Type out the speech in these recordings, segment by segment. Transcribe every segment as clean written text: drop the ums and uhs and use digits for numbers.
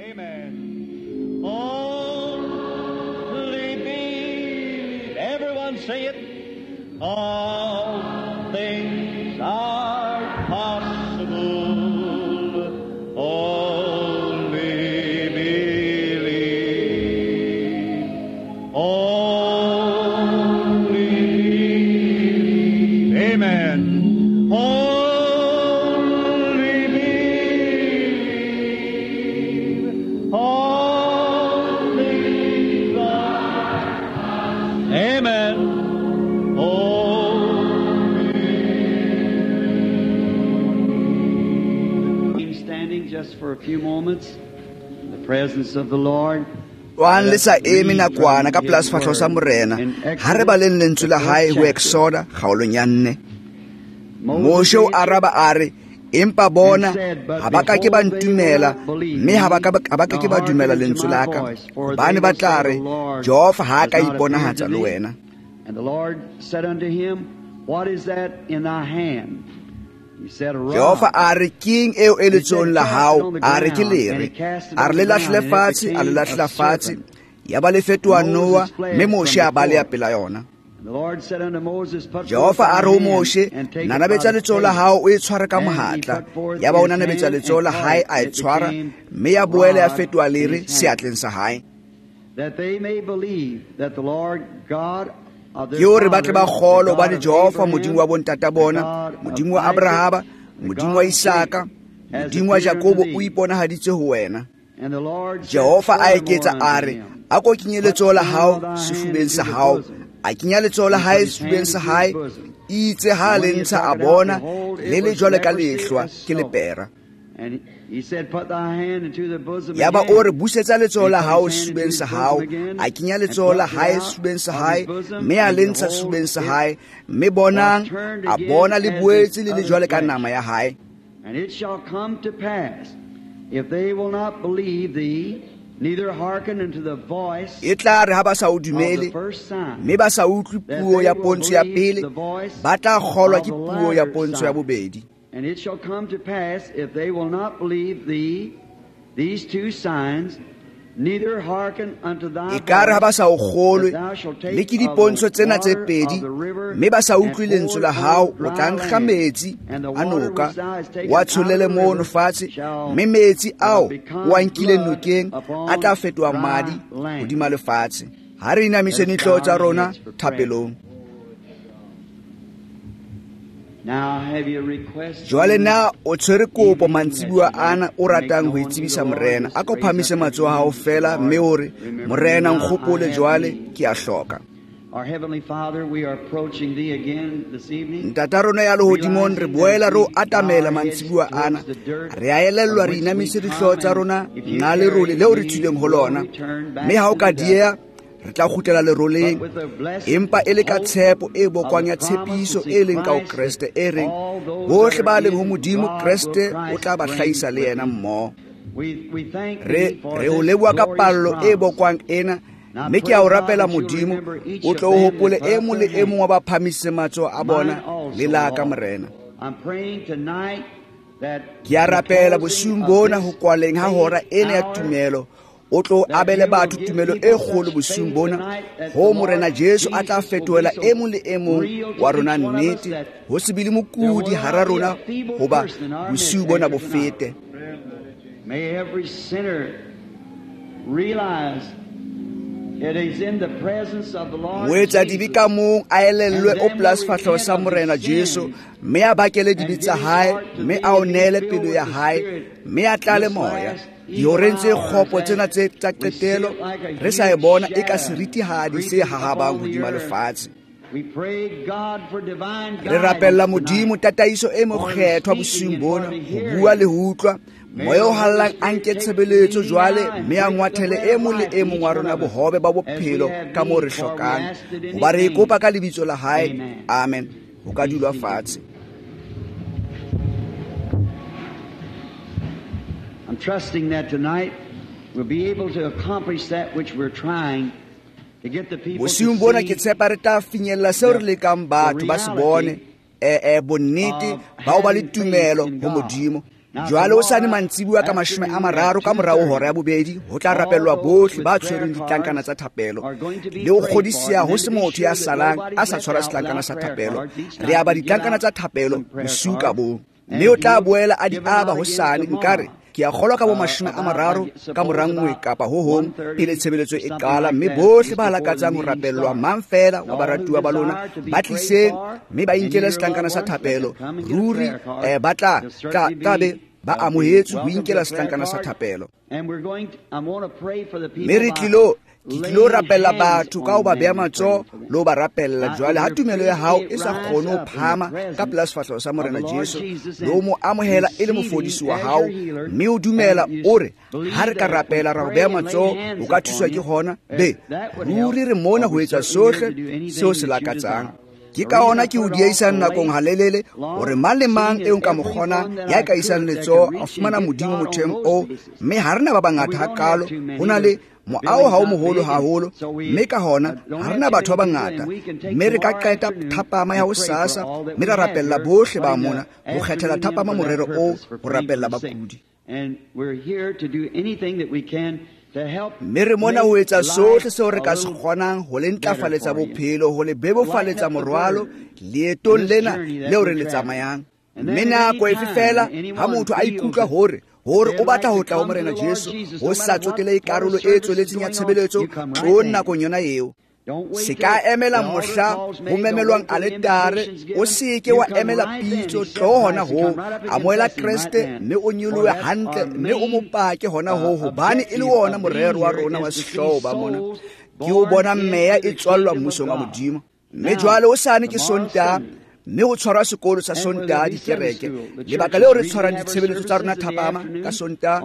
Amen. Only believe. Everyone say it. All things are possible. Only believe. Only believe. Amen. Only believe. All things are. Amen. Only. Standing just for a few moments in the presence of the Lord. Wa le sa eme nakwana ka pela sefahleho sa Morena. Ha re baleng lentswe la hae ho Exoda kgaolong ya 4. Moshe o araba a re, empa bona ha ba ka ke ba ntumela, mme ha ba ka ke ba dumela lentswe la ka, hobane ba tla re, Jehova ha a ka iponahatsa le wena. And the Lord said unto him, What is that in thy hand? He said, A rod. Jehova a re, keng eo e letsohong la hao? A re, ke lere. A re, le lahlele fatshe. A le lahlela fatshe, ya ba le fetoha noa, mme Moshe a baleha pela yona. And the Lord said unto Moses, Put forth Jehova thy a re ho hand Moshe, and take it by nanabetsa the letsoho la tail. hao o e tshware ka mohatla. Ya ba o nanabetsa letsoho la hae, a e tshwara, mme ya boela ya fetoha lere seatleng sa hae. That they may believe that the Lord God of their Ke hore ba tle ba fathers, the kgolwe God hobane of Jehova Abraham, Modimo wa bontata the bona, God of Modimo wa Isaac, Abrahama, the Modimo God wa of Isaka, Jacob, has Modimo wa appeared unto Jakobo thee. o iponahaditse ho wena. And the Lord said Jehova a furthermore eketsa unto a re, him, a ko kenye Put letsoho la now hao thy hand sefubeng into sa the hao. bosom. A kenya letsoho la He hae put his sefubeng hand sa into his hae. bosom. Itse ha And le when he had ntsha a took it out, bona, behold, le it le was jwale ka leprosy lehlwa, as ke snow. lepera. And he said, Put thy hand into the bosom Ya ba o re, again. busetsa letsoho And he la put hao his hand sefubeng into his sa hao. bosom again, A kenya and letsoho la plucked it hae out sefubeng sa of hae, his bosom, mme a and le ntsha behold, sefubeng sa it hae. Mme was bonang, turned a again bona le as his boetse le le other jwale ka flesh. nama ya hae. And it shall come to pass, if they will not believe thee, neither hearken unto the voice E tla re ha ba sa o of the dumele, first sign, mme ba sa utlwe that puo they ya will pontsho ya believe pele, the voice ba tla kgolwa of ke the puo ya latter pontsho ya sign. bobedi. And it shall come to pass, if they will not believe thee, these two signs, neither hearken unto thy E ka re ha ba voice, sa o kgolwe, that thou shalt le take ke of the dipontsho tsena tse water pedi, of the river mme ba sa and utlwe pour lentswe it la hao, on o tla dry nkga land, metsi and the a water noka, which thou hast taken wa out of tsholele the mono river fatshe, shall mme metsi ao become o a nkileng blood nokeng a upon tla fetoha dry madi land. hodima lefatshe. Ha re Let inamiseng us dihlooho bow tsa our rona heads for prayer. thapelong. Now have you request Jwale in na this o tshwere kopo evening that mantsibuya you'd like ana o to make ratang ho known to itsebisa the Lord? Morena? Just A ko raise phahamise up your matsoho a hao hands and say, feela, mme Lord, o re, remember me Morena, now, I nkgopole have jwale, need. ke a hloka. Our Heavenly Father, we are approaching Thee again this evening, Ntata rona ya lehodimong, re realizing that boela if re o we bow atamela our heads mantsibuya towards ana. the dirt Re a elellwa from re which we inamise dihlooho come, tsa and rona if you nqa lerole tarry, leo re we tswileng ho will lona. return Mme back ha o to ka the dust. dieha, re tla kgutlela But leroleng. with the blessed Empa e le ka hope tshepo e of bokwang the ya promise tshepiso to e see leng ka ho Christ, Kreste that e reng, all those that bohle are ba leng ho in Modimo, God will Kreste o Christ tla ba bring hlahisa le with yena him. mmoho. We thank Re Thee for re o this leboha ka glorious pallo e promise. bokwang ena, And I mme ke pray, a o God, rapela that you'll Modimo, remember each o of tlo o them that hopole put e up mong their le e mong wa hand. ba phahamisitseng matsoho a Mine bona also, le la ka Lord. Morena. I'm praying tonight that Ke a the rapela closing bosiung of bona this ho kwaleng ha faith hora ena ya hour, tumelo, o tlo that abele you will batho give tumelo e people kgolo such bosiung faith bona, tonight that the ho Morena Lord Jesu a tla Jesus will be fetohela so e mong le e mong real wa to rona each one of us nnete, that ho se be le there will mokudi hara not be a rona, feeble hoba person in our midst bosiu bona bo after tonight. fete. May every sinner realize it is in the presence of the Lord Moetsadibe Jesus ka mong a and elellwe o then pela will sefahleho repent sa of his Morena Jesu, sins mme a bakele and dibe give tsa his hae, heart to mme thee a o and be neele filled pelo with ya the hae, Spirit mme a tlale this moya. last evil Dihoreng tse hour kgopo tsena as tse tsa we see qetelo, it like a re sa e huge bona e ka shadow seritihadi se creeping hahabang upon the hodima earth. lefatshe. We pray God for divine Re rapella guidance Modimo tonight, tataiso e for the mokgethwa speaking bosiung and for bona, the ho bua hearing. le ho utlwa. May Moya the o Holy hallang a Spirit nke take the tshebeletso leading jwale, now and mme a break the ngwathele bread e of mong le life e to mong each wa one rona of us bohobe ba as we bophelo have ka moo re need, for we hlokang. asked it in Hoba His re e name. kopa ka lebitso la hae. Amen. Amen. Ho ka Be dulwa seated. fatshe. I'm trusting that tonight we'll be able to accomplish that which we're trying to get the people to Bosiung bona ke see tshepa re tla finyella seo re the, lekang the batho ba se bone, reality bonnete of ba ho ba le having faith tumelo in ho God. Modimo. Jwale hosane mantsibuya ka 30 ka morao hora ya bobedi ho tla rapellwa bohle ba tshwereng ditlankana tsa thapelo le ho kgodisiha ho se motho ya salang a sa tshwara setlankana sa thapelo. Re aba ditlankana tsa thapelo bosiu ka bong, mme o tla boela a di aba hosane. Nkare ke a kgolwa ka bo 30 ka mora nngwe kapa ho hong pele tshebeletso e qala, mme bohle ba lakatsang ho rapellwa mang fela wa baratuwa ba lona ba tliseng mme ba inkele setlankana sa thapelo. Ruri ba tla be ba amohetswe ho inkela setlankana sa thapelo. Mme re tlilo ke tlilo rapella batho ka ho ba beha matsoho le ho ba rapella. Jwale ha tumelo ya hao e sa kgone ho phahama ka pela sefahleho sa Morena Jesu le ho mo amohela e le mofodisi wa hao, mme o dumela o re ha re ka rapela ra ho beha matsoho o ka thuswa ke hona, be ruri re mona ho etsa sohle seo se lakatsang. Ke ka ona ke o dieisang nakong halelele hore mang le mang eo nka mo kgonang ya ka isang letsoho a fumana Modimo motheong oo, mme ha re na ba bangata hakalo. Ho na le moaho ha o moholo haholo, mme ka hona ha re na batho ba bangata, mme re ka qeta thapama ya hosasa mme ra rapella bohle ba mona ho kgethela thapama morero oo ho rapella bakudi. Mme re mona ho etsa sohle seo re ka se kgonang ho le ntlafaletsa bophelo, ho le bebofaletsa morwalo leetong lena leo re le tsamayang. Mme nako efe fela ha motho a ikutlwa hore o batla ho tla ho Morena Jesu, ho sa tsotelehe karolo e tsweletseng ya tshebeletso, tlo nakong yona eo. Se ka emela mohla ho memelwang aletare, o seke wa emela pitso, tlo hona ho amohela Kreste mme o nyolohe hantle mme o mo pake hona ho, hobane e le wona morero wa rona wa sehlooho ba mona ke o bona meya e tswallwa mmusong wa Modimo. Mme jwale hosane ke Sontaha, mme ho tshwarwa sekolo sa Sontaha dikereke. Lebaka leo re tshwarang ditshebeletso tsa rona thapama ka Sontaha,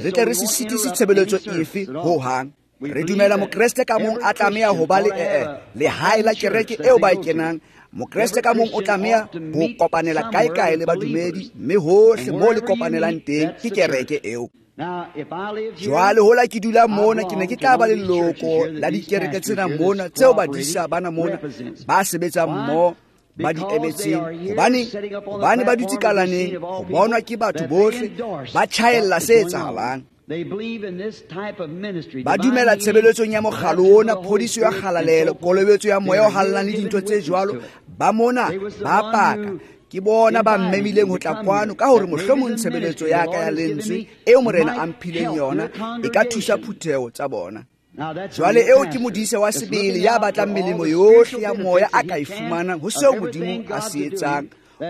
re tle re se sitise tshebeletso efe ho hang. Re dumela mokreste ka mong a tlameha ho ba le lehae la kereke eo ba e kenang. Mokreste ka mong o tlameha ho kopanela kae-kae le badumedi, mme hohle moo le kopanelang teng ke kereke eo. Jwale hola ke dula mona, ke ne ke tla ba leloko la dikereke tsena mona tseo badisa bana mona ba sebetsang mmoho ba di emetseng, hobane ba dutse kalaneng ho bonwa ke batho bohle, ba tjhaella se etsahalang. Ba dumela tshebeletsong ya mokgalo ona, phodiso ya kgalalelo, kolobetso ya moya o hallang le dintho tse jwalo. Ba mona ba paka, ke bona ba mmemileng ho tla kwano ka hore mohlomong tshebeletso ya ka ya lentswe eo Morena a mphileng yona e ka thusa phutheho tsa bona. Jwale eo ke modisa wa sebele ya batlang melemo yohle ya moya a ka e fumanang ho seo Modimo a se etsang.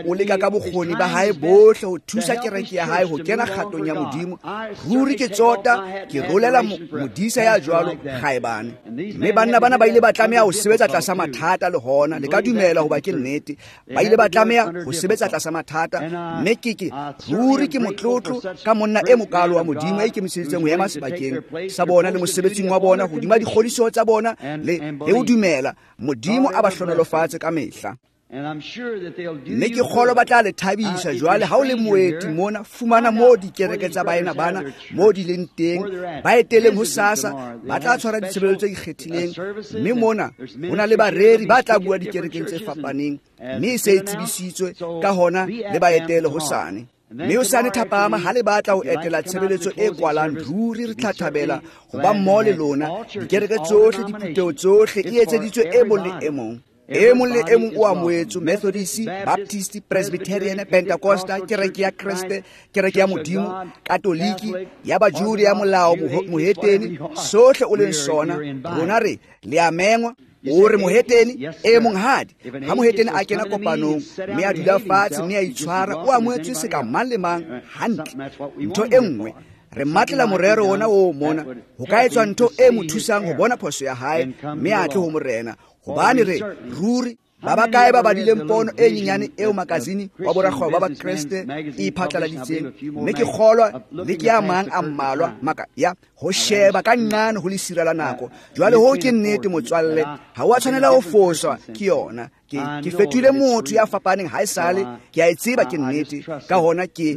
O leka ka bokgoni ba hae bohle ho thusa kereke ya hae ho kena kgatong ya Modimo. Ruri ke tsota ke rolela modisa ya jwalo kgaebane. Mme banna bana ba ile ba tlameha ho sebetsa tlasa mathata le hona, le ka dumela hoba ke nnete. Ba ile ba tlameha ho sebetsa tlasa mathata, mme ke ruri ke motlotlo ka monna e mokalo wa Modimo a ikemiseditseng ho ema sebakeng sa bona le mosebetsing wa bona hodima dikgodiso tsa bona le ho dumela Modimo a ba hlohonolofatse ka mehla. Mme ke kgolwa ba tla le thabisa. Jwale ha o le moeti mona, fumana moo dikereke tsa baena bana moo di leng teng, ba eteleng hosasa, ba tla tshwara ditshebeletso tse ikgethileng. Mme mona ho na le bareri ba tla bua dikerekeng tse fapaneng, mme e se e tsebisitswe, ka hona le ba etele hosane. Mme hosane thapama ha le batla ho etela tshebeletso e kwalang, ruri re tla thabela ho ba mmoho le lona. Dikereke tsohle, diphutheho tsohle e etseditswe e mong le e mong. E mong le e mong o amohetswe, Methodist, Baptist, Presbyterian, Pentecosta, kereke ya Kreste, kereke ya Modimo, Katoliki, ya Bajude, ya molao, mohetene, sohle o leng sona. Rona re le a mengwa. O re mohetene e monghadi, ha mohetene a kena kopanong mme a dula fatshe mme a itshwara, o amohetswe se ka mang le mang hantle. Ntho e nngwe re matlela morero ona o mona, ho ka etswa ntho e mo thusang ho bona phoso ya hae mme a tle ho Morena. Hobane re ruri ba bakae ba badileng pono e nyenyane eo makazini wa borakgwebo ba Bakreste e iphatlaladitseng, mme ke kgolwa le ke a mang a mmalwa maka ya ho sheba ka nqane ho lesira la nako. Jwale ho ke nnete motswalle, ha o a tshwanela ho foswa ke yona. Ke fetohile motho ya fapaneng haesale, ke a e tseba ke nnete. Ka hona ke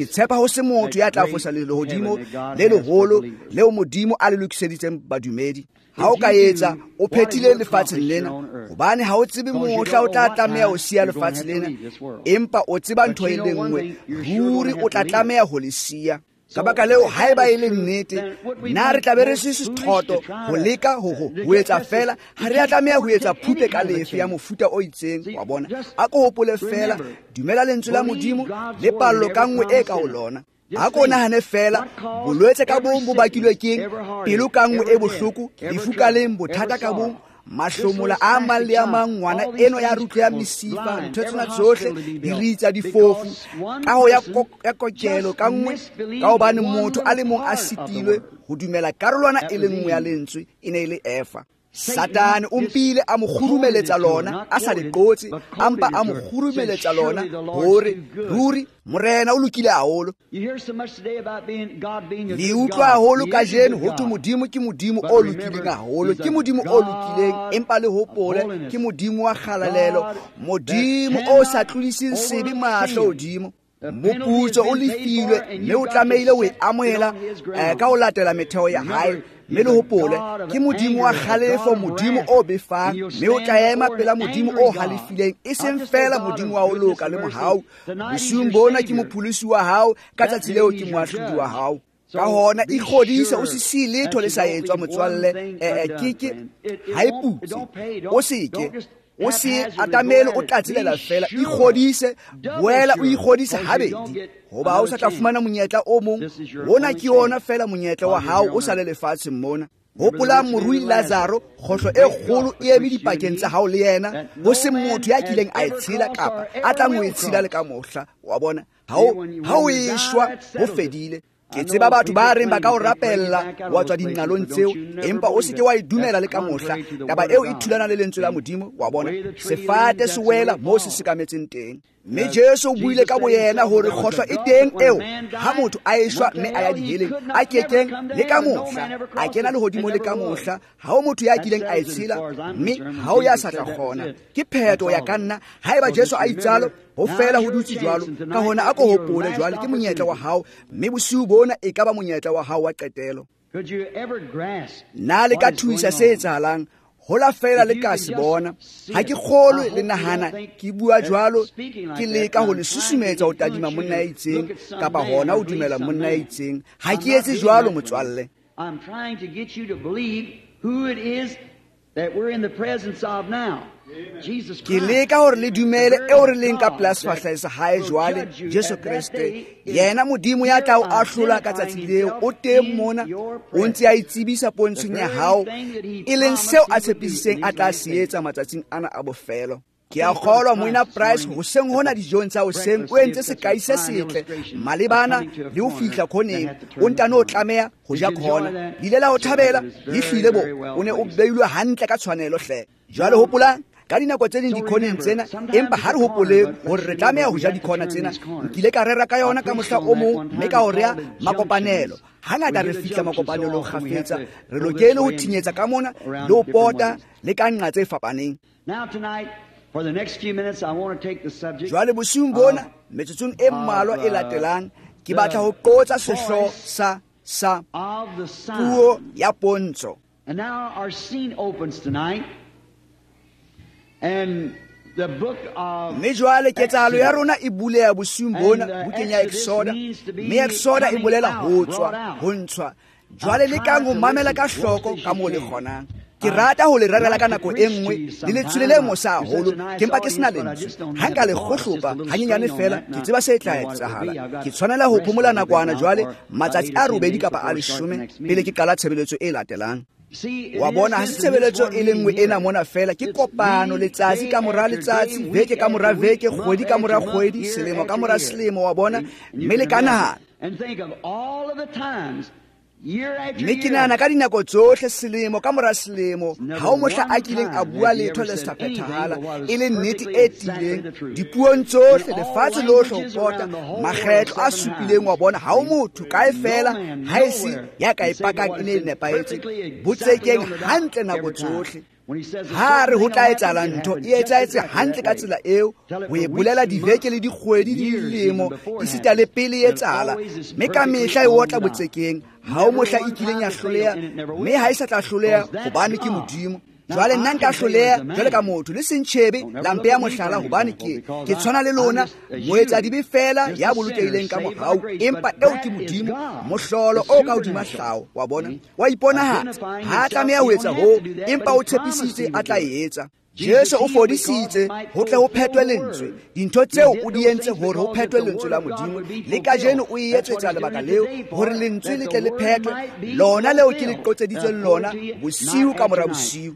tshepa ho se motho ya tla fosa lehodimo le leholo leo Modimo a le lokiseditseng badumedi. Ha o ka etsa, o phethile lefatsheng lena, hobane ha o tsebe mohla o tla tlameha ho siya lefatshe lena, empa o tseba ntho e le nngwe, ruri o tla tlameha ho le siya. Ka baka leo, haeba e le nnete, na re tla be re se sethoto ho leka ho etsa fela, ha re a tlameha ho etsa phupe ka lefe ya mofuta o itseng, wa bona. A ko hopole fela, dumela lentswe la Modimo le pallo ka nngwe e ka ho lona. A ko nahane fela, bolwetse ka bong bo bakilwe keng, pelo ka nngwe e bohloko, lefu ka leng, bothata ka bong, mahlomola a mang le a mang, ngwana eno ya rutlo ya mesifa, ntho tsena tsohle, diritsa, difofu, kaho ya kokelo ka nngwe, ka hobane motho a le mong a sitilwe ho dumela karolwana e le nngwe ya lentswe, e ne e le Efa. Satane o mpile a mo kgurumeletsa lona, a sa le qotse, a mpa a mo kgurumeletsa lona hore ruri Morena o lokile haholo. Le utlwa haholo kajeno ho thwe Modimo ke Modimo o lokileng haholo, ke Modimo o lokileng, empa le hopole ke Modimo wa kgalalelo, Modimo o sa tlodiseng sebe mahlo hodimo. Moputso o lefilwe mme o tlamehile ho e amohela ka ho latela metheo ya hae. Mme le hopole ke Modimo wa kgalefo, Modimo o befang, mme o tla ema pela Modimo o halefileng, e seng fela Modimo wa ho loka le mohau. Bosiung bona ke mopholosi wa hao, ka tsatsi leo ke moahlodi wa hao. Ka hona ikgodise, o se siye letho le sa etswa motswalle, ke ha e putse, o seke o se atamele o tlatselela fela, ikgodise, boela o ikgodise habedi, hoba o sa tla fumana monyetla o mong. Ona ke yona fela monyetla wa hao o sa le lefatsheng mona. Hopola morui Lazaro, kgohlo e kgolo e eme dipakeng tsa hao le yena, ho se motho ya kileng a e tshela kapa a tlang ho e tshela le ka mohla. Wa bona, ha o eshwa ho fedile. Ke tseba batho ba reng ba ka o rapella wa tswa dinqalong tseo, empa o se ke wa e dumela le ka mohla. Taba eo e thulana le lentswe la Modimo, wa bona. Sefate se wela moo se sekametseng teng. Mme Jesu o buile ka boyena hore kgohlo e teng eo ha motho a eshwa mme a ya diheleng, a kekeng le ka mohla a kena lehodimo le ka mohla. Ha o motho ya kileng a e tshela, mme ha o ya sa tla kgona. Ke phetho ya ka nna, haeba Jesu a itsalo, ho fela ho dutse jwalo. Ka hona a ko hopole jwale ke monyetla wa hao, mme bosiu bona e ka ba monyetla wa hao wa qetelo. Na le ka thuisa se etsahalang? Hola fela le ka se bona. Ha ke kgolwe le nahana ke bua jwalo, ke leka ho le susumetsa ho tadima monna ya itseng kapa hona ho dumela monna ya itseng. Ha ke etse jwalo motswalle. I'm trying to get you to believe who it is that we're in the presence of now. Ke leka hore le dumele eo re leng ka pela sefahleho sa hae jwale, Jesu Kreste, yena Modimo ya tla o ahlola ka tsatsi leo. O teng mona, o ntse a itsebisa pontshong ya hao, e leng seo a tshepisitseng a tla se etsa matsatsing ana a bofelo. Ke a kgolwa Moena Price hoseng hona dijong tsa hoseng o entse sekai se setle malebana le ho fihla khoneng, o ntano o tlameha ho ja khona. Le ile la ho thabela, le hlile bo, o ne o beilwe hantle ka tshwanelo hle. Jwale hopolang ka dinako tse ding dikhoneng tsena, empa ha re hopoleng hore re tlameha ho ja dikhona tsena. Nkile ka rera ka yona ka mohla o mong, mme ka ho rea makopanelo. Hangata re fihla makopanelong kgafetsa, re lokele ho thinyetsa ka mona le ho pota le ka nqa tse fapaneng. Jwale bosiung bona, metsotsong e mmalwa e latelang, ke batla ho qotsa sehlooho sa puo ya pontsho. And now our scene opens tonight. And the book of Mme jwale ketsahalo ya rona e buleha bosiung bona bukeng ya Exoda, mme Exoda e bolela ho tswa, ho ntshwa. Jwale lekang ho mamela ka hloko ka moo le kgonang. Ke rata ho le rerela ka nako e nngwe le letshwele le mosa haholo, ke mpa ke sena lentswe. Ha nka le kgohlopa hanyenyane fela, ke tseba se tla etsahala. Ke tshwanela ho phomola nakwana jwale, matsatsi a 8 kapa a 10 pele ke qala tshebeletso e latelang. Wa bona, ha se tshebeletso e le nngwe ena mona fela, ke kopano letsatsi ka mora letsatsi, veke ka mora veke, kgwedi ka mora kgwedi, selemo ka mora selemo, wa bona, mme le ka nahana. Mme ke nahana ka dinako tsohle, selemo ka mora selemo, ha o mohla a kileng a bua letho le sa phethahala, e le nnete e tiileng dipuong tsohle, lefatshe lohle ho pota, makgetlo a supileng, wa bona, ha o motho kae fela ha e se ya ka e pakang e ne e nepahetse, botsekeng hantle nako tsohle. Ha re ho tla etsahala ntho e etsahetse hantle ka tsela eo, ho e bolela diveke le dikgwedi le dilemo esita le pele e etsahala, mme ka mehla e otla botsekeng. Ha o mohla e kileng ya hloleha, mme ha e sa tla hloleha hobane ke Modimo. Jwale nna nka hloleha jwale ka motho, le sentjhebe la mpeya mohlala, hobane ke tshwana le lona, moetsadibe fela ya bolokehileng ka mohau, empa eo ke Modimo, mohlolo o ka hodima hlaho. Wa bona, wa iponahatsa. Ha a tlameha ho etsa hoo, empa o tshepisitse a tla e etsa. Jesu o fodisitse ho tle ho phethwe lentswe. Dintho tseo o di entse hore ho phethwe lentswe la Modimo. Le kajeno o e etsetsa lebaka leo, hore lentswe le tle le phethwe. Lona leo ke le qotseditsweng lona bosiu ka mora bosiu.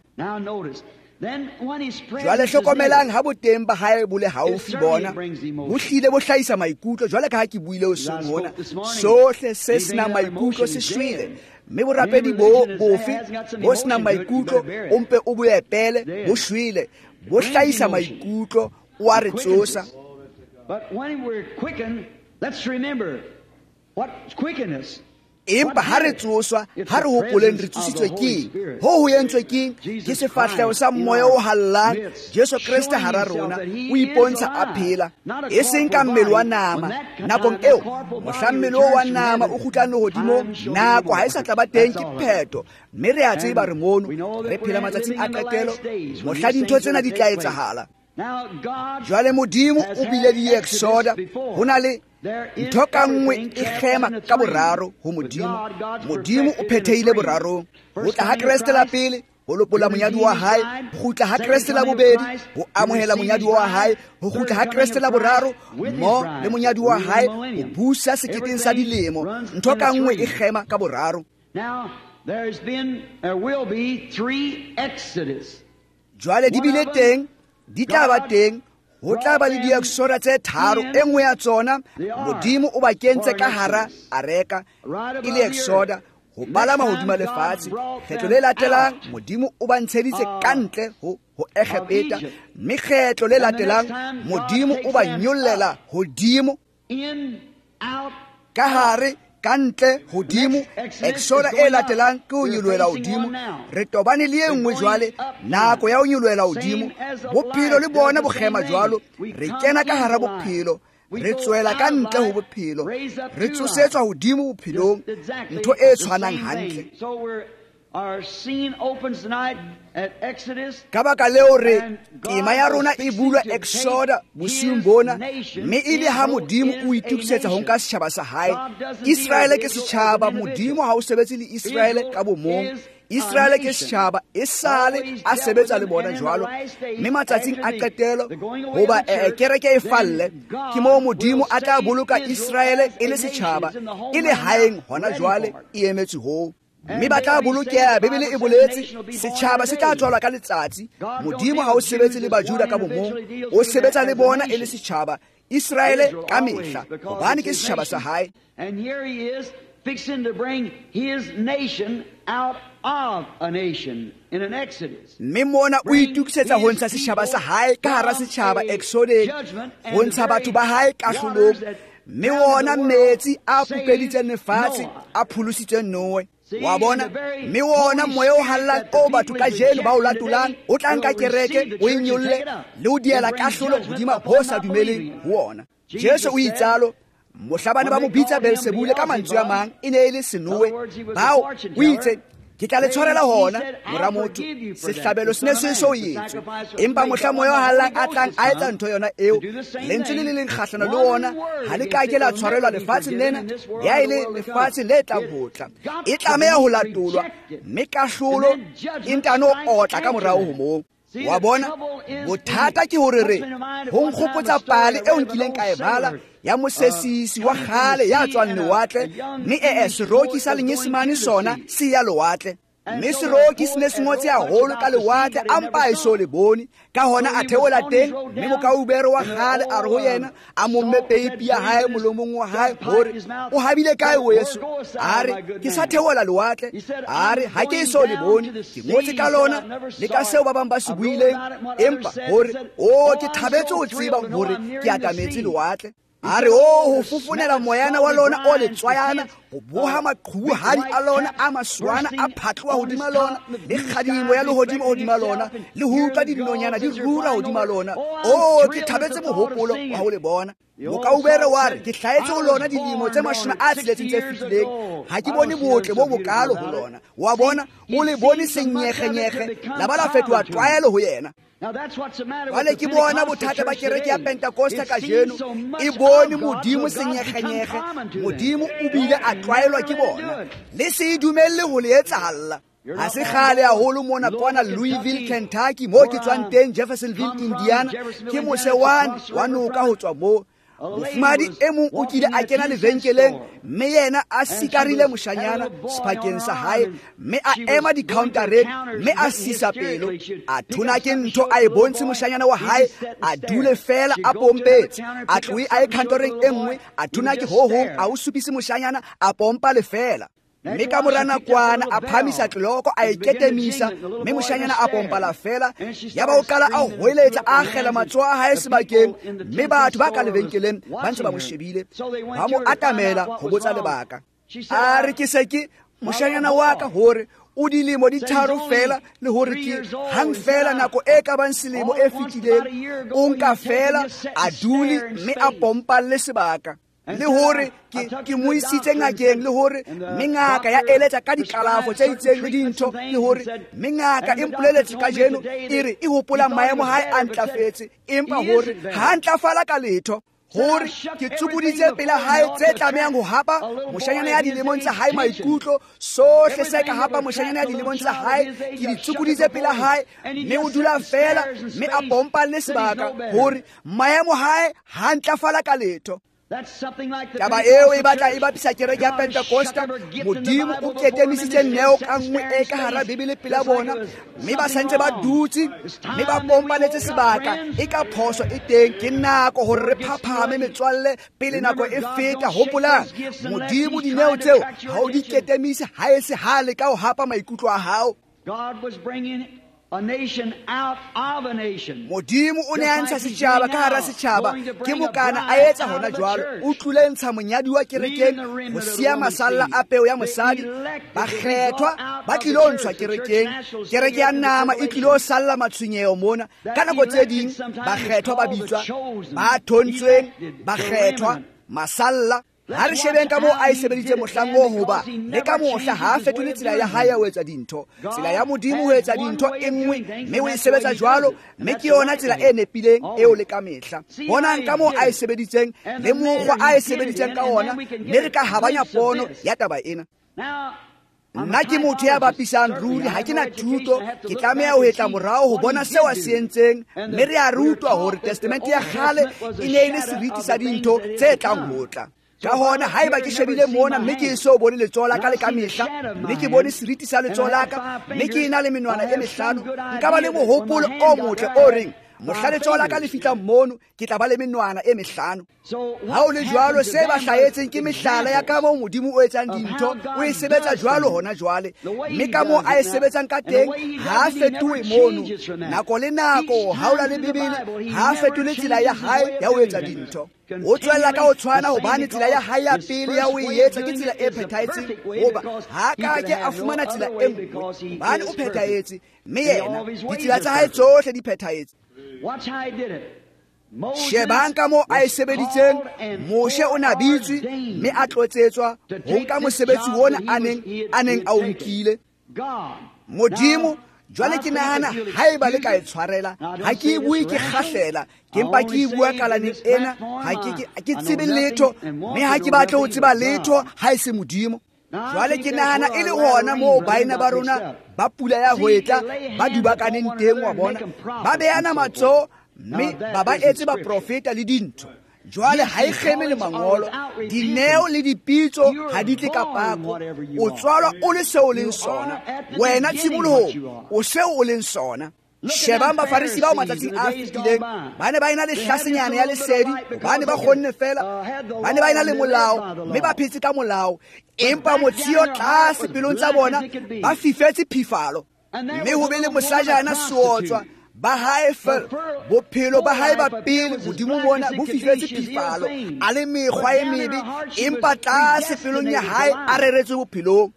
Jwale hlokomelang ha boteng ba hae bo le haufi bona, bo hlile bo hlahisa maikutlo. Jwale ka ha ke buile hoseng hona, sohle se senang maikutlo se shwele. Mme borapedi bo bofe bo senang maikutlo o mpe o bo epele, bo shwele. Bo hlahisa maikutlo, o a re tsosa. Empa ha re tsoswa, ha re hopoleng re tsositswe keng? Ho ho entswe keng? Ke sefahleho sa moya o hallang, Jesu Kreste hara rona, o ipontsha a phela, e seng ka mmele wa nama. Nakong eo, mohla mmele o wa nama o kgutlang lehodimong, nako ha e sa tla ba teng, ke phetho. Mme re a tseba re mono, re phela matsatsing a qetelo, mohla dintho tsena di tla etsahala. Jwale Modimo o bile le Exoda, ho na le ntho ka nngwe e kgema ka boraro ho Modimo. Modimo o phethehile borarong. Ho tla ha Kreste la pele, ho lopolla monyadi wa hae. Ho kgutla ha Kreste la bobedi, ho amohela monyadi wa hae. Ho kgutla ha Kreste la boraro, mo le monyadi wa hae, ho busa seketeng sa dilemo. Ntho ka nngwe e kgema ka boraro. Jwale di bile teng, di tla ba teng. Ho tla ba le diexoda tse tharo. E nngwe ya tsona, Modimo o ba kentse ka hara areka e le exoda, ho palama hodima lefatshe. Kgetlo le latelang, Modimo o ba ntsheditse ka ntle ho Egepeta, mme kgetlo le latelang, Modimo o ba nyollela hodimo, ka hare, ka ntle, hodimo. Exoda e latelang ke ho nyolohela hodimo. Re tobane le e nngwe jwale, nako ya ho nyolohela hodimo. Bophelo le bona bo kgema jwalo. Re kena ka hara bophelo, re tswela ka ntle ho bophelo, re tsosetswa hodimo bophelong, ntho e tshwanang hantle. Ka baka leo re tema ya rona e bulwa Exoda bosiung bona, mme e le ha Modimo o itokisetsa ho nka setjhaba sa hae. Israele ke setjhaba, Modimo ha o sebetse le Israele ka bomong. Israele ke setjhaba, esale a sebetsa le bona jwalo. Mme matsatsing a qetelo, hoba kereke e falle, ke moo Modimo a tla boloka Israele e le setjhaba, e le haeng hona jwale e emetse hoo. Mme ba tla bolokeha. Bibele e boletse setjhaba se tla tswalwa ka letsatsi. Modimo ha o sebetse le Bajuda ka bomong, o sebetsa le bona e le setjhaba, Israele ka mehla, hobane ke setjhaba sa hae. Mme mona o itokisetsa ho ntsha setjhaba sa hae ka hara setjhaba Exodeng, ho ntsha batho ba hae kahlolong. Mme wona metsi a pupeditseng lefatshe a pholositseng Noe. Wa bona, mme wona moya o hallang o batho kajeno ba o latolang, o tla nka kereke, o e nyolle le ho diela kahlolo hodima ho sa dumeleng ho wona. Jesu o itsalo, mohla bana ba mo bitsa Beelsebule, ka mantswe a mang e ne e le Senoe. Bao o itse, ke tla le tshwarela hona, mora motho, sehlabelo se ne se so etswe. Empa mohla moya o hallang a tlang a etsa ntho yona eo, lentswe le le leng kgahlano le wona ha le ka ke la tshwarelwa lefatsheng lena, ya e le lefatshe le tlang ho tla. E tlameha ho latolwa, mme kahlolo e ntano otla ka morao ho moo. Wa bona, bothata ke hore re ho nkgopotsa pale eo nkileng ka e bala ya mosesisi wa kgale ya tswang lewatle, mme seroki sa lenyesemane sona se ya lewatle. Mme seroki se ne se ngotse haholo ka lewatle, a mpa e so le bone. Ka hona a theola teng, mme mokaubere wa kgale a re ho yena, a momme peipi ya hae molomong wa hae, hore o habile kae weso? A re, ke sa theola lewatle. A re, ha ke so le bone, ke ngotse ka lona le ka seo ba bang ba se buileng, empa hore o ke thabetse ho tseba hore ke atametse lewatle. A re o ho fofonela moyana wa lona o letswayana, ho boha maqhubuhadi a lona a maswana a phatloha hodima lona, le kgadimo ya lehodimo hodima lona, le ho utlwa dinonyana di rura hodima lona. O ke thabetse mohopolo wa ho le bona. Mokaubere wa re ke hlahetse ho lona dilemo tse 60 tse fetileng, ha ke bone botle bo bokalo ho lona. Wa bona, o le bone senyegenyege la ba la fetoha tlwaelo ho yena. Jwale ke bona bothata ba kereke ya Pentecosta kajeno, e bone Modimo senyegenyege, Modimo o bile a tlwaelwa ke bona. Le se e dumelle ho le etsahalla. Ha se kgale haholo mona kwana Louisville, Kentucky, moo ke tswang teng, Jeffersonville, Indiana, ke mose wane wa noka ho tswa moo. Mofumahadi e mong o kile a kena lebenkeleng, mme yena a sikarile moshanyana sephakeng sa hae, mme a ema di-countereng, mme a sisa pelo. A thona ke ntho a e bontshe moshanyana wa hae, a dule fela a pompetse. A tlohe a ye countereng e nngwe, a thona ke ho hong, a o supise moshanyana, a pompa lefela. Mme ka mora nakwana a phamisa tleloko, a e ketemisa, mme moshanyana a pompala fela. Yaba o qala a hweletsa, a akgela matsoho a hae sebakeng, mme batho ba ka lebenkeleng ba ntse ba mo shebile, ba mo atamela ho botsa lebaka. A re ke se ke moshanyana wa ka hore o dilemo di 3 fela, le hore ke hang fela nako e ka bang selemo e fetileng, o nka fela a dule mme a pompalle sebaka. Le hore ke mo isitse ngakeng, le hore mme ngaka ya eletsa ka dikalafo tse itseng le dintho, le hore mme ngaka e mpoleletse kajeno e re e hopola maemo hae a ntlafetse, empa hore ha a ntlafala ka letho. Hore ke tsubuditse pela hae tse tlamehang ho hapa moshanyana ya dilemong tsa hae maikutlo, sohle se ka hapa moshanyana ya dilemong tsa hae, ke di tsubuditse pela hae, mme o dula fela mme a pompalle sebaka, hore maemo hae ha ntlafala ka letho. Taba eo e batla e bapisa kereke ya Pentecosta. Modimo o ketemisitse neo ka nngwe e ka hara Bibele pela bona, mme ba santse ba dutse mme ba pompaletse sebaka. E ka phoso e teng, ke nako hore re phaphame metswalle pele nako e feta. Hopolang, Modimo dineo tseo ha o di ketemise ha e se ha le ka ho hapa maikutlo a hao. Modimo o ne a ntsha setjhaba ka hara setjhaba, ke mokana a etsa hona jwalo. O tlile ntsha monyadi wa kerekeng ho siya masalla a peo ya mosadi. Bakgethwa ba tlilo ntshwa kerekeng, kereke ya nama e tlilo salla matshwenyeho mona. Ka nako tse ding bakgethwa ba bitswa ba thontsweng, bakgethwa masalla. Ha re shebeng ka moo a e sebeditse mohlang oo, hoba le ka mohla ha a fetole tsela ya hae ya ho etsa dintho. Tsela ya Modimo ho etsa dintho e nngwe, mme o e sebetsa jwalo, mme ke yona tsela e nepileng eo le ka mehla. Bonang ka moo a e sebeditseng le mokgwa a e sebeditseng ka ona, mme re ka habanya pono ya taba ena. Nna ke motho ya bapisang ruri, ha ke na thuto, ke tlameha ho etla morao ho bona seo a se entseng, mme re a rutwa hore testamente ya kgale e ne e le seriti sa dintho tse tlang ho tla. Ka hona haeba ke shebile mona mme ke eso bone letsoho la ka le ka mehla, mme ke bone seriti sa letsoho la ka, mme ke ena le menwana e mehlano, nka ba le mohopolo o motle o reng mohla letsoho la ka le fihlang mono ke tla ba le menwana e mehlano. Ha o le jwalo, se ba hlahetseng ke mehlala ya ka moo Modimo o etsang dintho, o e sebetsa jwalo hona jwale, mme ka moo a e sebetsang ka teng ha a fetohe mono. Nako le nako ha o la le Bibele, ha a fetole tsela ya hae ya ho etsa dintho. O tswella ka ho tshwana, hobane tsela ya hae ya pele ya ho e etsa ke tsela e phethahetseng, hoba ha ka ke a fumana tsela e nngwe, hobane o phethahetse, mme yena ditsela tsa hae tsohle di phethahetse. Shebang ka moo a e sebeditseng. Moshe o na bitswe mme a tlotsetswa ho nka mosebetsi ona a neng a o nkile. Modimo jwale ke nahana haeba le ka e tshwarela, ha ke e bue ke kgahlela, ke mpa ke e bua kalaneng ena, ha ke tsebe letho, mme ha ke batle ho tseba letho ha e se Modimo. Jwale ke nahana e le hona moo baena ba rona ba pula ya hwetla ba dubakaneng teng, wa bona, ba beana matsoho mme ba ba etse baprofeta le dintho. Jwale ha e kgeme le mangolo, dineo le dipitso ha di tle ka pako. O tswalwa o le seo o leng sona, wena tshimolohong o seo o leng sona. Shebang Bafarisi bao matsatsing a fetileng, ba ne ba ena le hlasenyana ya lesedi, hobane ba kgonne fela, ba ne ba ena le molao, mme ba phetse ka molao, empa motsheo tlase pelong tsa bona ba fifetse phifalo. Mme ho be le mosajana seotswa, ba hae fela bophelo ba hae ba pele modimo mona bo fihletse phifalo a le mekgwa e mebe empa tlase pelong ya hae a reretswe bophelong.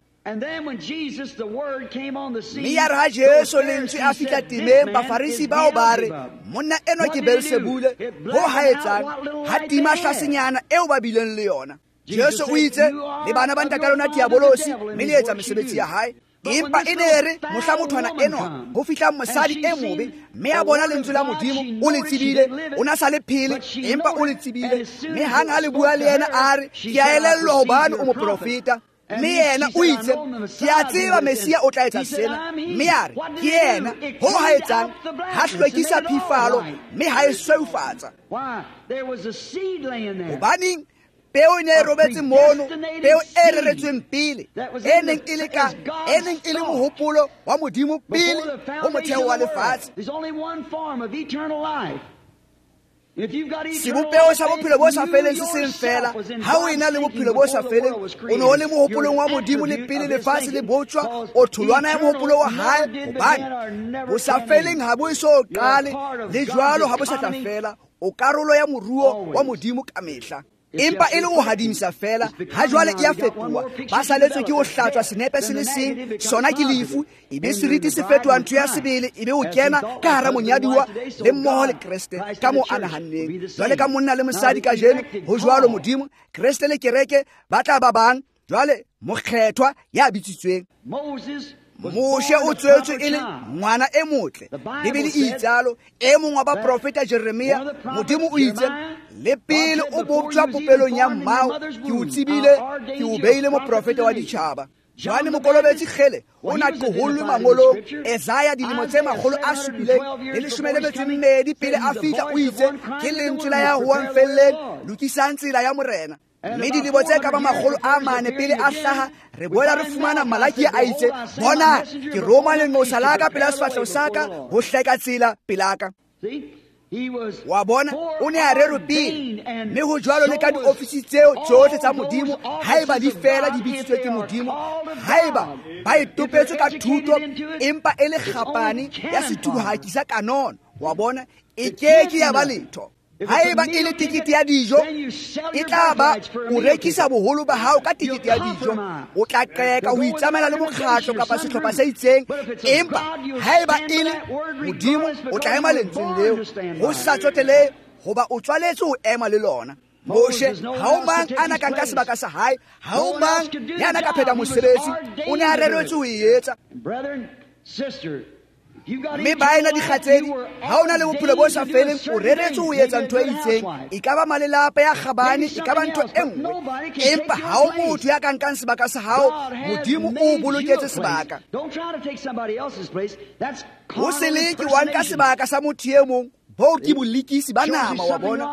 Mme ya re ha Jesu lentswe a fihla temeng, Bafarisi bao ba re, monna enwa ke Beelsebule, ho ha etsang ha tima hlasenyana eo ba bileng le yona. Jesu o itse, le bana ba ntata lona diabolosi, mme le etsa mesebetsi ya hae. Empa e ne re mohla mothwana enwa ho fihla mosadi e mobe, mme a bona lentswe la Modimo, o le tsebile, o na sa le phele, empa o le tsebile. Mme hang ha le bua le yena a re, ke a elellwa hobane o moprofeta. Mme yena o itse, ke a tseba Mesia o tla etsa sena. Mme a re, ke yena, ho ha etsang, ha hlwekisa phifalo, mme ha e sweufatsa. Hobaneng peo e ne e robetse mono, peo e reretsweng pele, e neng e le ka, e neng e le mohopolo wa Modimo pele ho motheo wa lefatshe. Sebopeho sa bophelo bo sa feleng se seng fela. Ha o ena le bophelo bo sa feleng, o ne o le mohopolong wa Modimo le pele lefatshe le botjwa, o tholwana ya mohopolo wa hae, hobane bo sa feleng ha bo eso qale, le jwalo ha bo sa tla fela, o karolo ya moruo wa Modimo kamehla. Empa e le ho hadimisa fela, ha jwale e a fetoha. Ba saletswe ke ho hlatswa senepe se le seng, sona ke lefu, ebe seriti se fetoha ntho ya sebele, ebe o kena ka hara monyaduwa le mmoho le Kreste ka moo a nahanneng. Jwale ka monna le mosadi kajeno, ho jwalo Modimo, Kreste le kereke ba tla ba bang. Jwale mokgethwa ya bitsitsweng. Moshe o tswetswe e le ngwana e motle. Bibele e itsalo, e mong wa baprofeta Jeremia, Modimo o itse, le pele o boptjwa popelong ya mmao, ke o tsebile, ke o beile moprofeta wa ditjhaba. Johanne Mokolobetsi kgele o na qohollwe mangolong. Esaya dilemo tse 712 pele a fihla o itse, ke lentswe la ya hoang felleng, lokisang tsela ya Morena. Mme dilemo tse ka ba 400 pele a hlaha, re boela re fumana Malaki a itse, bona, ke roma lenqosa la ka pela sefahleho sa ka ho hleka tsela pela ka. Wa bona, o ne a rerwe pele. Mme ho jwalo le ka diofisi tseo tsohle tsa Modimo, haeba di fela di bitsitswe ke Modimo, haeba ba e topetswe ka thuto, empa e le kgapane ya sethuhaki sa kanono, wa bona, e ke ke ya ba letho. Haeba e le tekete ya dijo, e tla ba o rekisa boholo ba hao ka tekete ya dijo. O tla qeka ho itsamaela le mokgatlo kapa sehlopha se itseng, empa haeba e le Modimo, o tla ema lentsweng leo, ho sa tsotelehe hoba o tswaletswe ho ema le lona. Moshe, ha o mang a na ka nka sebaka sa hae, ha o mang ya na ka phetha mosebetsi, o ne a reretswe ho e etsa. Mme baena dikgatsedi, ha o na le bophelo bo sa feleng, o reretswe ho etsa ntho e itseng, e ka ba malelapa ya kgabane, e ka ba ntho e nngwe, empa ha o motho ya ka nkang sebaka sa hao, Modimo o boloketse sebaka. Ho se leke wa nka sebaka sa motho e mong, boo ke bolikisi ba nama, wa bona,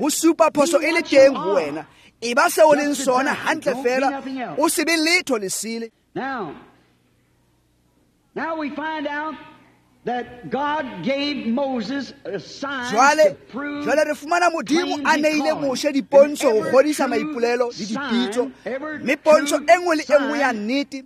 ho supa phoso e le teng ho wena. E ba seo o leng sona hantle fela, o se be letho lesele. Now we find out that God gave Moses a sign Jwale to prove jwale re fumana Modimo a neile Moshe dipontsho ho kgodisa maipolelo le dipitso, mme pontsho e nngwe le e nngwe ya nnete,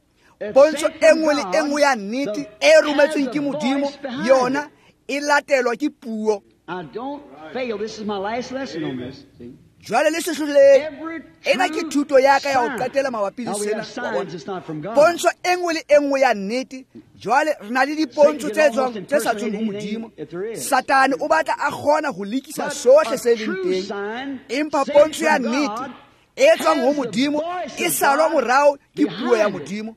pontsho e nngwe le e nngwe ya nnete e rometsweng ke Modimo, yona e latelwa ke puo. I don't fail. This is my last lesson on this. See? Jwale le sehlohloleng, Every ena ke true thuto ya ka ya ho sign. qetela mabapi le Now we sena, have wa signs, bona. it's not from God. Pontsho e nngwe le e nngwe ya nnete, jwale re na le dipontsho tse Satan can tswang almost tse sa tsweng ho impersonate anything Modimo. if there is. Satane o batla a kgona ho lekisa But sohle a se leng true teng, sign empa sent pontsho ya from nnete God e tswang ho has the Modimo voice e of salwa God morao ke puo ya behind it. Modimo.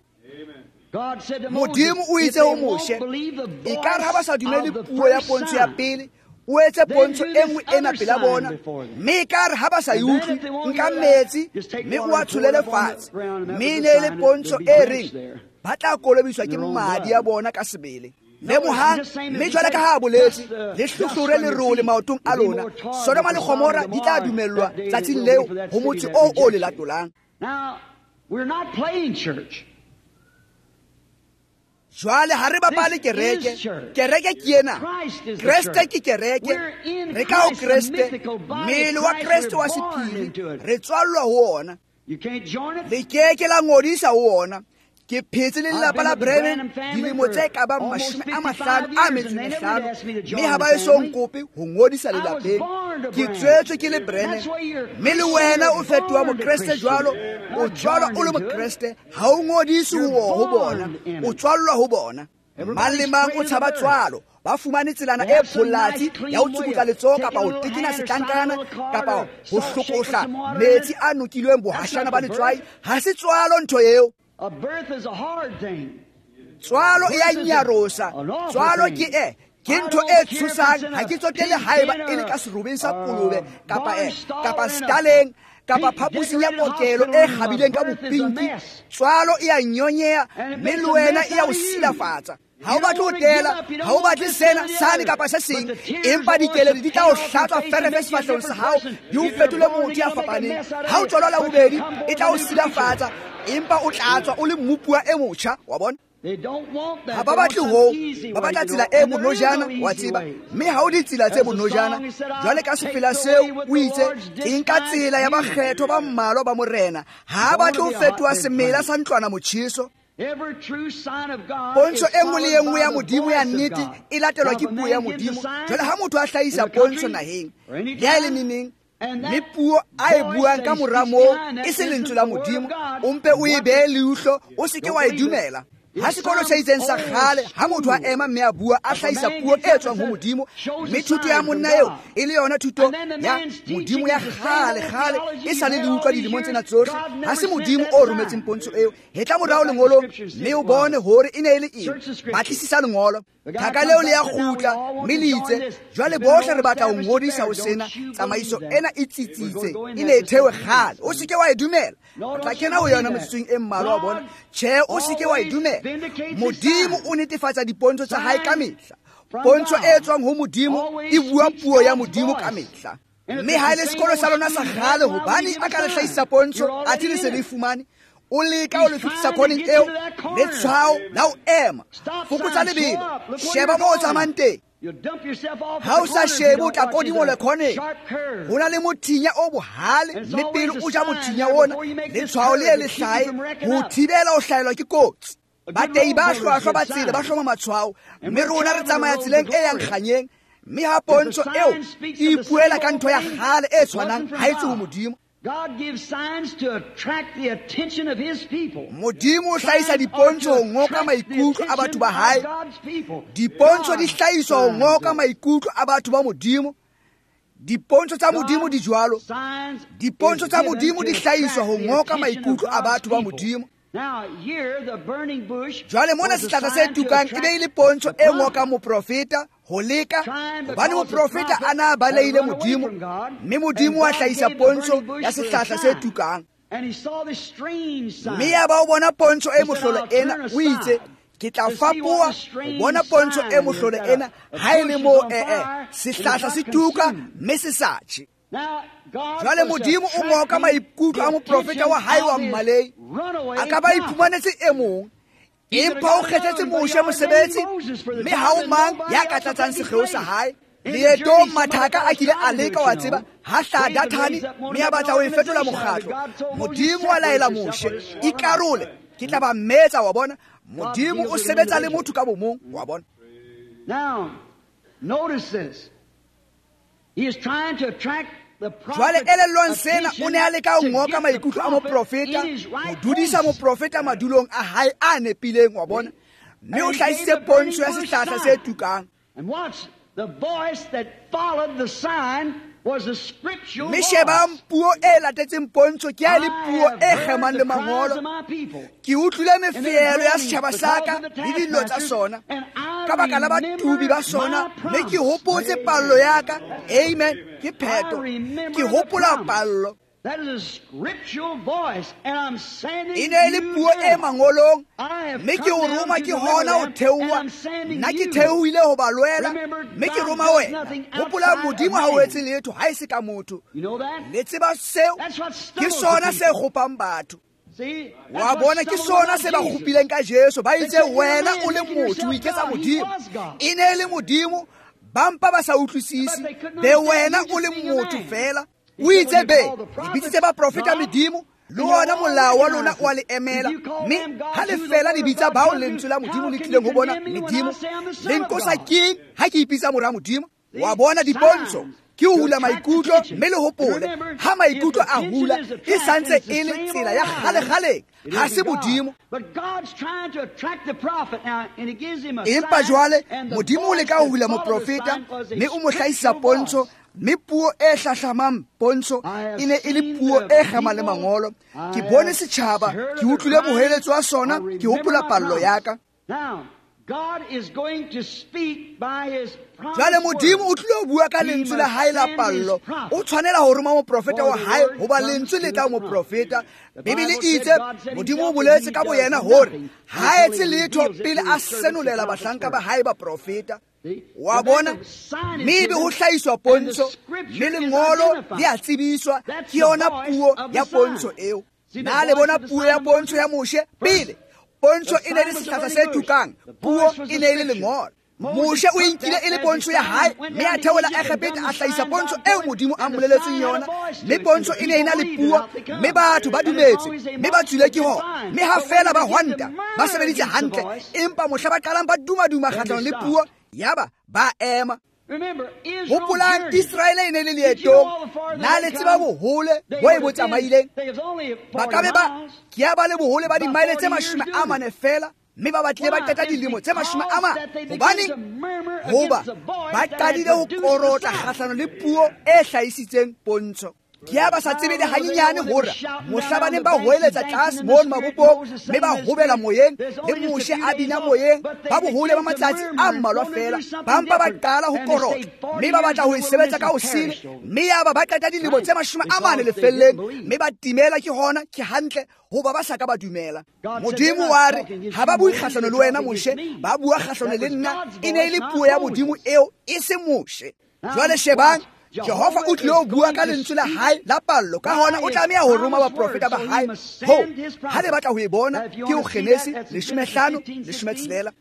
God said to Moses, Modimo o if itse ho they won't Moshe, believe the e ka re ha ba sa voice dumele of the puo ya first pontsho ya sign, pele, o etse then pontsho do e this nngwe ena other pela sign bona, before them. mme e ka re ha ba sa e And then utlwe, if they won't nka hear that, metsi, just take mme water o a and pour tsholele it up on the fatshe. ground, and that Mme e was ne the e le sign that pontsho there'll be e drenched reng there ba tla kolobiswa in ke their own madi blood. a bona ka sebele. No, Lemohang, it's just same as mme he jwale said, ka ha a boletse, dust the le dust hlohlore from your lerole feet. maotong a It'll be lona. more tar Sodoma le than Sodom Gomora and di tla Gomorrah dumellwa that day than it tsatsing will be leo for that ho city motse that oo o le rejects you. latolang. Now, we're not playing church. Jwale ha re bapale This kereke. is church. Kereke ke ena. Christ is the Kreste church. ke kereke. We're in Re ka ho Christ, the Kreste, mythical body of mmele wa Christ. Kreste We're wa born sephiri. into it. Re tswallwa ho ona. You can't join it. Le ke ke la ngodisa ho ona. Ke phetse le lelapa la Branham dilemo tse ka bang 55, mme ha ba eso nkope ho ngodisa lelapeng. Ke tswetswe ke le Branham, mme le wena o fetoha Mokreste jwalo, o tswalwa o le Mokreste, ha o ngodise ho bona, o tswallwa ho bona. Mang le mang o tshaba tswalo. Ba fumane tselana e pholatsi ya ho tsukutla letsoho kapa ho tekena setlankana kapa ho hlokohla metsi a nokilweng bohashana ba letswai. Ha se tswalo ntho eo. Tswalo e a nyarosa. Tswalo ke ke ntho e tshosang. Ha ke tsotelle haeba e le ka serobeng sa kolobe kapa kapa staleng kapa phaposing ya kokelo e kgabileng ka bopinki. Tswalo e a nyonyeha, mme le wena e a o silafatsa. Ha o batle ho tela, ha o batle sena, sane kapa se seng, empa dikeledi di tla o hlatswa ferefe sefahlehong sa hao, di o fetole motho ya fapaneng. Ha o tswalwa la bobedi, e tla o silafatsa, empa o tla tswa o le mmupuwa e motjha, wa bona. Ha ba batle hoo, ba batla tsela e bonojana, wa tseba, mme ha o ditsela tse bonojana. Jwale ka sefela seo o itse, ke nka tsela ya bakgetho ba mmalwa ba Morena. Ha ba batle ho fetoha semela sa ntlwana motjheso. Pontsho e nngwe le e nngwe ya Modimo ya nnete e latelwa ke puo ya Modimo. Jwale ha motho a hlahisa pontsho naheng, le ha e le neneng, mme puo a e buang ka mora moo e se lentswe la Modimo, o mpe o e behe leihlo, o se ke wa e dumela. Ha sekolo se itseng sa kgale, ha motho a ema mme a bua, a hlahisa puo e tswang ho Modimo, mme thuto ya monna eo e le yona thuto ya Modimo ya kgale kgale e sa le le utlwa dilemong tsena tsohle. Ha se Modimo o rometseng pontsho eo. Hetla morao lengolong mme o bone hore e ne e le eng. Batlisisa lengolo. Thaka leo le ya kgutla mme le itse, jwale bohle re batla ho ngodisa ho sena. Tsamaiso ena e tsitsitse, e ne e thewe kgale. O se ke wa e dumela. O tla kena ho yona metsotsong e mmalwa, wa bona. Tjhe, o se ke wa e dumela. Modimo o netefatsa dipontsho tsa hae ka mehla. Pontsho e tswang ho Modimo e bua puo ya Modimo ka mehla. Mme ha e le sekolo sa lona sa kgale, hobane a ka le hlahisa pontsho, athe le se le fumane, o leka o le fetisa khoneng eo, letshwao la ho ema. Fokotsa lebelo, sheba moo o tsamayang teng. Ha o sa shebe, o tla kodimola khoneng. Ho na le mothinya o bohale, mme pele o ja mothinya ona, letshwao le le hlahe ho thibela ho hlahelwa ke kotsi. Batei ba hlwahlwa ba tsela ba hloma matshwao, mme rona re tsamaya tseleng e yang kganyeng. Mme ha pontsho eo e ipuela ka ntho ya kgale e tshwanang, ha e tswe ho Modimo. Modimo o hlahisa dipontsho ho ngoka maikutlo a batho ba hae. Dipontsho di hlahiswa ho ngoka maikutlo a batho ba Modimo. Dipontsho tsa Modimo di jwalo. Dipontsho tsa Modimo di hlahiswa ho ngoka maikutlo a batho ba Modimo. Jwale mona sehlahla se tukang e be e le pontsho e ngokang moprofeta ho leka, hobane moprofeta a na balehile Modimo, mme Modimo wa hlahisa pontsho ya sehlahla se tukang. Mme ya ba o bona pontsho e mohlolo ena, o itse, ke tla fapoha ho bona pontsho e mohlolo ena, ha e le moo sehlahla se tuka mme se sa tjhe. Jwale Modimo o ngoka maikutlo a moprofeta wa hae wa mmalei. A ka ba iphumanetse e mong, empa o kgethetse Moshe mosebetsi, mme ha o mang ya ka tlatsang sekgeo sa hae. Leetong mathaka a kile a leka, wa tseba, ha hlaha Dathane mme a batla ho e fetola mokgatlo. Modimo wa laela Moshe, ikarole, ke tla ba mmetsa, wa bona. Modimo o sebetsa le motho ka bomong, wa bona. Now, notice this. He is trying to attract Jwale elellwang sena, o ne a leka ho ngoka maikutlo a moprofeta, ho dudisa moprofeta madulong a hae a nepileng, wa bona. Mme o hlahisitse pontsho ya sehlahla se tukang. Mme shebang puo e latetseng pontsho ke ha e le puo e kgemang le mangolo. Ke utlwile mefeelo ya setjhaba sa ka le dillo tsa sona ka baka la batubi ba sona, mme ke hopotse pallo ya ka. Amen. Ke pheto. Ke hopola pallo. E ne e le puo e mangolong, mme ke o roma ke hona ho theoha. Nna ke theohile ho ba lwela, mme ke roma wena. Hopola, Modimo ha o etse letho ha e se ka motho. Le tseba seo, ke sona se kgopang batho. Wa bona, ke sona se ba kgopileng ka Jesu. Ba itse, wena o le motho, o iketsa Modimo. E ne e le Modimo, ba mpa ba sa utlwisise. Be wena o le motho fela. O itse be, le bitsitse baprofeta medimo, Le ona molao wa lona o a le emela, mme ha le fela le bitsa bao lentswe la Modimo le tlileng ho bona medimo, le nkosa keng ha ke ipitsa mora Modimo? Wa bona dipontsho ke ho hula maikutlo, mme le hopole ha maikutlo a hula e santse e le tsela ya kgale-kgaleng, ha se Modimo. Empa jwale Modimo o leka ho hula moprofeta, mme o mo hlahisa pontsho, mme puo e hlahlamang pontsho e ne e le puo e kgamang le mangolo. Ke bone setjhaba, ke utlwile moheletso wa sona, ke hopola pallo ya ka. Jwale Modimo o tlile ho bua ka lentswe la hae la pallo. O tshwanela ho roma moprofeta wa hae, hoba lentswe le tla moprofeta. Bibele e itse Modimo o boletse ka boyena hore ha etse letho pele a senolela bahlanka ba hae baprofeta. Wa bona, mme ebe ho hlahiswa pontsho, mme lengolo le a tsebiswa. Ke yona puo ya pontsho eo. Na le bona puo ya pontsho ya Moshe pele? Pontsho e ne le sehlahla se tukang, puo e ne e le lengolo. Moshe o inkile e le pontsho ya hae, mme a theola Egepeta a hlahisa pontsho eo Modimo a mmoleletseng yona. Mme pontsho e ne e na le puo, mme batho ba dumetse, mme ba tswile ke hona. Mme ha fela ba hwanta, ba sebeditse hantle, empa mohla ba qalang ba dumaduma kgahlanong le puo, yaba ba ema. Hopolang Israele e ne le leetong. Na le tseba bohole bo e bo tsamaileng? Ba ka be ba ke ya ba le bohole ba dimaele tse 40 fela, mme ba batlile ba qeta dilemo tse 40. Hobaneng? Hoba ba qadile ho korotla kgahlano le puo e hlahisitseng pontsho. Ke ya ba sa tsebe le hanyenyane hore mohla ba neng ba hoeletsa tlase mono mabopong, mme ba hobela moyeng, le Moshe a bina moyeng, ba bohole ba matsatsi a mmalwa fela, ba mpa ba qala ho korotla, mme ba batla ho e sebetsa ka ho sele, mme yaba ba qeta dilemo tse 40 lefelleng, mme ba timela ke hona, ke hantle, hoba ba sa ka ba dumela. Modimo wa re ha ba bue kgahlano le wena Moshe, ba bua kgahlano le nna. E ne e le puo ya Modimo eo, e se Moshe. Jwale shebang, Jehova o tlile ho bua ka lentswe la hae la pallo, ka hona o tlameha ho roma baprofeta ba hae. Ho ha le batla ho e bona, ke ho Genesi 15:16.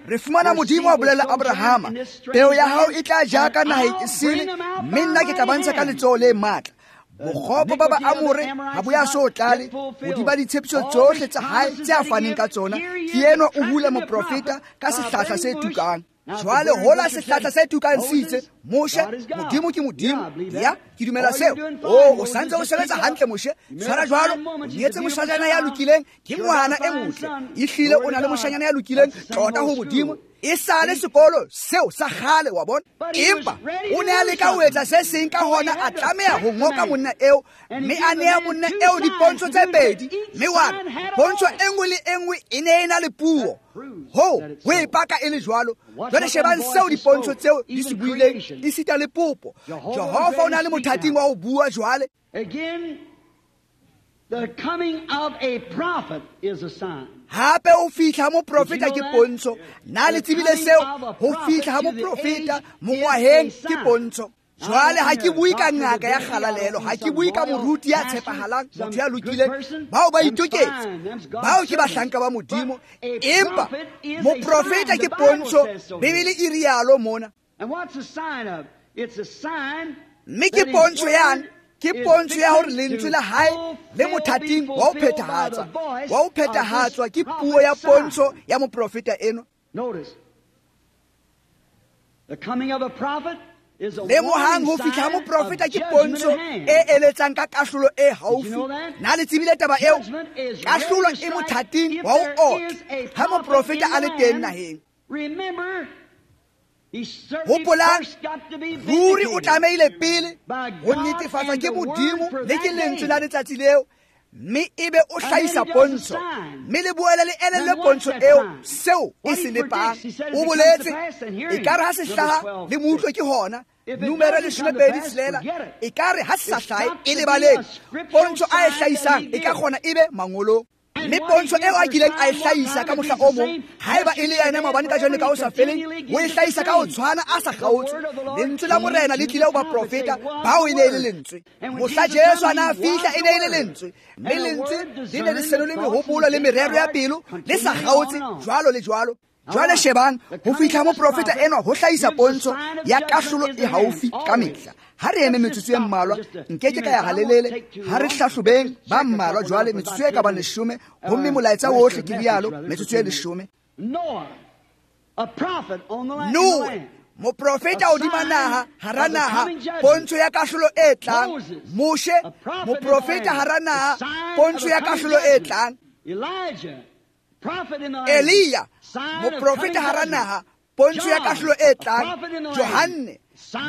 Re fumana Modimo a bolella Abrahama, peo ya hao e tla ja ka naheng e sele, mme nna ke tla ba ntsha ka letsoho le matla. Bokgopo ba Baamore ha bo ya so tlale hodima ditshepiso tsohle tsa hae tse a faneng ka tsona. Ke enwa o hula moprofeta ka sehlahla se tukang. Jwale hola sehlahla se tukang se itse, Moshe, Modimo ke Modimo. Ya, ke dumela seo. O santse o sebetsa hantle Moshe. Tshwara jwalo, o nyetse moshanyana ya lokileng, ke ngwana e motle. Ehlile o na le moshanyana ya lokileng, tlota ho Modimo. E sale sekolo seo sa kgale, wa bona. Empa o ne a leka ho etsa se seng, ka hona a tlameha ho ngoka monna eo, mme a nea monna eo dipontsho tse pedi. Mme wa pontsho e nngwe le e nngwe e ne e na le puo. Ho e paka e le jwalo. Jwale shebang seo dipontsho tseo di se buileng, esita le popo. Jehova o na le mothating wa ho bua jwale. The coming of a prophet is a sign. Hape o fihla moprofeta ke pontsho. Na le tsebile seo? Ho fihla ha moprofeta mongwaheng ke pontsho. Jwale ha ke bue ka ngaka ya kgalalelo, ha ke bue ka moruti ya tshepahalang, motho ya lokileng, bao ba itoketse, bao ke bahlanka ba Modimo. Empa moprofeta ke pontsho, Bibele e rialo mona. Mme ke pontsho yang? Ke pontsho ya hore lentswe la hae le mothating wa ho phethahatsa, wa ho phethahatswa ke puo ya pontsho ya moprofeta enwa. Lemohang ho fihla ha moprofeta ke pontsho e eletsang ka kahlolo e haufi. Na le tsebile taba eo? Kahlolo e mothating wa ho otla ha moprofeta a le teng naheng. Hopolang, ruri o tlamehile pele ho netefatswa ke Modimo le ke lentswe la letsatsi leo, mme ebe o hlahisa pontsho, mme le boele le elellwe pontsho eo seo e se lepang. O boletse ekare ha se hlaha le mo utlwe ke hona. Numero 26, ekare ha se sa hlahe e lebaleng. Pontsho a e hlahisang e ka kgona ebe mangolong. Mme pontsho eo a kileng a e hlahisa ka mohla o mong, haeba e le yena maobane kajeno le ka ho sa feleng, o e hlahisa ka ho tshwana a sa kgaotse. Lentswe la Morena le tlile ho baprofeta bao e ne e le lentswe. Mohla Jesu a na fihla e ne e le lentswe, mme lentswe le ne le senole mehopolo le merero ya pelo le sa kgaotse jwalo le jwalo. Jwale shebang ho fihla moprofeta enwa ho hlahisa pontsho ya kahlolo e haufi ka mehla. Ha re eme metsotso e mmalwa, nkeke ka ya halelele, ha re hlahlobeng ba mmalwa jwale metsotso e ka bang 10, homme molaetsa wohle ke rialo metsotso e 10. Noe, moprofeta hodima naha, hara naha, pontsho ya kahlolo e tlang. Moshe, moprofeta hara naha, pontsho ya kahlolo e tlang. Elia, moprofeta hara naha, pontsho ya kahlolo e tlang. Johanne,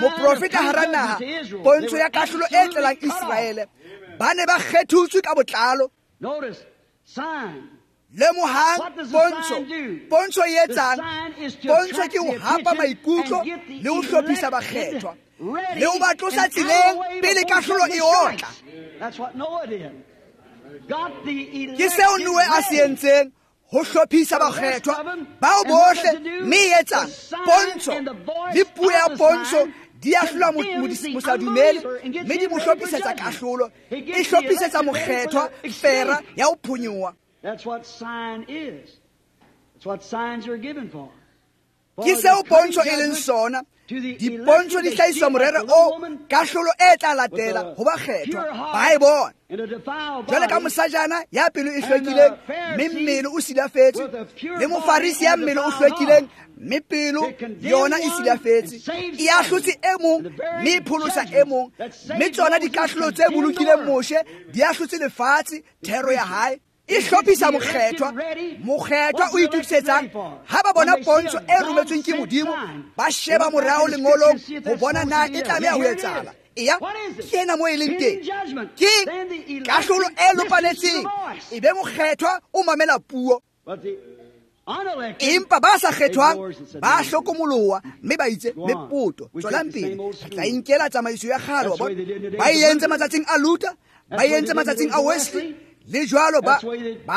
moprofeta hara naha, pontsho ya kahlolo e tlelang Iseraele. Ba ne ba kgethutswe ka botlalo. Lemohang pontsho. Pontsho e etsang? Pontsho ke ho hapa maikutlo le ho hlophisa bakgethwa le ho ba tlosa tseleng pele kahlolo e otla. Ke seo Noe a se entseng, ho hlophisa bakgethwa bao bohle, mme e etsang? Pontsho le puo ya pontsho di ahlola mosadumele, mme di mo hlophisetsa kahlolo, e hlophisetsa mokgethwa fera ya ho phonyoha. That's what sign is. That's what signs are given for. Ke seo pontsho e leng sona. Dipontsho di hlahiswa morero o kahlolo e tla latela ho bakgethwa ba e bona. Jwale ka mosajana ya pelo e hlwekileng mme mmele o silafetse, le mofarisi ya mmele o hlwekileng mme pelo yona e silafetse, e ahlotse e mong mme e pholosa e mong, mme tsona dikahlolo tse bolokileng Moshe di ahlotse lefatshe thero ya hae. E hlophisa mokgethwa. Mokgethwa o itokisetsang ha ba bona pontsho e rometsweng ke Modimo, ba sheba morao lengolong ho bona na e tlameha ho etsahala. Eya, ke ena moo e leng teng. Ke kahlolo e lopaletseng, e be mokgethwa o mamela puo. Empa ba sa kgethwang ba hlokomoloha mme ba itse mepoto, tswelang pele, re tla inkela tsamaiso ya kgale. Wa bona, ba e entse matsatsing a Luther, ba e entse matsatsing a Wesley, le jwalo ba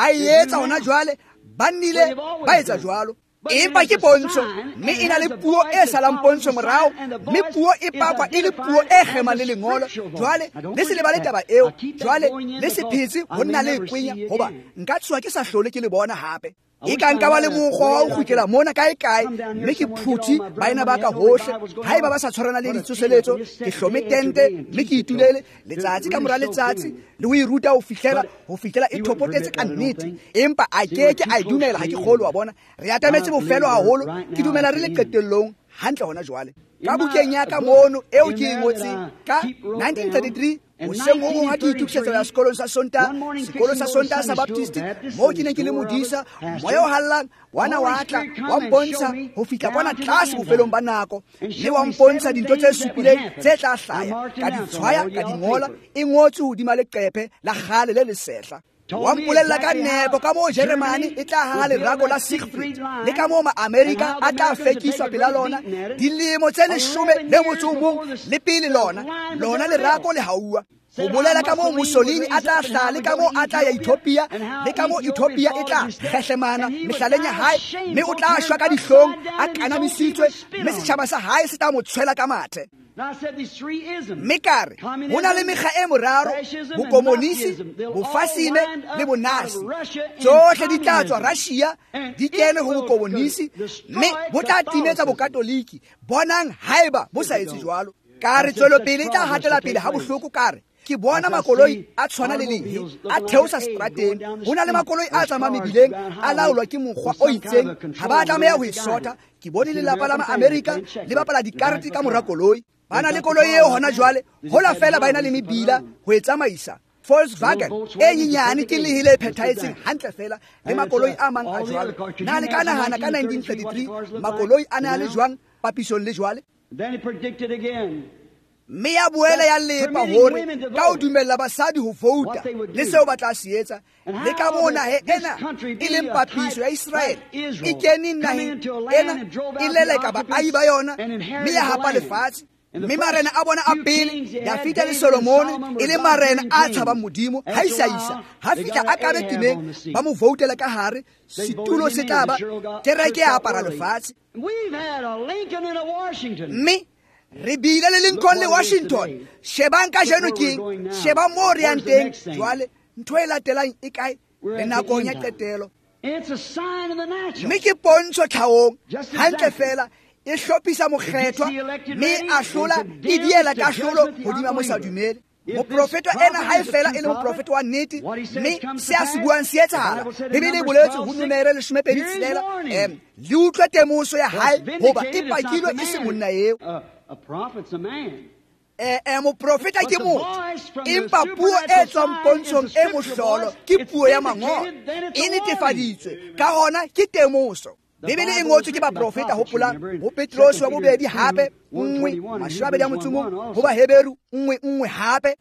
etsa hona jwale, ba nnile ba etsa jwalo. Empa ke pontsho, mme e na le puo e salang pontsho morao, mme puo e pakwa e le puo e kgemang le lengolo. Jwale le se lebale taba eo, jwale le se phetse ho nna le kwenya, hoba nka tshoha ke sa hlole ke le bona hape. E ka nka ba le mokgwa wa ho kgutlela mona kae kae, mme ke phuthi baena ba ka hohle. Haeba ba sa tshwarana le ditsoseletso, ke hlome tente mme ke itulele letsatsi ka mora letsatsi le ho e ruta ho fihlela e thopotetse ka nnete. Empa a keke a e dumela, ha ke kgolwe. Wa bona, re atametse bofelo haholo. Ke dumela re le qetellong hantle hona jwale. Ka bukeng ya ka mono eo ke e ngotseng ka 1933, hoseng ho hong ha ke itokisetsa ho ya sekolong sa Sontaha, sekolo sa Sontaha sa Baptist, moo ke neng ke le modisa, moya o hallang wa na wa tla wa mpontsha ho fihla kwana tlase bofelong ba nako, mme wa mpontsha dintho tse supileng tse tla hlaya, ka di tshwaya, ka di ngola, e ngotswe hodima leqephe la kgale le lesehla. Wa mpolella ka nepo ka moo Jeremane e tla haha lerako la Siegfried, le ka moo Ma-Amerika a tla fekiswa pela lona dilemo tse 11 le pele lona lerako le hauwa. Ho bolela ka moo Mussolini a tla hlaha, le ka moo a tla ya Ethiopia, le ka moo Ethiopia e tla kgehlemana mehlaleng ya hae, mme o tla shwa ka dihlong a kanamisitswe, mme setjhaba sa hae se tla mo tshwela ka mathe. Mme ka re ho na le mekga e moraro, bokomonisi, bofasime le bonasi. Tsohle di tla tswa Russia di kene ho bokomonisi, mme bo tla timetsa bokatoliki. Bonang haeba bo sa etse jwalo. Ka re tswelopele e tla hatela pele ha bohloko. Ka re ke bona makoloi a tshwana le lehe a theosa seterateng. Ho na le makoloi a tsamayang mebileng a laolwa ke mokgwa o itseng, ha ba tlameha ho e sotha. Ke bone lelapa la Ma-Amerika le bapala dikarete ka mora koloi. Ba na le koloi eo hona jwale, hola fela ba ena le mebila ho e tsamaisa. Volkswagen e nyenyane ke lehe le phethahetseng hantle fela le makoloi a mang a jwalo. Na le ka nahana ka 1933 makoloi a ne a le jwang papisong le jwale? Mme ya boela ya lepa hore ka ho dumella basadi ho vouta le seo ba tla se etsa, le ka moo nahe ena e leng papiso ya Israele e keneng naheng ena e leleka baahi ba yona mme ya hapa lefatshe. Mme marena a bona a pele, Dafita le Solomone, e le marena a tshabang Modimo. Ha isa ha fihla a kabe timeng, ba mo voutela ka hare, setulo se tla ba kereke ya apara lefatshe. Mme re bile le Lincoln le Washington. Shebang kajeno keng, shebang moo re yang teng jwale. Ntho e latelang e kae? Re nakong ya qetelo. Mme ke pontsho tlhaong hantle fela e hlophisa mokgethwa mme a hlola e diela kahlolo hodima mosadumele. Moprofeta ena ha e fela e le moprofeta wa nnete, mme se a se buang se etsahala. Bibele e boletse ho Numere 26, le utlwe temoso ya hae hoba e pakilwe e se monna eo. Moprofeta ke motho, empa puo e tswang pontshong e mohlolo ke puo ya mangolo, e netefaditswe, ka hona ke temoso. Bibele e ngotswe ke baprofeta, hopolang ho Petrose wa bobedi hape 1 21, ho Baheberu 1:1 hape.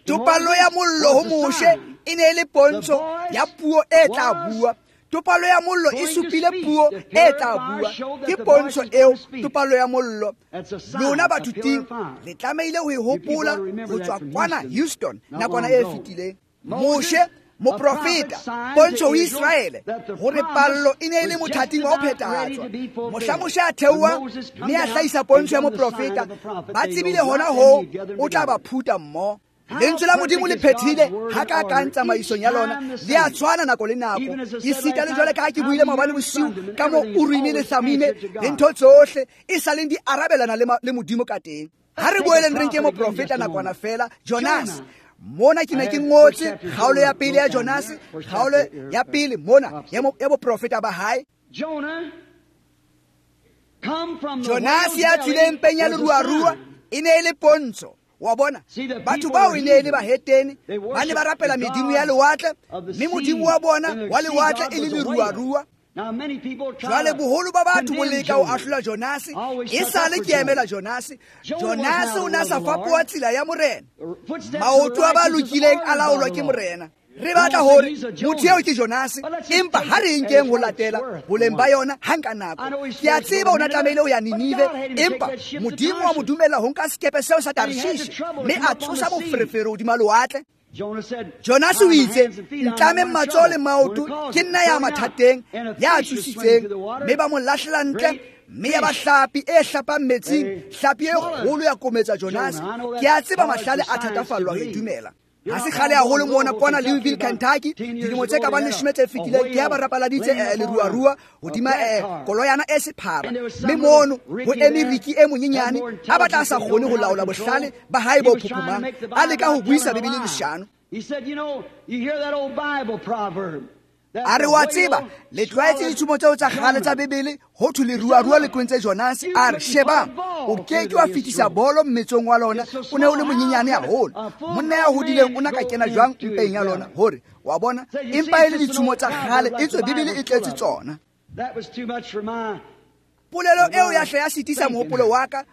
Topallo ya mollo ho Moshe e ne e le pontsho ya puo e tla bua. Topallo ya mollo e supile puo e tla bua. Ke pontsho eo, topallo ya mollo. Lona bathuting le tlamehile ho e hopola ho tswa kwana Houston nakwana e fetileng. Moshe moprofeta, pontsho ho Israele hore pallo e ne e le mothating wa ho phethahatswa. Mohla Moshe a theoha mme a hlahisa pontsho ya moprofeta, ba tsebile hona hoo o tla ba phuta mmoho. Lentswe la Modimo le phethile hakakang tsamaisong ya lona, le a tshwana nako le nako. Esita le jwale ka ha ke buile maobane bosiu ka mo Urime le Thamime le ntho tsohle e sa leng di arabelana le Modimo ka teng. Ha re boeleng re nke moprofeta nakwana fela, Jonas. Mona ke ne ke ngotse kgaolo ya pele ya Jonas, kgaolo ya pele mona ya boprofeta ba hae. Jonas ya tswileng mpeng ya leruarua e ne e le pontsho. Wa bona, batho bao e ne e le bahetene, ba ne ba rapela medimo ya lewatle, mme modimo wa bona wa lewatle e le leruarua. Jwale boholo ba batho bo leka ho ahlola Jonase, e sale ke emela Jonase. Jonase o na sa fapoha tsela ya Morena. Maoto a ba lokileng a laolwa ke Morena. Re batla hore motho eo ke Jonase, empa ha re nkeng ho latela boleng ba yona hang ka nako. Ke a tseba o na tlamehile ho ya Ninive, empa Modimo wa mo dumella ho nka sekepe seo sa Tarshish, mme a tsosa moferefere hodima lewatle. Jonas o itse, ntlameng matsoho le maoto, ke nna ya mathateng, ya tsositseng. Mme ba mo lahlela ntle, mme ya ba hlapi e hlapang metsing, hlapi e kgolo ya kometsa Jonas. Ke a tseba mahlale a thatafallwa ho e dumela. Ha se kgale haholo mona kwana Louisville, Kentucky, dilemo tse ka bang 10 tse fetileng, ke ya ba rapaladitse leruarua hodima koloyana e sephara. Mme mono ho eme Ricky e monyenyane a batla a sa kgone ho laola bohlale ba hae bo phophomang, a leka ho buisa Bibele leshano. A re wa tseba, le tlwaetse ditshumo tseo tsa kgale tsa Bibele, ho thwe leruarua le kwentse Jonas. A re shebang, o ke ke wa fetisa bolo mmetsong wa lona, o ne o le monyenyane haholo. Monna ya hodileng o na ka kena jwang mpeng ya lona? Hore wa bona, empa e le ditshumo tsa kgale, etswe Bibele e tletse tsona. Polelo eo ya hle ya sitisa mohopolo wa ka,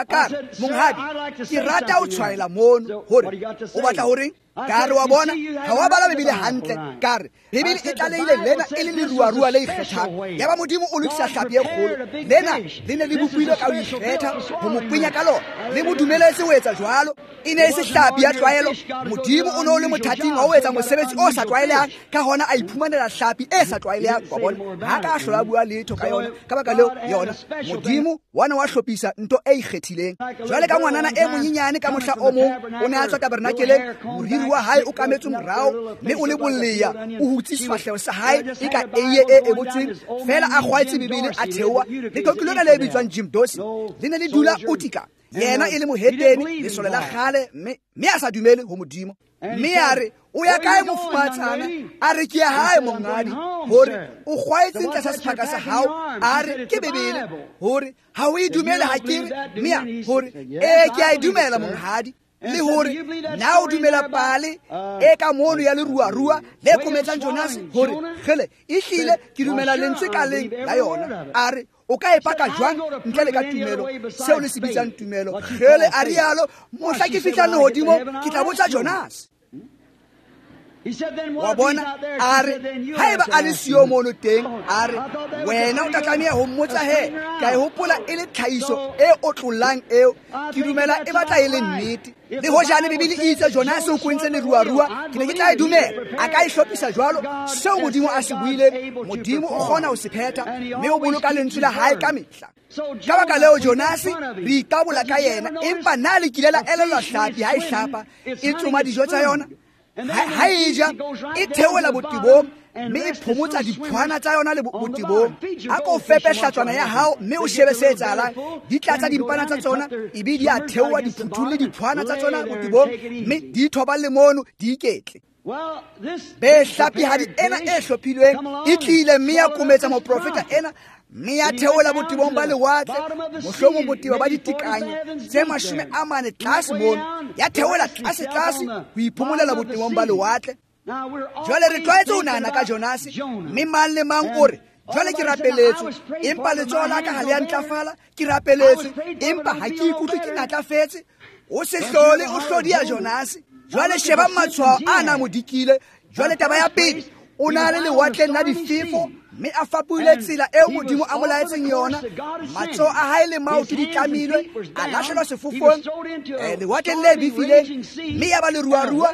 ka re, monghadi, ke rata ho tshwaela mono. Hore o batla horeng? Ka re wa bona, ha wa bala Bibele hantle. Ka re Bibele e tlalehile lena e le leruarua le ikgethang. Ya ba Modimo o lokisa hlapi e kgolo. Lena le ne le bopilwe ka ho ikgetha, ho mo penya ka lona. Le mo dumeletse ho etsa jwalo. E ne e se hlapi ya tlwaelo. Modimo o ne o le mothating wa ho etsa mosebetsi o sa tlwaelehang, ka hona a iphumanela hlapi e sa tlwaelehang. Wa bona, ha ka hlola bua letho ka yona. Ka baka leo yona Modimo wa ne wa hlophisa ntho e ikgethileng. Jwale ka ngwanana e monyenyane ka mohla o mong o ne a tswa tabernakeleng, moriri wa hae o kametswe morao, mme o le bolleya, o hutse sefahleho sa hae e ka eiye e ebotsweng, fela a kgwaetse Bibele a theoha. Leqoqo lena le bitswang Jim Dorsey le ne le dula Utica, yena e le mohetene, lesole la kgale, mme a sa dumele ho Modimo. Mme a re, o ya kae mofumahatsana? A re, ke ya hae monghadi. Hore o kgwaetse ntle sa sephaka sa hao? A re, ke Bibele. Hore ha o e dumele ha ke re? Mme a hore, ee, ke a e dumela monghadi. Le hore na o dumela pale e ka mono ya leruarua le kometsang Jonas? Hore kgele, ehlile ke dumela lentswe ka leng la yona. A re, o ka e paka jwang ntle le ka tumelo, seo le se bitsang tumelo? Kgele, a rialo, mohla ke fihlang lehodimo ke tla botsa Jonas. Wa bona, a re, haeba a le siyo mono teng, a re, wena o tla tlameha ho mmotsa he. Ka e hopola e le tlhahiso e otlollang eo, ke dumela e batla e le nnete. Le hojane Bibele e itse Jonas o kwentse leruarua, ke ne ke tla e dumela. A ka e hlophisa jwalo, seo Modimo a se buileng, Modimo o kgona ho se phetha, mme o boloka lentswe la hae ka mehla. Ka baka leo Jonas re itabola ka yena, empa na le kile la elellwa hlapi ha e hlapa e tsoma dijo tsa yona? Ha e ja e theohela botebong mme e phomotsa diphwana tsa yona le botebong. A ko fepe hlatswana ya hao mme o shebe se etsahalang. Di tlatsa dimpana tsa tsona ebe di a theoha di phuthulle diphwana tsa tsona botebong mme di thoballe mono di iketle. Be hlapihadi ena e hlophilweng e tlile mme ya kometsa moprofeta ena mme ya theola botebong ba lewatle, mohlomong botebo ba ditekanyo tse 40 tlase mono, ya theola tlase tlase ho iphomolela botebong ba lewatle. Jwale re tlwaetse ho nahana ka Jonase, mme mang le mang o re, jwale ke rapeletswe, empa letsoho la ka ha le a ntlafala, ke rapeletswe, empa ha ke ikutlwe ke natlafetse. O se hlole o hlodiya Jonase. Jwale sheba matshwao a na mo dikile. Jwale taba ya pele, o na le lewatleng la difefo mme a fapohile tsela eo Modimo a mo laetseng yona. Matsoho a hae le maoto di tlamilwe, a lahlelwa sefofong lewatleng le befileng, mme ya ba leruarua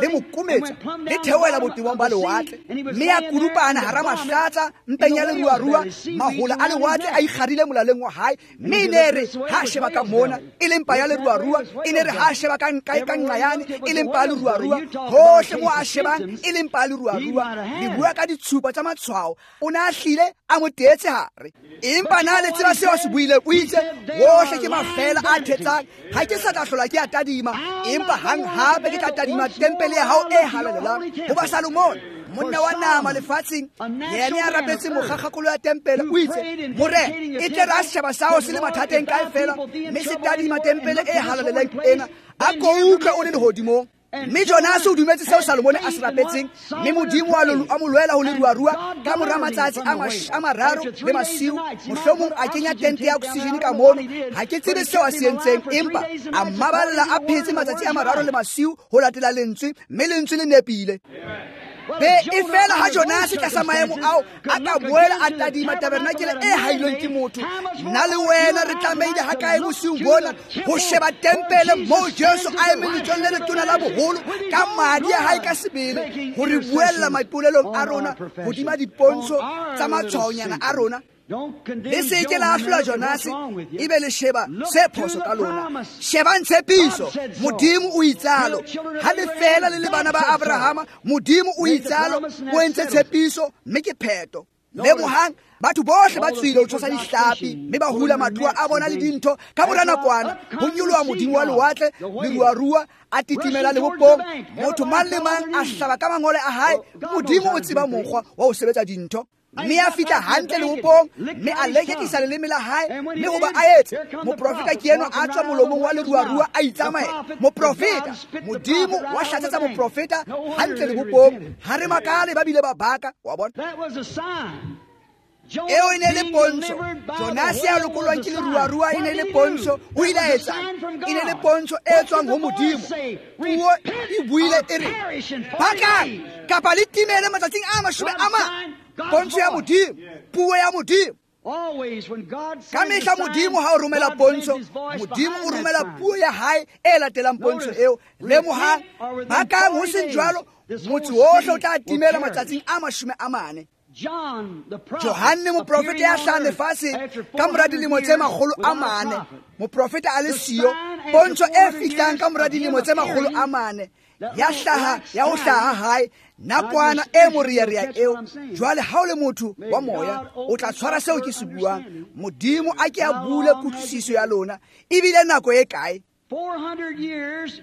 le mo kometsa le theohela botebong ba lewatle, mme ya kudupana hara mahlatsa mpeng ya leruarua. Mahola a lewatle a ikgarile molaleng wa hae, mme e ne re ha sheba ka mona e le mpa ya leruarua, e ne re ha sheba ka nqa yane e le mpa ya leruarua, hohle mo a shebang e le mpa ya leruarua. Le bua ka ditshupo tsa matshwao, o ne a hlile a mo teetse hare. Empa na le tseba seo a se buileng? O itse, wohle ke mafeela a thetsang, ha ke sa tla hlola ke a tadima, empa hang hape ke tla tadima tempele ya hao e halalelang. Hoba Salomone, monna wa nama lefatsheng, yena ya rapetse mokgakgakolo ya tempele, o itse, Morena, e tle re ha setjhaba sa hao se le mathateng kae fela, mme se tadima tempele e halalelang ena, a ko utlwe o le lehodimong. Mme Jonase o dumetse seo Salomone a se rapetseng, mme Modimo a mo lwela ho leruarua ka mora matsatsi a mararo le masiu. Mohlomong a kenya tente ya oxygen ka mono, ha ke tsebe seo a se entseng, empa a mmaballa a phetse matsatsi a mararo le masiu ho latela lentswe, mme lentswe le nepile. Be e fela ha Jonase tlasa maemo ao a ka boela a tadima tabernakele e hailweng ke motho, nna le wena re tlamehile ha kae bosiung bona ho sheba tempele moo Jesu a emeng letsong le letona la boholo ka madi a hae ka sebele ho re buella maipolelong a rona hodima dipontsho tsa matshwaonyana a rona. Le se ke la ahlola Jonase ebe le sheba se phoso ka lona. Shebang tshepiso, Modimo o itsalo. Ha le fela le le bana ba Abrahama, Modimo o itsalo, o entse tshepiso mme ke pheto. Lemohang, batho bohle ba tswile ho tshosa dihlapi mme ba hula matloa a bona le dintho. Ka mora nakwana ho nyoloha Modimo wa lewatle, leruarua a titimela lebopong, motho mang le mang a hlaba ka mangole a hae. Modimo o tseba mokgwa wa ho sebetsa dintho. Mme a fihla hantle lebopong, mme a leketlisa leleme la hae, mme hoba a etse, moprofeta ke eno a tswa molomong wa leruarua a itsamaela. Moprofeta, Modimo wa hlatsetsa moprofeta hantle lebopong. Ha re makale ba bile ba baka, wa bona. Eo e ne le pontsho. Jonase ya lokollwang ke leruarua e ne le pontsho. O ile a etsang? E ne le pontsho e tswang ho Modimo. Puo e buile e re, bakang kapa le timele matsatsing a 40. Pontsho ya Modimo, puo ya Modimo. Ka mehla Modimo ha o romela pontsho, Modimo o romela puo ya hae e latelang pontsho eo. Lemohang, bakang ho seng jwalo, motse wohle o tla timela matsatsing a 40. Johanne moprofeta ya hlahang lefatsheng ka mora dilemo tse 400, moprofeta a le siyo, pontsho e fihlang ka mora dilemo tse 400 ya hlaha ya ho hlaha hae, nakwana e morearea eo. Jwale ha o le motho wa moya, o tla tshwara seo ke se buang. Modimo a ke a bule kutlwisiso ya lona. Ebile nako e kae? 400 years,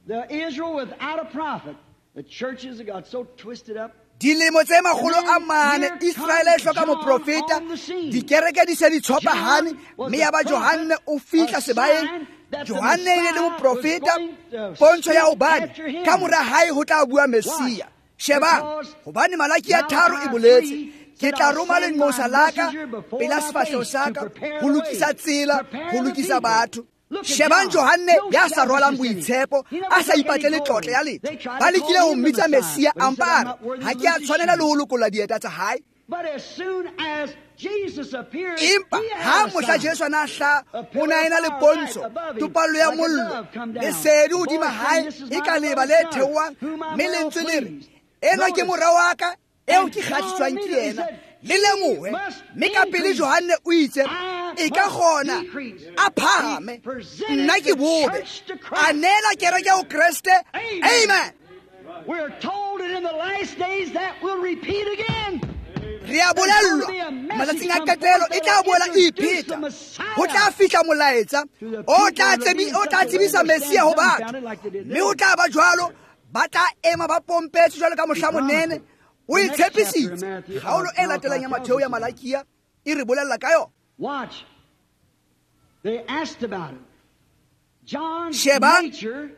the Israel without a prophet. The churches have got so twisted up. Dilemo tse 400 Israele e hloka moprofeta, dikereke di se di tshopahane, mme ya ba Johanne o fihla sebaeng. Johanne e ne le moprofeta, pontsho ya hobane ka mora hae ho tla bua Messia. Shebang, hobane Malaki ya 3 e boletse, ke tla roma lenqosa la ka pela sefahleho sa ka ho lokisa tsela, ho lokisa batho. Shebang Johanne ya sa rwalang boitshepo, a sa ipatlele tlotla ya letho. Ba lekile ho mmitsa Messia, a mpa a re, ha ke a tshwanela le ho lokolla dieta tsa hae. Empa ha mohla Jesu a na hlaha, o ne a ena le pontsho, topallo ya mollo, lesedi hodima hae e ka leba le theohang, mme lentswe le re, enwa ke mora wa ka eo ke kgahliswang ke yena. Le lemohe, mme ka pele Johanne o itse, e ka kgona a phahame, nna ke bobe, a neela kereke ho Kreste. Amen. Re a bolellwa matsatsing a qetelo e tla boela e ipheta. Ho tla fihla molaetsa o tla tsebisa Messia ho batho, mme ho tla ba jwalo, ba tla ema ba pompetse jwalo ka mohla monene. O e tshepisitse. Kgaolo e latelang ya Matheo ya Malakia e re bolella ka yona. Shebang,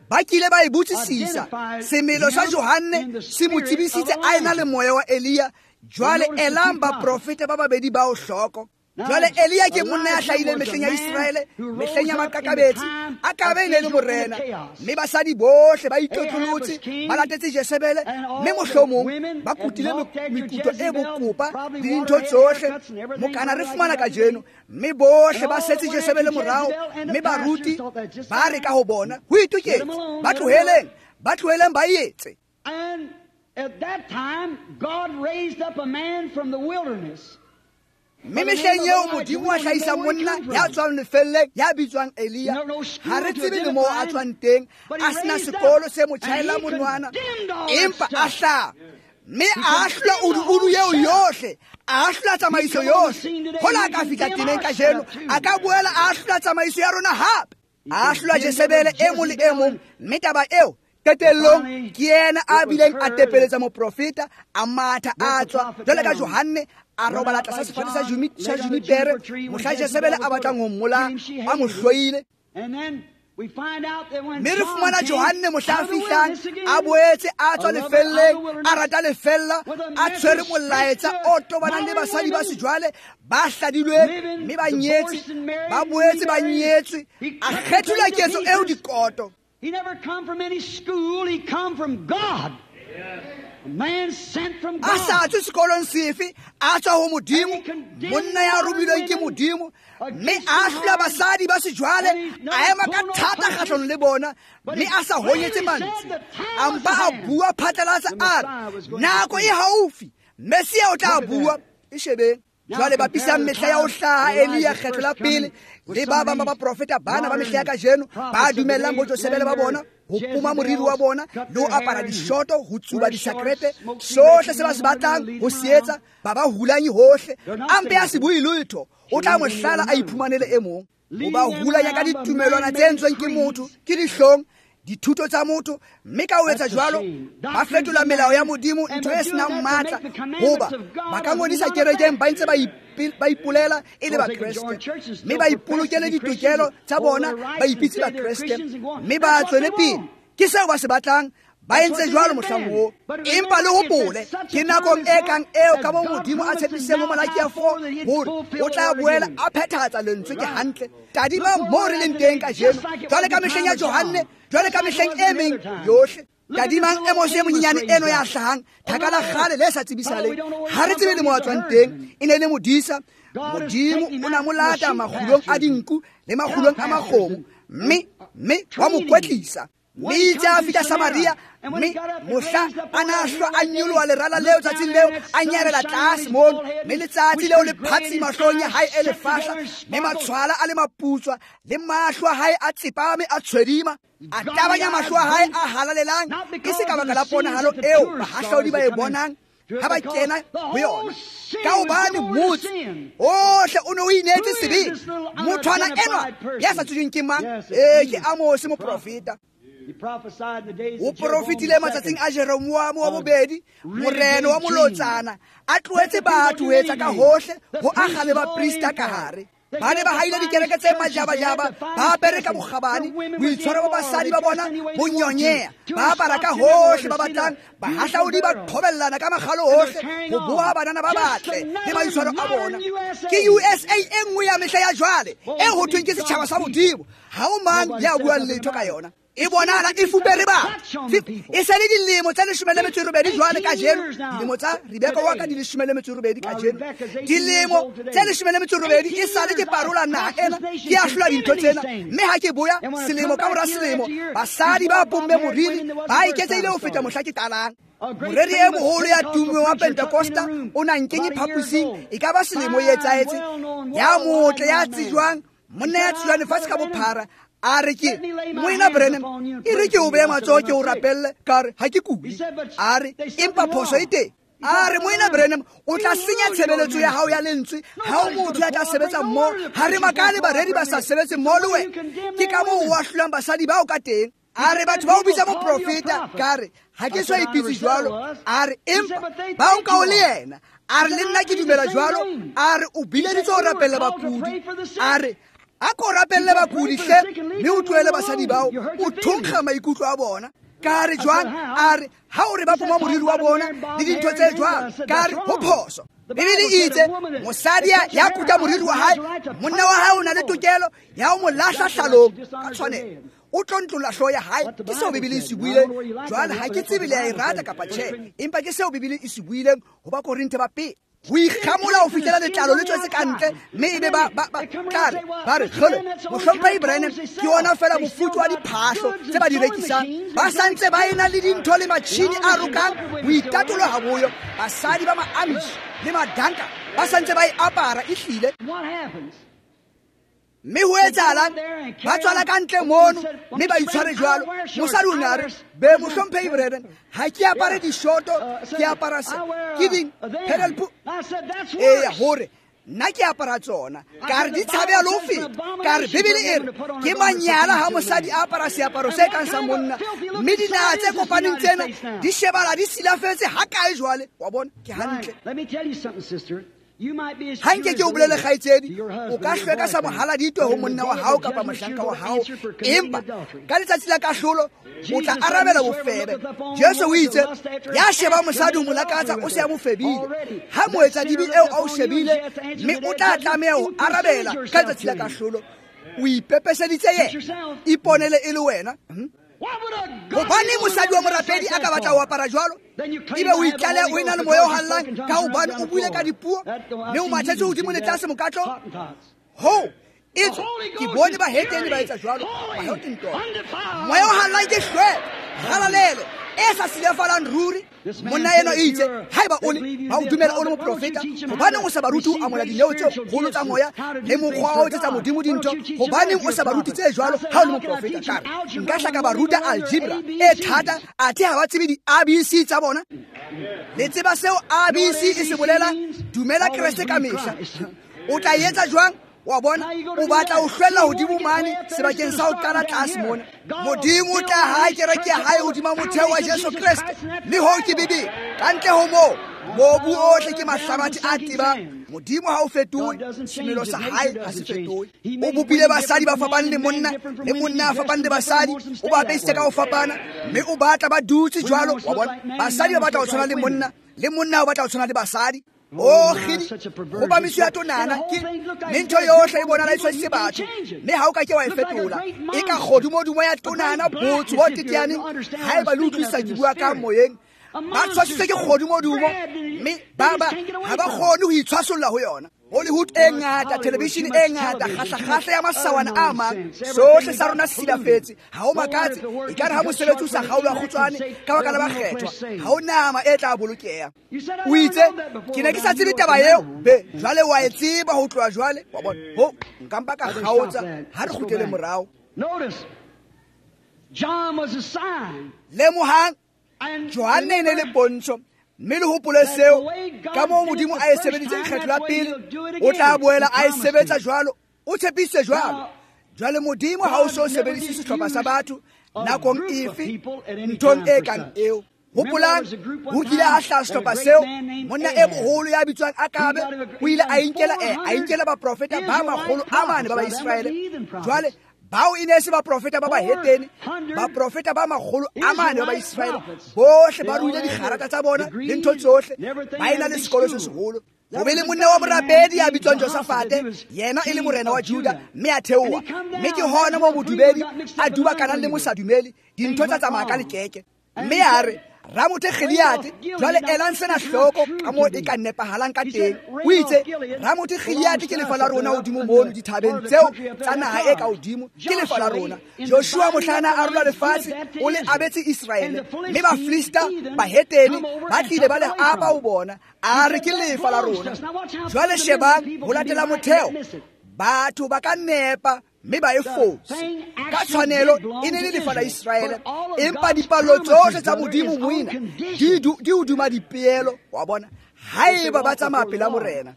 ba kile ba e botsisisa. Semelo sa Johanne se mo tsebisitse a ena le moya wa Elia. Jwale elang baprofeta ba babedi bao hloko. Jwale Elia ke monna ya hlahileng mehleng ya Iseraele, mehleng ya maqakabetsi, a ka be ne le morena, mme basadi bohle ba itlotlolotse, ba latetse Jezebele, mme mohlomong ba kutile mekuto e bokopa le dintho tsohle mokana re fumana kajeno, mme bohle ba setse Jezebele morao, mme baruti ba re ka ho bona ho itoketse, ba tloheleng ba etse. At that time, God raised up a man from the wilderness. Mme mehleng eo Modimo a hlahisa monna ya tswang lefelleng ya bitswang Elia. Ha re tsebe le moo a tswang teng, a sena sekolo se mo tjhaela monwana, empa a hlaha. Mme a ahlola udu eo yohle, a ahlola tsamaiso yohle. Hola a ka fihla temeng kajeno, a ka boela a ahlola tsamaiso ya rona hape. A ahlola Jezebele e mong le e mong, mme taba eo qetellong ke yena a bileng a tepeletsa moprofeta, a matha a tswa jwale ka Johanne a robala tlasa sefate sa junipere mohla Jezebele a batlang ho mmolaya, a mo hloile. Mme re fumana Johanne mohla a fihlang a boetse a tswa lefelleng, a rata lefella, a tshwere molaetsa o tobanang le basadi ba sejwale ba hladilweng mme ba nyetse, ba boetse ba nyetswe, a kgethola ketso eo dikoto. He never come from any school, he come from God. A man sent from God. A sa tswe sekolong sefe, a tswa ho Modimo, monna ya romilweng ke Modimo, mme a ahlola basadi ba sejwale, a ema ka thata kgahlanong le bona, mme a sa honyetse mantswe. A mpa a bua phatlalatsa a re, nako e haufi, Messia o tla bua. E shebeng. Jwale bapisang mehla ya ho hlaha Elia kgetlo la pele le ba bang ba baprofeta bana ba mehla ya kajeno ba dumellang bo Jezebele ba bona ho poma moriri wa bona le ho apara dishoto, ho tsuba disakrete, sohle se ba se batlang ho se etsa, ba ba hulanye hohle. A mpe a se bue letho, o tla mo hlala a iphumanele e mong. O ba hulanya ka ditumelwana tse entsweng ke motho, ke dihlong, dithuto tsa motho, mme ka ho etsa jwalo ba fetola melao ya Modimo ntho e senang matla, hoba ba ka ngodisa kerekeng ba ntse ba ipolela e le Bakreste, mme ba ipolokele ditokelo tsa bona, ba ipitse Bakreste, mme ba tswele pele. Ke seo ba se batlang, ba entse jwalo mohlang oo. Empa le hopole, ke nakong e kang eo ka moo Modimo a tshepisitseng ho Malakia 4 hore o tla boela a phethahatsa lentswe. Ke hantle. Tadima moo re leng teng kajeno, jwale ka mehleng ya Johanne, jwale ka mehleng e meng yohle. Tadimang Amose e monyenyane eno ya hlahang, thaka la kgale le sa tsebisahaleng, ha re tsebe le moo a tswang teng. E ne le modisa. Modimo o na mo lata makgulong a dinku le makgulong a makgomo, mme wa mo kwetlisa. Mme itse a fihla Samaria, mme mohla a na hlwa a nyoloha lerala leo tsatsing leo, a nyarela tlase mono, mme letsatsi leo le phatsima hloohong ya hae e lefahla, mme matshwala a le maputswa, le mahlo a hae a tsepame a tshwedima, a tabanya mahlo a hae a halalelang, e se ka baka la ponahalo eo bahahlaodi ba e bonang ha ba kena ho yona, ka hobane motse ohle o ne o ineetse sebeng. Mothwana enwa ya sa tsejweng ke mang? Ee, ke Amose moprofeta. O profetile matsatsing a Jeroboamo wa bobedi, morena wa molotsana, a tlohetse batho ho etsa ka hohle, ho akga le baprista ka hare. Ba ne ba haile dikereke tse majabajaba, ba apere ka bokgabane, boitshwaro ba basadi ba bona bo nyonyeha, ba apara ka hohle ba batlang, bahahlaodi ba qhobellana ka makgalo hohle ho boha banana ba batle le maitshwaro a bona. Ke USA e nngwe ya mehla ya jwale e ho thweng ke setjhaba sa Modimo. Ha ho mang ya buang letho ka yona. E bonahala e fupere batho. E se le dilemo tse 18 jwale kajeno. Dilemo tsa Rebeka wa ka di 18 kajeno. Dilemo tse 18 e sale ke parola naha ena, ke ahlola dintho tsena. Mme ha ke boya selemo ka mora selemo, basadi ba pomme moriri ba eketsehile ho feta mohla ke qalang. Moreri e moholo ya tummeng wa Pentecosta o na nkenye phaposing, e ka ba selemo e etsahetse, ya motle ya tsejwang, monna ya tsejwang lefatshe ka bophara, A re ke Moena Branham, e re ke o beya matsoho ke o rapelle, ka re ha ke kule. A re empa phoso e teng. A re Moena Branham, o tla senya tshebeletso ya hao ya lentswe ha o motho ya tla sebetsa mmoho. Ha re makale bareri ba sa sebetse mmoho le wena. Ke ka moo o ahlolang basadi bao ka teng. A re batho ba o bitsa moprofeta, ka re ha ke so ipitse jwalo. A re empa ba o nka o le yena. A re le nna ke dumela jwalo. A re o bileditswe ho rapella bakudi. A re a ko rapelle bakudi hle, mme o tlohele basadi bao, o thonkga maikutlo a bona. Ka re jwang? A re ha o re ba poma moriri wa bona le dintho tse jwang. Ka re ho phoso. Bibele e itse mosadi ya kuta moriri wa hae, monna wa hae o na le tokelo ya ho mo lahla hlalong ka tshwanelo. O tlontlolla hlooho ya hae. Ke seo Bibele e se buileng. Jwale ha ke tsebe le ya e rata kapa tjhe, empa ke seo Bibele e se buileng ho Bakorinthe ba pele. Ho ikgamola ho fihlela letlalo le tswetse ka ntle, mme ebe ba tla re ba re kgole mohlomphehi Branham ke ona fela mofuta wa diphahlo tse ba di rekisang. Ba sa ntse ba ena le dintho le matjhini a rokang ho itatoloha boyo. Basadi ba ma-Amish le madanka ba sa ntse ba e apara ehlile. Mme ho etsahalang? Ba tswala ka ntle mono mme ba itshware jwalo. Mosadi o ne a re, be mohlomphehi Branham, ha ke apare dishoto, ke apara se ke ding pedal pu. Eya, hore nna ke apara tsona. Ka re di tshabeha le ho feta. Ka re Bibele e re ke manyala ha mosadi a apara seaparo se kang sa monna, mme dinaha tse kopaneng tsena di shebala di silafetse ha kae jwale. Wa bona, ke hantle. Ha nke ke o bolele kgaitsedi, o ka hlweka sa mohaladitwe ho monna wa hao kapa mohlanka wa hao, empa ka letsatsi la kahlolo o tla arabela bofebe. Jesu o itse ya sheba mosadi ho mo lakatsa o se a mo febile. Ha moetsadibe eo a o shebile, mme o tla tlameha ho arabela ka letsatsi la kahlolo. O ipepeseditse yena, iponele e le wena. Hobane mosadi wa morapedi a ka batla ho apara jwalo, ebe o itlaleha o ena le moya o hallang ka hobane o buile ka dipuo mme o mathetse hodimo le tlase mokatlo. Ho etswe ke bone bahetene ba etsa jwalo. Moya o hallang ke hlweko, kgalalelo e sa silafalang ruri. Monna eno e itse haeba o le ba o dumela o le moprofeta, hobaneng o sa ba rute ho amohela dineo tse kgolo tsa moya le mokgwa wa ho etsetsa Modimo dintho? Hobaneng o sa ba rute tse jwalo ha o le moprofeta? Ka re nka hla ka ba ruta algebra e thata, athe ha ba tsebe di-ABC tsa bona. Le tseba seo ABC e se bolelang? Dumela Kreste ka mehla. O tla etsa jwang? Wa bona, o batla ho hlwella hodimo mane sebakeng sa ho qala tlase mona. Modimo o tla hae kereke ya hae hodima motheo wa Jesu Kreste, mme hoo ke Bibele. Ka ntle ho moo, mobu ohle ke mahlabathe a tebang. Modimo ha o fetohe, semelo sa hae ha se fetohe. O bopile basadi ba fapaneng le monna a fapaneng le basadi, o ba apesitse ka ho fapana, mme o batla ba dutse jwalo. Wa bona, basadi ba batla ho tshwana le monna o batla ho tshwana le basadi. O kgidi, ho ba meso ya tonana ke mme ntho yohle e bonala e tshwasitse batho, mme ha o ka ke wa e fetola. E ka kgodumodumo ya tonana botsho bo teteaneng, haeba le utlwisisa ke bua ka moyeng. Ba tshwasitswe ke kgodumodumo, mme ba ha ba kgone ho itshwasolla ho yona. Hollywood e ngata, television e ngata, kgahlakgahla ya masawana a mang, sohle sa rona se silafetse. Ha ho makatse ekare ha mosebetsi o sa kgaolwa kgutshwane ka baka la bakgethwa, ha ho nama e tla bolokeha. O itse ke ne ke sa tsebe taba eo, be jwale wa e tseba ho tloha jwale. Wa bona, ho nka mpa ka kgaotsa. Ha re kgutlele morao. Lemohang, Johanne e ne le pontsho, mme le hopole seo ka moo Modimo a e sebeditseng kgetlo la pele, o tla boela a e sebetsa jwalo, o tshepisitse jwalo. Jwale Modimo ha o so sebedise sehlopha sa batho nakong efe nthong e kang eo. Hopolang, ho kile ha hlaha sehlopha seo, monna e moholo ya bitswang Akabe o ile a inkela baprofeta ba 400 ba Baiseraele. Jwale bao e ne se baprofeta ba bahetene, baprofeta ba 400 ba Baiseraele, bohle ba ruile dikgarata tsa bona le ntho tsohle, ba ena le sekolo se seholo. Ho be le monna wa morapedi ya bitswang Josafate, yena e le morena wa Juda, mme a theoha. Mme ke hona moo modumedi a dubakanang le mosadumedi, dintho tsa tsamaya ka lekeke. Mme a re Ramothe Gileade, jwale elang sena hloko ka moo e ka nepahalang ka teng. O itse Ramothe Gileade ke lefa la rona hodimo mono dithabeng tseo tsa naha e ka hodimo, ke lefa la rona. Joshua mohlana a rola lefatshe, o le abetse Iseraele, mme Bafilista bahetene ba tlile ba le apa ho bona, a re ke lefa la rona. Jwale shebang ho latela motheo, batho ba ka nepa Mme ba e fose ka tshwanelo e ne le lefa la Iseraele, empa dipallo tsohle tsa Modimo moina di hodima dipeelo, wa bona, haeba ba tsamaya pela Morena.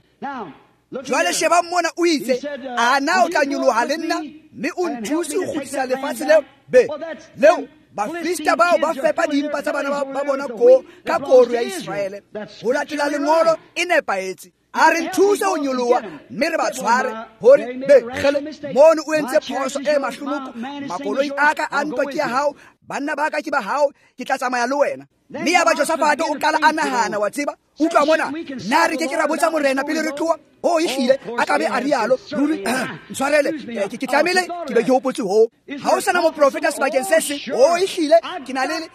Jwale sheba mona o itse, a na o tla nyoloha le nna mme o nthuse ho kgutlisa lefatshe leo be leo Bafilista bao ba fepa dimpa tsa bana ba bona ko ka koro ya Iseraele. Ho latela lengolo e nepahetse. A re nthuse ho nyoloha mme re ba tshware hore be kgele mono o entse phoso e mahlonoko, makoloi a ka a ntwa ke ya hao, banna ba ka ke ba hao, ke tla tsamaya le wena. Mme ya ba Josafate o qala a nahana, wa tseba, utlwa mona, na re ke ke ra botsa Morena pele re tloha? O ehlile a ka be a rialo, ruri ntshwarele, ke tlamehile ke be ke hopotse hoo. Ha o sana moprofeta sebakeng se seng, o ehlile ke na le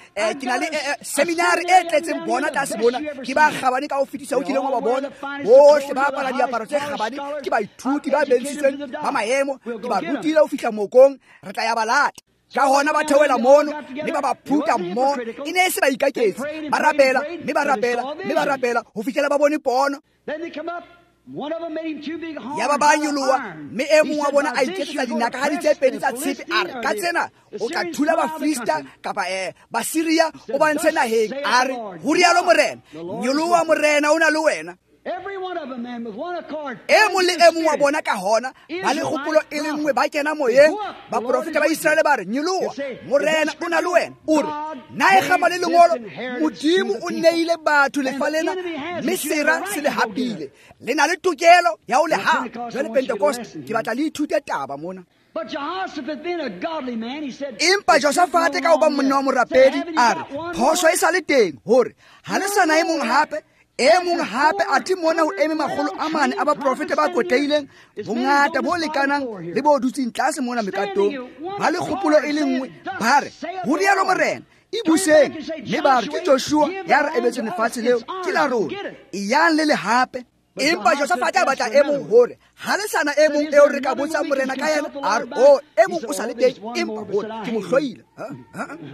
seminari e tletseng bona tlase bona, ke ba kgabane ka ho fetisa ho kileng wa ba bona, bohle ba apara diaparo tse kgabane, ke baithuti ba bentshitsweng ba maemo, ke ba rutile ho fihla mokong, re tla ya ba lata. Ka hona ba theohela mono mme ba ba phuta mmoho, e ne e se baikaketsi, ba rapela mme ba rapela mme ba rapela ho fihlela ba bone pono. Ya ba ba nyoloha mme e mong wa bona a iketsetsa dinakahadi tse pedi tsa tshepe, a re ka tsena o tla thula Bafilista kapa Basiria o ba ntshe naheng. A re ho rialo Morena, nyoloha Morena o na le wena. E mong le e mong wa bona ka hona ba le kgopolo e le nngwe, ba kena moyeng. Baprofeta ba Iseraele ba re nyoloha Morena o na le wena. O re na e kgama le lengolo, Modimo o neile batho lefa lena mme sera se le hapile, le na le tokelo ya ho le hapa. Jwale Pentecost, ke batla le ithute taba mona. Empa Josafate ka ho ba monna wa morapedi a re phoso e sa le teng, hore ha le sana e mong hape, e mong hape athe mona ho eme 400 a baprofeta ba kotlehileng, bongata bo lekanang le bo dutseng tlase mona mekatong, ba le kgopolo e le nngwe, ba re ho rialo Morena, e buseng. Mme ba re ke Joshua ya re ebetseng lefatshe leo, ke la rona, eyang le le hape. Empa Josafate a batla e mong, hore ha le sana e mong eo re ka botsang Morena ka yena. A re o e mong o sa le teng, empa hore ke mo hloile,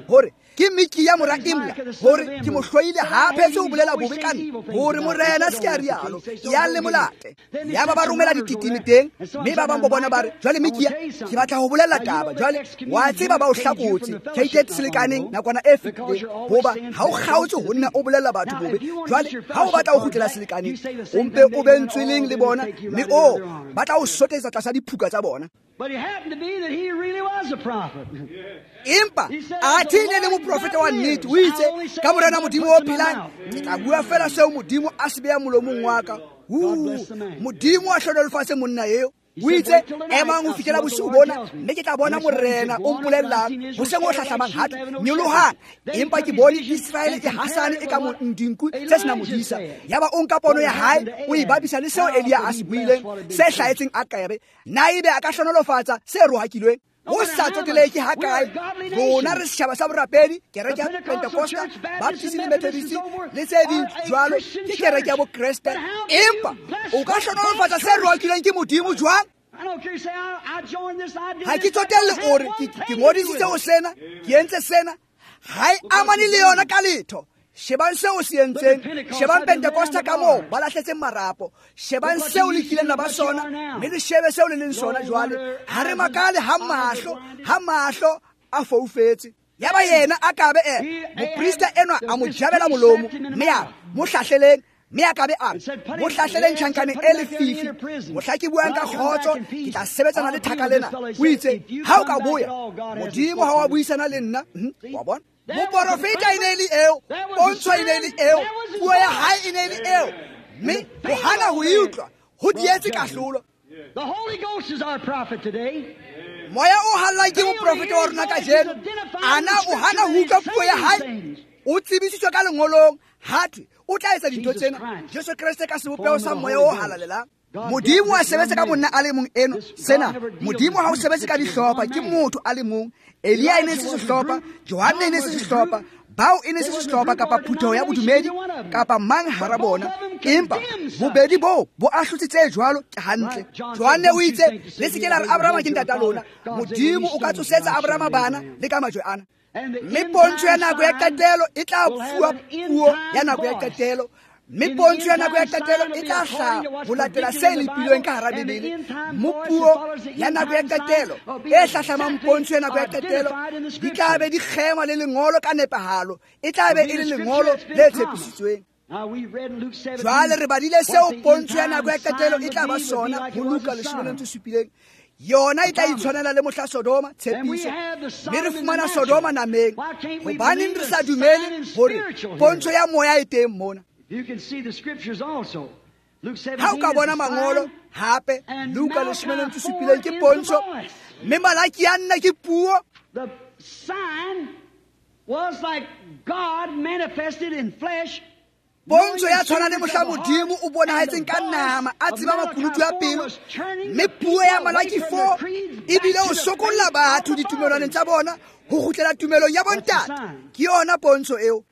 hore ke Mikiya mora Imla, hore ke mo hloile, ha phetse ho bolela bobe ka nna, hore Morena se ke a rialo, yang le molate. Ya ba ba romela dititimi teng, mme ba bang bo bona ba re jwale Mikiya, ke batla ho bolela taba jwale, wa tseba ba o hlakotse keitetse selekaneng nakwana e fetileng, hoba ha o kgaotse ho nna o bolela batho bobe. Jwale ha o batla ho kgutlela selekaneng, o mpe o be ntsweleng le bona, mme o ba tla o sotetsa tlasa diphuka tsa bona. Empa athe e ne le moprofeta wa nnete, o itse ka Morena Modimo o phelang, ke tla bua fela seo Modimo a se beang molomong wa ka. Modimo a hlohonolofatse monna eo. O itse emang ho fihlela bosiu bona, mme ke tla bona Morena o mpolellang hoseng o hlahlamang hape, nyolohang. Empa ke bone Iseraele e hasane e ka dinku tse senang modisa. Ya ba o nka pono ya hae o e bapisa le seo Elia a se buileng se hlahetseng Akabe, na ebe a ka hlohonolofatsa se rohakilweng? Ho sa tsotelehe ha kae, rona re setjhaba sa borapedi, kereke ya Pentecosta, Baptist le Methodist le tse ding jwalo, ke kereke ya Bokreste. Empa o ka hlohonolofatsa se rohakilweng ke Modimo jwang? Ha ke tsotelle o re ke ngodisitse ho sena, ke entse sena, ha e amane le yona ka letho. Shebang seo se entseng, shebang Pentecosta ka moo ba lahletseng marapo, shebang seo le kileng la ba sona, mme le shebe seo le leng sona jwale. Ha re makale ha mahlo a foufetse. Ya ba yena a kabe moprista enwa a mo jabela molomo, mme a mo hlahleleng, mme a kabe a mo hlahleleng tjhankaneng e lefifi. Mohla ke buang ka kgotso, ke tla sebetsana le thaka lena. O itse ha o ka boya, Modimo ha wa buisana le nna. Wa bona, moporofeta e ne le eo, pontsho e ne le eo, puo ya hae e ne le eo, mme ho hana ho e utlwa ho dietse kahlolo. Moya o hallang ke moprofeta wa rona kajeno, ana o hana ho utlwa puo ya hae, o tsebisitswe ka lengolong, hathwe o tla etsa dintho tsena. Jesu Kreste ka sebopeho sa moya o halalelang. Modimo a sebetse ka monna a le mong eno. Sena Modimo ha o sebetse ka dihlopha, ke motho a le mong. Elia e ne se sehlopha, Johanne e ne se sehlopha, bao e ne se sehlopha kapa phutheho ya bodumedi kapa mang hara bona, empa bobedi boo bo ahlotse tse jwalo ke hantle. Johanne o itse le se ke la re Abrahama ke ntata lona, Modimo o ka tsosetsa Abrahama bana le ka majwe ana. Mme pontsho ya nako ya qetelo e tla fuwa puo ya nako ya qetelo, Mme pontsho ya nako ya qetelo e tla hlaha ho latela se lepilweng ka hara Bibele. Mo puo ya nako ya qetelo e hlahlamang pontsho ya nako ya qetelo di tla be di kgema le lengolo ka nepahalo, e tla be e le lengolo le tshepisitsweng. Jwale re badile seo pontsho ya nako ya qetelo e tla ba sona ho Luka 17. Yona e tla itshwanela le mohla Sodoma, tshepiso. Mme re fumana Sodoma nameng. Hobaneng re sa dumele hore pontsho ya moya e teng mona? Ha o ka bona mangolo hape, Luka 17 ke pontsho, mme Malaki a nna ke puo. The sign was like God manifested in flesh. Pontsho ya tshwana le mohla Modimo o bonahetseng ka nama, a tseba makunutu a pelo. Mme puo ya Malaki 4 ebile o sokolla batho ditumelwaneng tsa bona ho kgutlela tumelong ya bontate. Ke yona pontsho eo.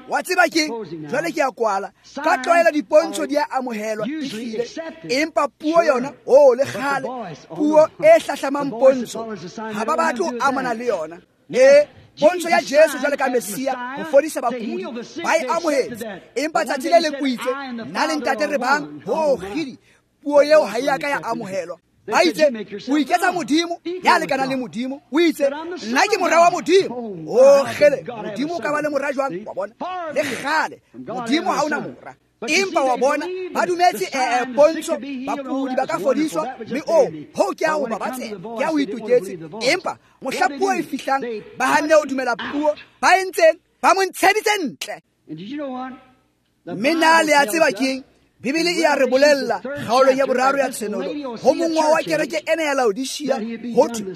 Wa tseba keng? Jwale ke a kwala. Ka tlwaelo dipontsho di a amohelwa ehlile, empa puo yona, oh, le kgale puo e hlahlamang pontsho ha ba batle ho amana le yona. Pontsho ya Jesu jwale ka Messia ho fodisa bakudi ba e amohetse, empa tsatsi le leng o itse, nna le ntate re bang. Ho kgidi, puo eo ha e a ka ya amohelwa. Ba itse o iketsa Modimo ya lekanang le Modimo. O itse nna ke mora wa Modimo. O kgele, Modimo o ka ba le mora jwang? Wa bona, le kgale Modimo ha ona mora. Empa wa bona ba dumetse pontsho, bakudi ba ka fodiswa, mme o ho ke a ho ba batse, ke a ho itoketse. Empa mohla puo e fihlang, ba hanne ho dumela puo, ba entseng, ba mo ntsheditse ntle. Mme na le a tseba keng? Bibele e a re bolella kgaolong ya boraro ya Tshenolo ho mongwa wa kereke ena ya Laodicea, ho thwe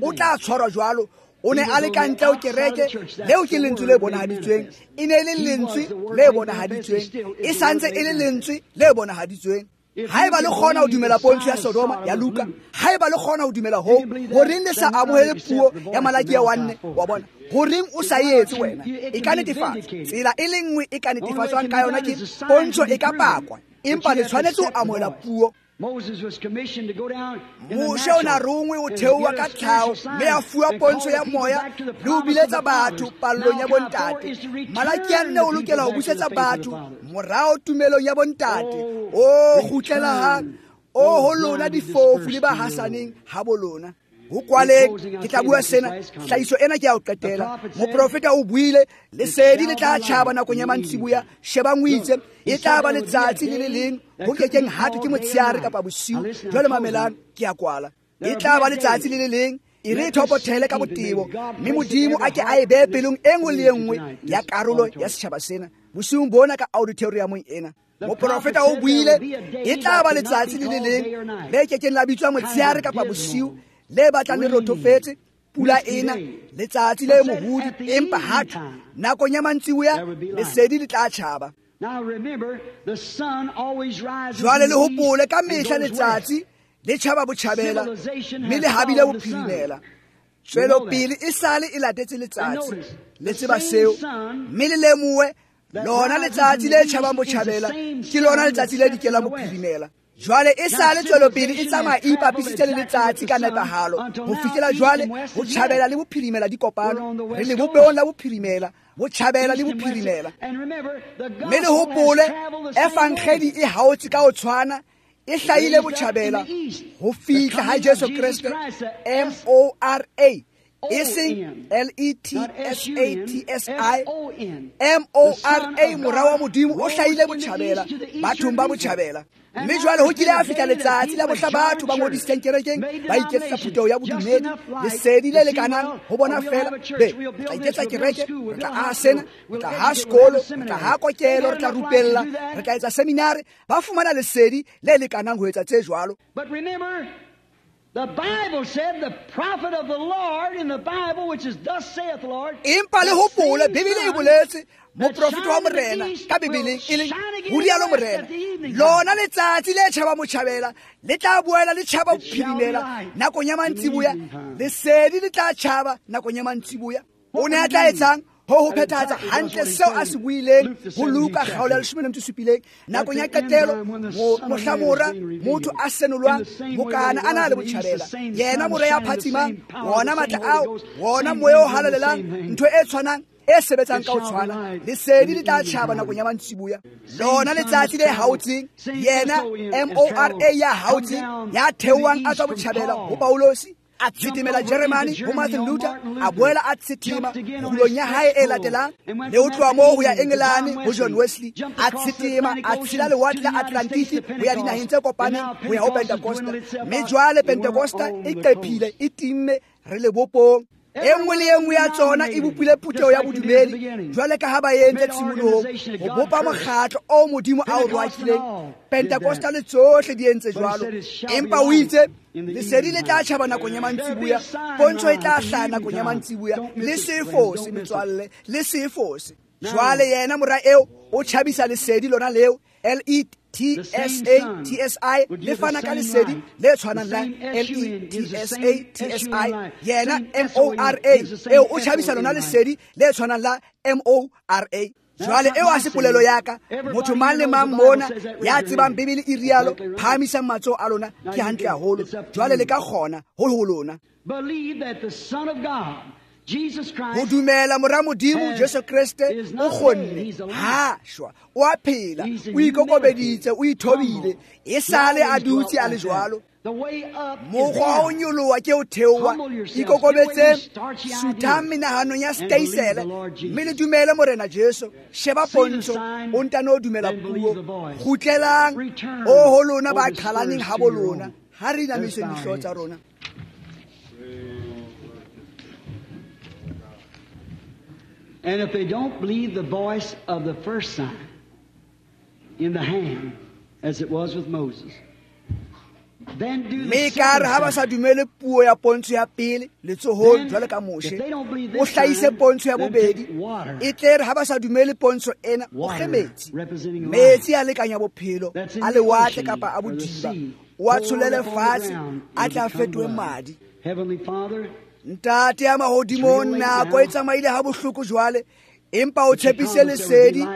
o tla tshwarwa jwalo. O ne a le ka ntle ho kereke, leo ke lentswe le bonahaditsweng. E ne e le lentswe le bonahaditsweng, e santse e le lentswe le bonahaditsweng. Haeba le kgona ho dumela pontsho ya Sodoma ya Luka, haeba le kgona ho dumela hoo, horeng le sa amohele puo ya Malaki ya 1? Wa bona, horeng o sa e etse wena? E ka netefatswa. Tsela e le nngwe e ka netefatswang ka yona ke pontsho e ka pakwa, empa le tshwanetse ho amohela puo. Moshe o na rongwe ho theoha ka tlhaho, mme a fuwa pontsho ya moya le ho biletsa batho pallong ya bontate. Malaki a nne o lokela ho busetsa batho morao tumelong ya bontate. O kgutlela hang, o ho lona difofu le ba hasaneng ha bo lona. Ho kwaleng, ke tla bua sena, tlhahiso ena ke ya ho qetela. Moprofeta o buile, lesedi le tla tjhaba nakong ya mantsiboya. Shebang o itse, e tla ba letsatsi le le leng ho kekeng hathwe ke motshehare kapa bosiu. Jwale mamelang, ke a kwala. E tla ba letsatsi le le leng, e re thopothele ka botebo, mme Modimo a ke a e behe pelong e nngwe le e nngwe ya karolo ya setjhaba sena bosiung bona ka auditoriumong ena. Moprofeta o buile, e tla ba letsatsi le le leng le kekeng la bitswa motshehare kapa bosiu, le batlang le rothofetse, pula ena, letsatsi le mohudi, empa hathwe nakong ya mantsiboya lesedi le tla tjhaba. Jwale le hopole ka mehla letsatsi le tjhaba botjhabela, mme le habile bophirimela. Tswelopele e sale e latetse letsatsi, le tseba seo, mme le lemohe lona letsatsi le tjhabang botjhabela ke lona letsatsi le dikelang bophirimela. Jwale e sale tswelopele e tsamaya e ipapisitse le letsatsi ka nepahalo ho fihlela jwale botjhabela le bophirimela di kopano. Re le bopehong la bophirimela, botjhabela le bophirimela. Mme le hopole evangeli e haotse ka ho tshwana, e hlahile botjhabela ho fihla ha Jesu Kreste, M-O-R-A, e seng L-E-T-S-A-T-S-I, M-O-R-A, mora wa Modimo o hlahile botjhabela, bathong ba botjhabela. Mme jwale ho kile a fihla letsatsi la mohla batho ba ngodisitseng kerekeng ba iketsetsa phutheho ya bodumedi, lesedi le lekanang ho bona fela. Be, re tla iketsa kereke, re tla aha sena, re tla aha sekolo, re tla aha kokelo, re tla rupella, re tla etsa seminare. Ba fumana lesedi le lekanang ho etsa tse jwalo. The Bible said the prophet of the Lord in the Bible, which is thus saith the Lord. Empa le hopole, Bibele e boletse moprofeta wa Morena ka Bibeleng e leng ho rialo Morena, lona letsatsi le tjhaba motjhabela le tla boela le tjhaba bophirimela nakong ya mantsiboya, lesedi le tla tjhaba nakong ya mantsiboya. O ne a tla etsang? Ho phethahatsa hantle seo a se buileng ho Luka kgaolo ya 17. Nakong ya qetelo, mohla mora motho a senolwang, mokana a na le botjhabela, yena mora ya phatsimang, wona matla ao, wona moya o halalelang, ntho e tshwanang e sebetsang ka ho tshwana. Lesedi le tla tjhaba nakong ya mantsiboya. Lona letsatsi le haotseng, yena M-O-R-A ya haotseng, ya theohang a tswa botjhabela ho Paulosi, a tshetimela Jeremane ho Martin Luther, a boela a tshetima kgulong ya hae e latelang, le ho tloha moo ho ya Engelane ho John Wesley, a tshetima a tshela lewatle la Atlantiki ho ya dinaheng tse kopaneng ho ya ho Pentecosta. Mme jwale Pentecosta e qephile, e timme, re lebopong. E nngwe le e nngwe ya tsona e bopile phutheho ya bodumedi jwale ka ha ba entse tshimolohong ho bopa mokgatlo o Modimo a o roakileng. Pentecosta le tsohle di entse jwalo, empa o itse lesedi le tla tjhaba nakong ya mantsiboya, pontsho e tla hlaha nakong ya mantsiboya. Le se fose metswalle, le se fose. Jwale yena mora eo o tjhabisa lesedi lona leo, L-E-T-S-A-T-S-I, le fana ka lesedi le tshwanang la L-E-T-S-A-T-S-I. Yena M-O-R-A eo o tjhabisa lona lesedi le tshwanang la M-O-R-A. Jwale eo a se polelo ya ka, motho mang le mang mona ya tsebang Bibele e rialo, phahamisang matsoho a lona, ke hantle haholo. Jwale le ka kgona ho ho lona ho dumela mora Modimo Jesu Kreste o kgonne, ha shwa, o a phela, o ikokobeditse, o ithobile, e sale a dutse a le jwalo. Mokgwa o nyoloha ke o theoha, ikokobetse, suthang menahanong ya steisele, mme le dumele Morena Jesu. Sheba pontsho, o ntano dumela puo. Kgutlelang, o ho lona ba qhalaneng habo lona. Ha re inamiseng dihlooho tsa rona. And if they don't believe the voice of the first sign in the hand, as it was with Moses, then do the Mme ka re ha ba sa dumele puo ya pontsho ya pele letsohong jwale ka Moshe, o hlahise pontsho ya bobedi. E tle re ha ba sa dumele pontsho ena, o kge metsi. Metsi a lekanya bophelo, a lewatle kapa a bodiba, o a tsholele fatshe, a tla fetohe madi. Heavenly Father, Ntate ya mahodimong, nako e tsamaile ha bohloko jwale, empa o tshepise lesedi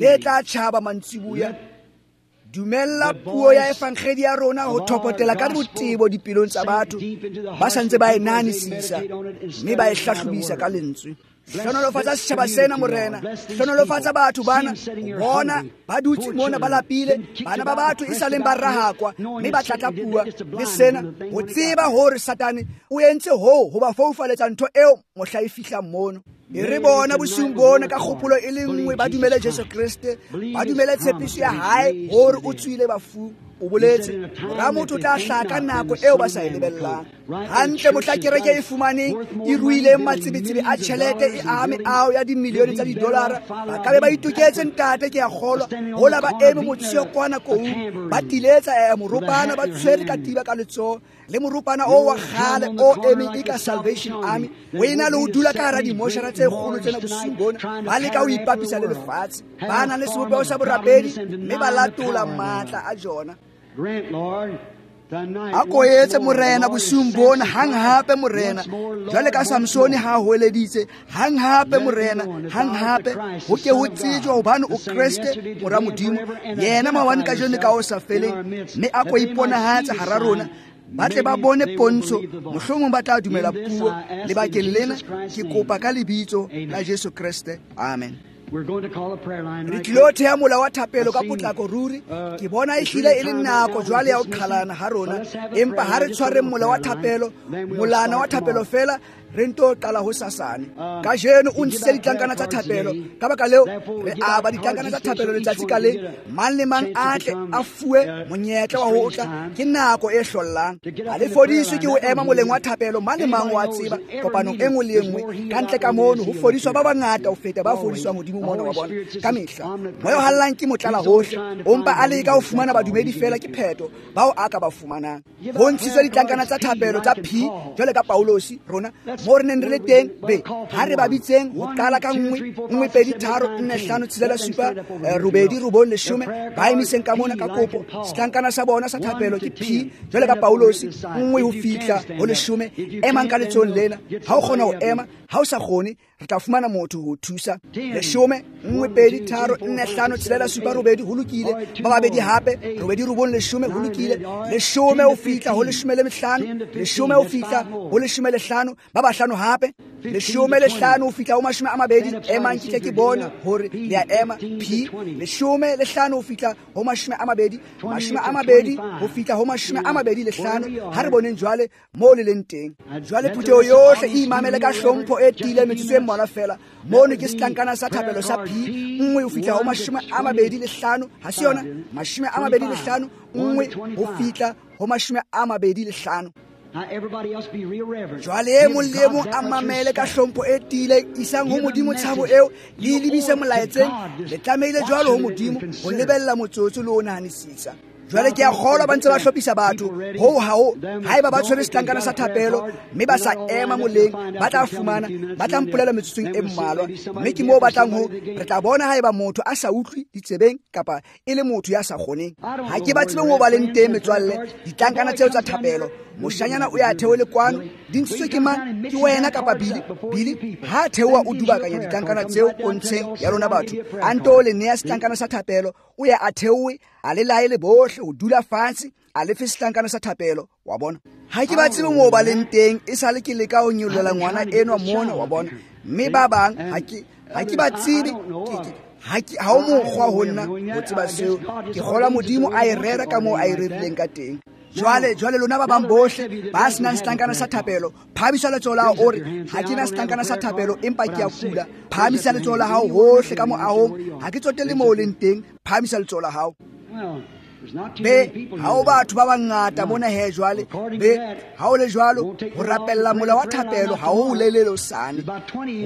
le tla tjhaba mantsiboya. Dumella puo ya evangeli ya rona ho thopotela ka botebo dipelong tsa batho ba sa ntse ba e nahanisisa mme ba e hlahlobisa ka lentswe. Hlohonolofatsa setjhaba sena Morena, hlohonolofatsa batho bana, bona ba dutse mona ba lapile, bana ba batho e saleng ba rahakwa mme ba tlatlapuwa le sena, ho tseba hore Satane o entse hoo ho ba foufaletsa ntho eo mohla e fihlang mono. E re bona bosiung bona ka kgopolo e le nngwe ba dumele Jesu Kreste, ba dumele tshepiso ya hae hore o tswile bafung. O boletse mora motho o tla hlaha ka nako eo ba sa e lebellang. Hantle mohla kereke e fumaneng e ruileng matsebetsebe a tjhelete e ame ao ya dimilione tsa didolara, ba ka be ba itoketse ntate, ke a kgolwa, hola ba eme motsheo kwana koung, ba tiletsa moropana, ba tshwere katiba ka letsoho, le moropana o wa kgale o emeng e ka Salvation Army, o ena le ho dula ka hara dimoshara tse kgolo tsena bosiung bona, ba leka ho ipapisa le lefatshe, ba nang le sebopeho sa borapedi mme ba latola matla a jona. A ko etse Morena bosiung bona, hang hape Morena, jwale ka Samsone ha hoeleditse, hang hape Morena, hang hape, ho ke ho tsejwa hobane o Kreste mora Modimo, yena maobane kajeno ka ho sa feleng, mme a ko iponahatse hara rona, ba tle ba bone pontsho, mohlomong ba tla dumela puo. Lebakeng lena ke kopa ka lebitso la Jesu Kreste, amen. Re tlilo theha mola wa thapelo ka potlako ruri. Ke bona e hlile e le nako jwale ya ho qhalana ha rona, empa ha re tshwareng mola wa thapelo, molana wa thapelo fela, re nto qala ho sasane. Kajeno o ntshitse ditlankana tsa thapelo, ka baka leo re aba ditlankana tsa thapelo letsatsi ka leng, mang le mang a tle a fuwe monyetla wa ho tla. Ke nako e hlollang. Ha le fodiswe ke ho ema moleng wa thapelo, mang le mang wa tseba kopanong e nngwe le e nngwe ka ntle ka mono ho fodiswa ba bangata ho feta ba fodiswang hodimo mona wa bona ka mehla. Moya o hallang ke motlala hohle, o mpa a leka ho fumana badumedi fela, ke pheto bao a ka ba fumanang. Ho ntshitswe ditlankana tsa thapelo tsa P jwale ka Paulosi rona mo re neng re le teng, be ha re ba bitseng ho qala ka 1 1 2 3 4 5 6 7 8 9 10, ba emiseng ka mona ka kopo. Setlankana sa bona sa thapelo ke P jwale ka Paulosi, 1 ho fihla ho 10. Emang ka letsohong lena, ha o kgona ho ema, ha o sa kgone re tla fumana motho ho thusa. 10 1 2 3 4 5 6 7 8, ho lokile. Ba babedi hape, 8 9 10, ho lokile. 10 ho fihla ho 15, 10 ho fihla ho 15, ba bahlano hape. 15 ho fihla ho 20. Emang ke tle ke bone hore le a ema. P 15 ho fihla ho 20, 20 ho fihla ho 25. Ha re boneng jwale moo le leng teng. Jwale phutheho yohle e imamele ka hlompho e tiileng metsotso e mmalwa fela. Mono ke setlankana sa thapelo sa P 1 ho fihla ho 25. Ha se yona? 25, 1 ho fihla ho 25. Jwale e mong le e mong a mamele ka hlompho e tiileng, isang ho Modimo tshabo eo, le e lebise molaetseng. Le tlamehile jwalo ho Modimo ho lebella motsotso le ho nahanisisa. Jwale ke a kgolwa ba ntse ba hlophisa batho hoo ha ho haeba ba tshwere setlankana sa thapelo mme ba sa ema moleng, ba tla fumana, ba tla mpolela metsotsong e mmalwa. Mme ke moo ba tlang ho re tla bona haeba motho a sa utlwe ditsebeng kapa e le motho ya sa kgoneng. Ha ke ba tsebe moo ba leng teng metswalle, ditlankana tseo tsa thapelo. Moshanyana o ya theole kwano, di ntshitswe ke mang? Ke wena kapa Billy? Billy ha theoha o dubakanya ditlankana tseo pontsheng ya lona batho, a nto le nea setlankana sa thapelo, o ya a theohe, a le laele bohle ho dula fatshe, a lefe setlankana sa thapelo. Wa bona? Ha ke ba tsebe moo ba leng teng, e sale ke leka ho nyollela ngwana enwa mona, wa bona. Mme ba bang ha ke ba tsebe, ha o mokgwa ho nna ho tseba seo. Ke kgolwa Modimo a e rera ka moo a e rerileng ka teng. Jwale lona ba bang bohle ba senang setlankana sa thapelo, phahamisa letsoho la hao o re, ha ke na setlankana sa thapelo empa ke a kula. Phahamisa letsoho la hao hohle ka moahong, ha ke tsotelle moo o leng teng, phahamisa letsoho la hao. Be ha o batho ba bangata mona he jwale. Be ha o le jwalo, ho rapella mola wa thapelo ha o lelele hosane.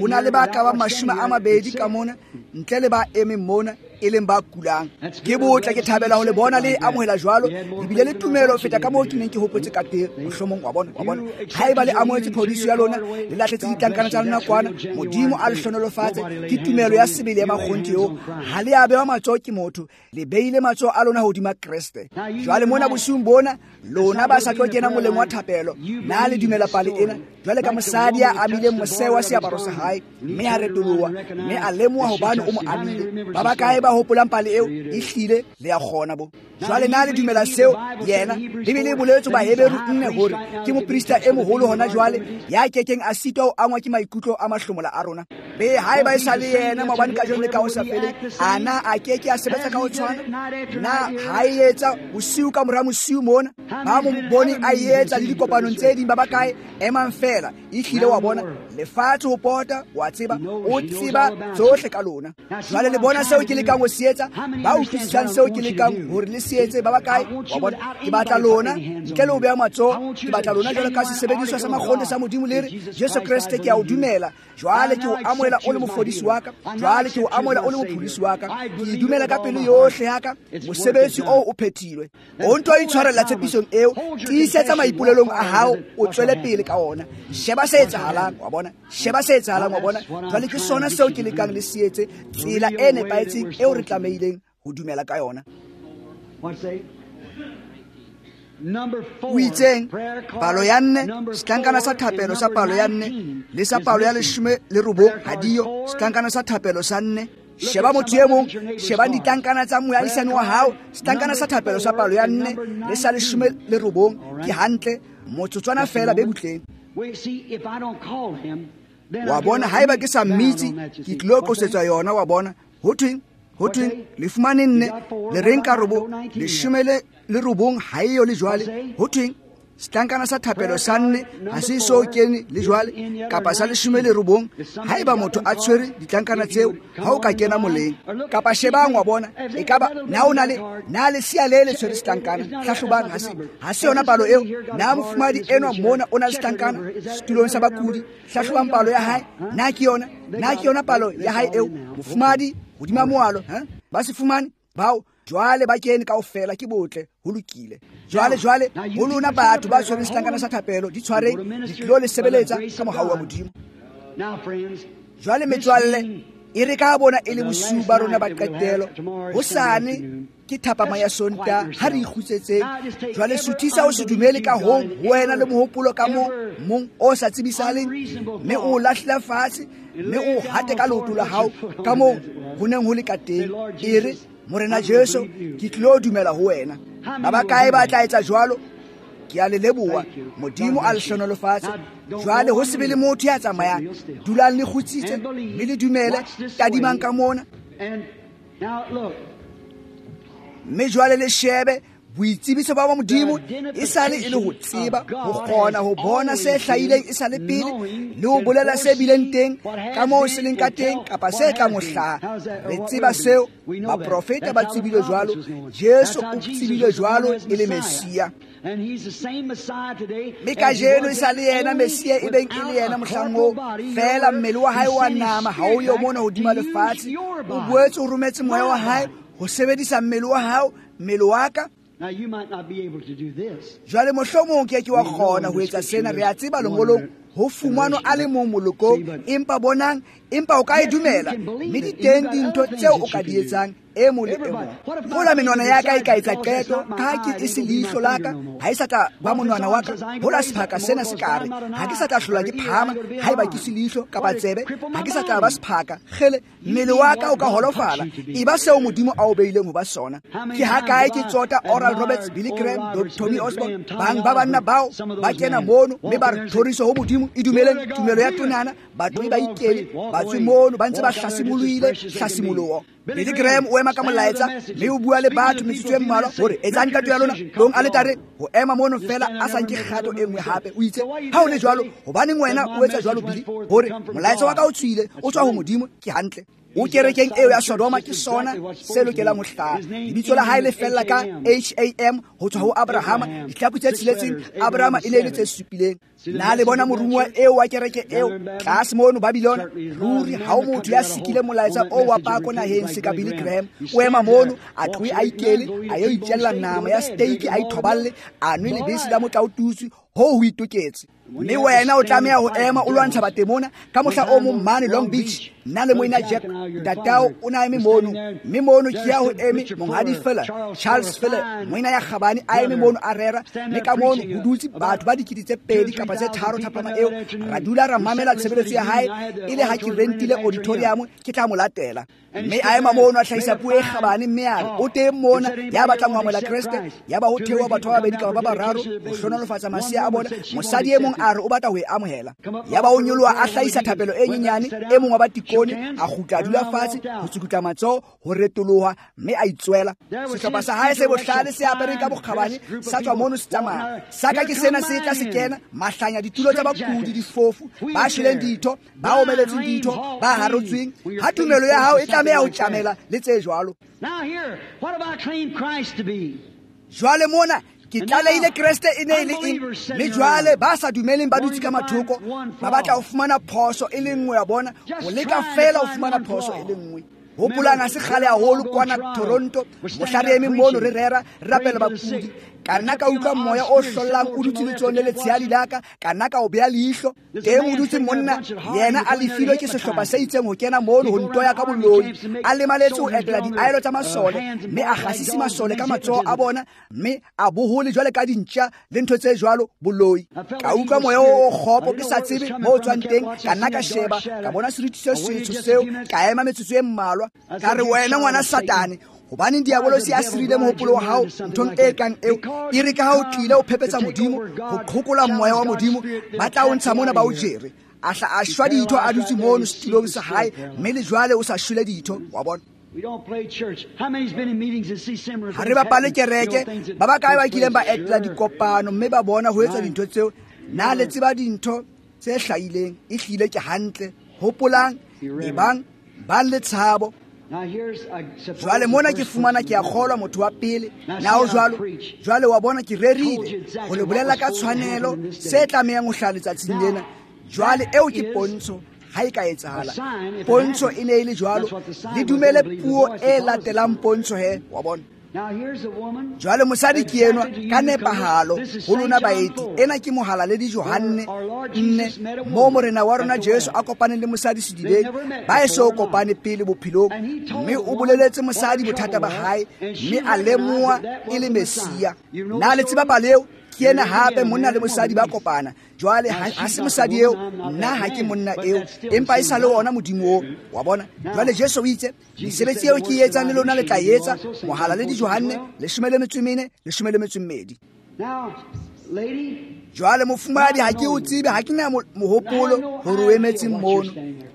Ho na le ba ka ba 20 ka mona, ntle le ba emeng mona e leng ba kulang. Ke botle, ke thabela ho le bona le amohela jwalo. Le bile le tumelo ho feta ka moo ke neng ke hopotse ka teng. Mohlomong wa bona, wa bona. Haeba le amohetse phodiso ya lona, le lahletse ditlankana tsa lona kwana, Modimo a le hlohonolofatse. Ke tumelo ya sebele ya makgonthe eo. Ha le a bewa matsoho ke motho, le beile matsoho a lona hodima Kreste. Jwale mona bosiung bona, lona ba sa tlo kena moleng wa thapelo, na le dumela pale ena? Jwale ka mosadi ya amileng moseo wa seaparo sa hae, mme a retoloha, mme a lemoha hobane o mo amile. Ba bakae ba hopolang pale eo? Ehlile le a kgona bo. Jwale na le dumela seo? Yena Bibele e boletse Baheberu 4 hore ke moprista e moholo hona jwale, ya kekeng a sitwa ho angwa ke maikutlo a mahlomola a rona. Be haeba e sa le yena maobane, kajeno le ka ho sa feleng, ana a keke a sebetsa ka ho tshwana? Na ha e etsa bosiu ka mora mosiu mona, ba mo bone a etsa le dikopanong tse ding, ba bakae? Emang fela. Ehlile wa bona lefatshe ho pota, wa tseba, o tseba tsohle ka lona. Jwale le bona seo ke lekang ho se etsa, ba utlwisisang seo ke lekang hore le se etse, ba bakae? Wa bona, ke batla lona ntle le ho beha matsoho, ke batla lona jwalo ka sesebediswa sa makgonthe sa Modimo, le re, Jesu Kreste, ke a o dumela. Jwale ke o amohela o le mofodisi wa ka, jwale ke o amohela o le mopholosi wa ka. Ke dumela ka pelo yohle ya ka, mosebetsi oo o phethilwe. O nto itshwarella tshepisong eo, tiisetsa maipolelong a hao, o tswele pele ka ona. Sheba se etsahalang, wa bona. Sheba se etsahalang, wa bona. Jwale ke sona seo ke lekang le se etse, tsela e nepahetseng eo re tlamehileng ho dumela ka yona. O itseng palo ya 4, setlankana sa thapelo sa palo ya 4 le sa palo ya 19 ha diyo, setlankana sa thapelo sa 4. Sheba motho e mong, sheba ditlankana tsa moahisani wa hao, setlankana sa thapelo sa palo ya 4 le sa 19 ke hantle, motsotswana fela be butleng. Wa bona, haeba ke sa mmitse, ke tlilo qosetswa yona, wa bona. Ho thweng? Ho thweng? Le fumane 4, le reng ka robo, 19 ha eyo le jwale. Ho thweng? Setlankana sa thapelo sa 4 ha se so kene le jwale, kapa sa 19. Haeba motho a tshwere ditlankana tseo, ha o ka kena moleng. Kapa shebang, wa bona, ekaba na o na le na le sia le le tshwere setlankana. Hlahlobang, ha se yona palo eo. Na mofumadi enwa mona o na le setlankana setulong sa bakudi. Hlahlobang palo ya hae. Na ke yona? Na ke yona palo ya hae eo? Mofumadi hodima moalo, ha ba se fumane bao. Jwale ba kene kaofela, ke botle, ho lokile. Jwale ho lona batho ba tshwereng setlankana sa thapelo, di tshwareng, di tlilo le sebeletsa ka mohau wa Modimo. Jwale metswalle, e re ka bona e le bosiu ba rona ba qetelo, hosane ke thapama ya Sontaha, ha re ikgutsetseng. Jwale suthisa o se dumele ka hong ho wena le mohopolo ka mong o sa tsebisahaleng, mme o lahlela fatshe, mme o hate ka leoto la hao ka moo ho neng ho le ka teng. E re, Morena Jesu, ke tlilo dumela ho wena. Ba bakae ba tla etsa jwalo? Ke a le leboha. Modimo a le hlohonolofatse. Jwale ho se be le motho ya tsamayang. Dulang le kgutsitse mme le dumele. Tadimang ka mona. Mme jwale le shebe boitsebiso ba Modimo e sale e le ho tseba, ho kgona ho bona se hlahileng e sale pele le ho bolela se bileng teng ka moo se leng ka teng kapa se tlang ho hlaha. Re tseba seo, baprofeta ba tsebile jwalo, Jesu o tsebile jwalo e le Messia. Mme kajeno e sa le yena Messia e beng e le yena mohlang oo, feela mmele wa hae wa nama ha o yo mona hodima lefatshe. O boetse o rometse moya wa hae ho sebedisa mmele wa hao, mmele wa ka. Jwale mohlomong ke ke wa kgona ho etsa sena, re a tseba lengolong ho fumanwa a le mong molokong, empa bonang, empa o ka e dumela, mme di teng dintho tseo o ka di etsang e mong le e mong. Hola menwana ya ka e ka etsa qeto, ka ha ke e se leihlo la ka, ha e sa tla ba monwana wa ka. Hola sephaka sena se ka re, ha ke sa tla hlola ke phahama, haeba ke se leihlo kapa tsebe, ha ke sa tla ba sephaka. Kgele, mmele wa ka o ka holofala, e ba seo Modimo a o beileng ho ba sona. Ke ha kae ke tsota Oral Roberts, Billy Graham, Tommy Osborne, bang ba banna bao ba kena mono mme ba re thoriso ho Modimo, e dumeleng tumelo ya tonana, batho ba ikele, ba tswe mono ba ntse ba hlasimoloile hlasimoloho. Billy Graham o ema ka molaetsa mme o bua le batho metsotso e mmalwa hore etsang qeto ya lona tlong aletare, ho ema mono fela a sa nke kgato e nngwe hape. O itse ha o le jwalo, hobaneng wena o etsa jwalo Billy? Hore molaetsa wa ka o tswile, o tswa ho Modimo, ke hantle. O kerekeng eo ya Sodoma, ke sona se lokelang ho hlaha. Lebitso la hae le fella ka H-A-M ho tswa ho Abrahama, ditlhaku tse tsheletseng, Abrahama e ne e le tse supileng. Na le bona morumuwa eo wa kereke eo tlase mono Babylon? Ruri ha o motho ya sikile molaetsa o wa pako naheng se ka Billy Graham. O ema mono, a tlohe a ikele, a yo itjella nama ya steak, a ithoballe, a nwe lebese la motlaotutswe, hoo ho itoketse. Mme wena o tlameha ho ema o lwantsha batemona ka mohla o mong mane Long Beach. Nna le moena Jack ntatao o na eme mono, mme mono ke ya ho eme monghadi Fuller, Charles Fuller, moena ya kgabane a eme mono a rera, mme ka mono ho dutse batho ba 2 000 kapa tse 3 thapama eo. Ra dula ra mamela tshebeletso ya hae, e le ha ke rentile auditorium ke tla mo latela. Mme a ema mono a hlahisa puo e kgabane, mme a re o teng mona ya batlang ho amohela Kreste, ya ba ho theoha batho ba babedi kapa ba bararo ho hlohonolofatsa masea a bona. Mosadi e mong a re o batla ho e amohela, ya ba o nyoloha a hlahisa thapelo e nyenyane. E mong wa batikone a kgutla a dula fatshe ho tsukutla matsoho, ho retoloha, mme a itswela. Sehlopha sa hae se bohlale se apere ka bokgabane sa tswa mono se tsamaya. Sa ka ke sena se tla se kena, mahlanya ditulo tsa bakudi, difofu, ba shweleng ditho, ba omeletseng ditho, ba harotsweng. Ha tumelo ya hao e tlameha ho tjamela le tse jwalo. Jwale mona ke tlalehile Kreste e ne e le eng, mme jwale ba sa dumeleng ba dutse ka mathoko, ba batla ho fumana phoso e le nngwe ya bona, ho leka fela ho fumana phoso e le nngwe. Hopolang ha se kgale haholo kwana Toronto, mohla re eme mono re rera, re rapela bakudi. Ka nna ka utlwa moya o hlollang o dutse letsohong le letshehadi la ka, ka nna ka o beha leihlo. Teng o dutse monna, yena a lefilwe ke sehlopha se itseng ho kena mono ho ntoya ka boloi. A lemaletse ho etela diaelo tsa masole, mme a kgasise masole ka matsoho a bona, mme a bohole jwale ka dintja le ntho tse jwalo, boloi. Ka utlwa moya o kgopo ke sa tsebe mo o tswang teng, ka nna ka sheba, ka bona seriti se setsho seo, ka ema metsotso e mmalwa. Ka re wena ngwana Satane, hobaneng diabolosi a sirile mohopolo wa hao nthong e kang eo? E re ka ha o tlile o phephetsa Modimo, ho qhokola moya wa Modimo, ba tla o ntsha mona ba o jere. A hla a shwa ditho a dutse mono setulong sa hae, mme le jwale o sa shwele ditho, wa bona. Ha re bapale kereke, ba bakae ba kileng ba etela dikopano mme ba bona ho etsa dintho tseo? Na le tseba dintho tse hlahileng? E hlile ke hantle. Hopolang, ebang ba le tshabo. Jwale mona ke fumana ke a kgolwa motho wa pele. Na o jwalo? Jwale wa bona ke rerile ho le bolella ka tshwanelo se tlamehang ho hlaha letsatsing lena. Jwale eo ke pontsho ha e ka etsahala. Pontsho e ne e le jwalo. Le dumele puo e latelang pontsho he, wa bona. Jwale mosadi ke enwa ka nepahalo ho lona baeti. Ena ke mohalaledi Johanne 4, moo morena wa rona Jesu a kopaneng le mosadi sedibeng, ba eso kopane pele bophelong, mme o boleletse mosadi bothata ba hae, mme a lemoha e le Messia. Na le tseba pale eo? Ke ena hape monna le mosadi ba kopana. Jwale ha se mosadi eo, nna ha ke monna eo, empa e sa le ona Modimo oo, wa bona. Jwale Jesu o itse, mesebetsi eo ke e etsang le lona le tla e etsa, mohalaledi Johanne 14, 12. Lady, Jwale mofumahadi, ha ke o tsebe, ha ke na mohopolo hore o emetseng mono.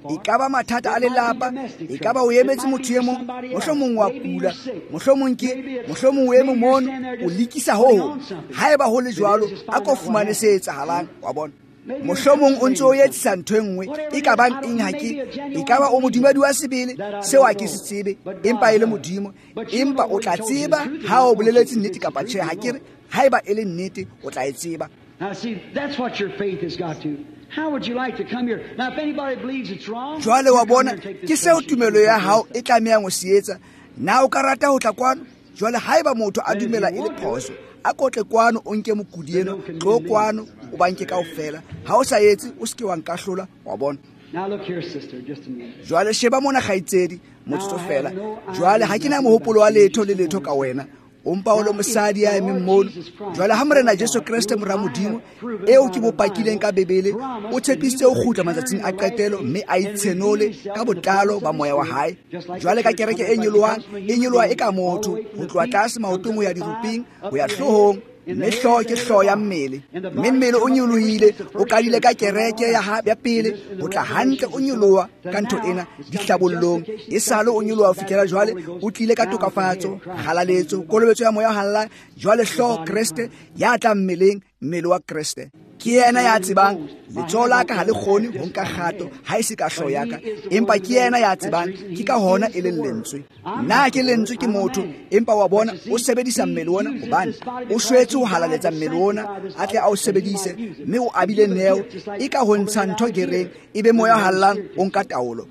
E ka ba mathata a lelapa, e ka ba o emetse motho e mong, mohlomong wa kula, mohlomong ke, mohlomong o eme mono, o lekisa ho hong. Haeba ho le jwalo, a ko fumane se etsahalang, wa bona. Mohlomong o ntse o etsisa ntho e nngwe, e ka bang eng ha ke, e ka ba o modumedi wa sebele, seo ha ke se tsebe, empa e le Modimo. Empa o tla tseba ha o boleletse nnete kapa tjhe, ha ke re, haeba e le nnete, o tla e tseba. Now, see, that's what your faith has got to. How would you like to come here? Now, if anybody believes it's wrong, Jwale wa you come bona, here and take ke this seo patient tumelo and ya take hao this. e tlamehang ho se etsa. Na o ka rata ho tla kwano? Jwale haeba motho a dumela e le phoso, a kotle kwano o nke mokudi eno, tlo kwano o ba nke kaofela. Ha o sa etse, o se ke wa nkahlola, wa bona. Now, look here, sister, just a minute. Jwale sheba mona kgaitsedi, motsotso fela. Jwale ha ke na mohopolo wa letho le letho ka wena. O mpa o le mosadi ya emeng mono. Jwale ha Morena Jesu Kreste mora Modimo, eo ke mo pakileng ka Bibele, o tshepisitse ho kgutla matsatsing a qetelo mme a itshenole ka botlalo ba moya wa hae. Jwale ka kereke e nyolohang, e nyoloha e ka motho, ho tloha tlase maotong ho ya diropeng, ho ya hloohong, mme hlooho ke hlooho ya mmele. Mme mmele o nyolohile, o qadile ka kereke ya pele, ho tla hantle o nyoloha ka ntho ena dihlabollong. Esale o nyoloha ho fihlela jwale, o tlile ka tokafatso, kgalaletso, kolobetso ya moya o halalelang. Jwale hlooho Kreste ya tla mmeleng, mmele wa Kreste. Ke yena ya tsebang, letsoho la ka ha le kgone ho nka kgato ha e se ka hlooho ya ka, empa ke yena ya tsebang, ke ka hona e leng lentswe. Nna ke lentswe ke motho, empa wa bona o sebedisa mmele ona hobane o shwetse ho halaletsa mmele ona, a tle a o sebedise, mme o abile neo e ka ho ntsha ntho gereng, e be moya o halalelang o nka taolo.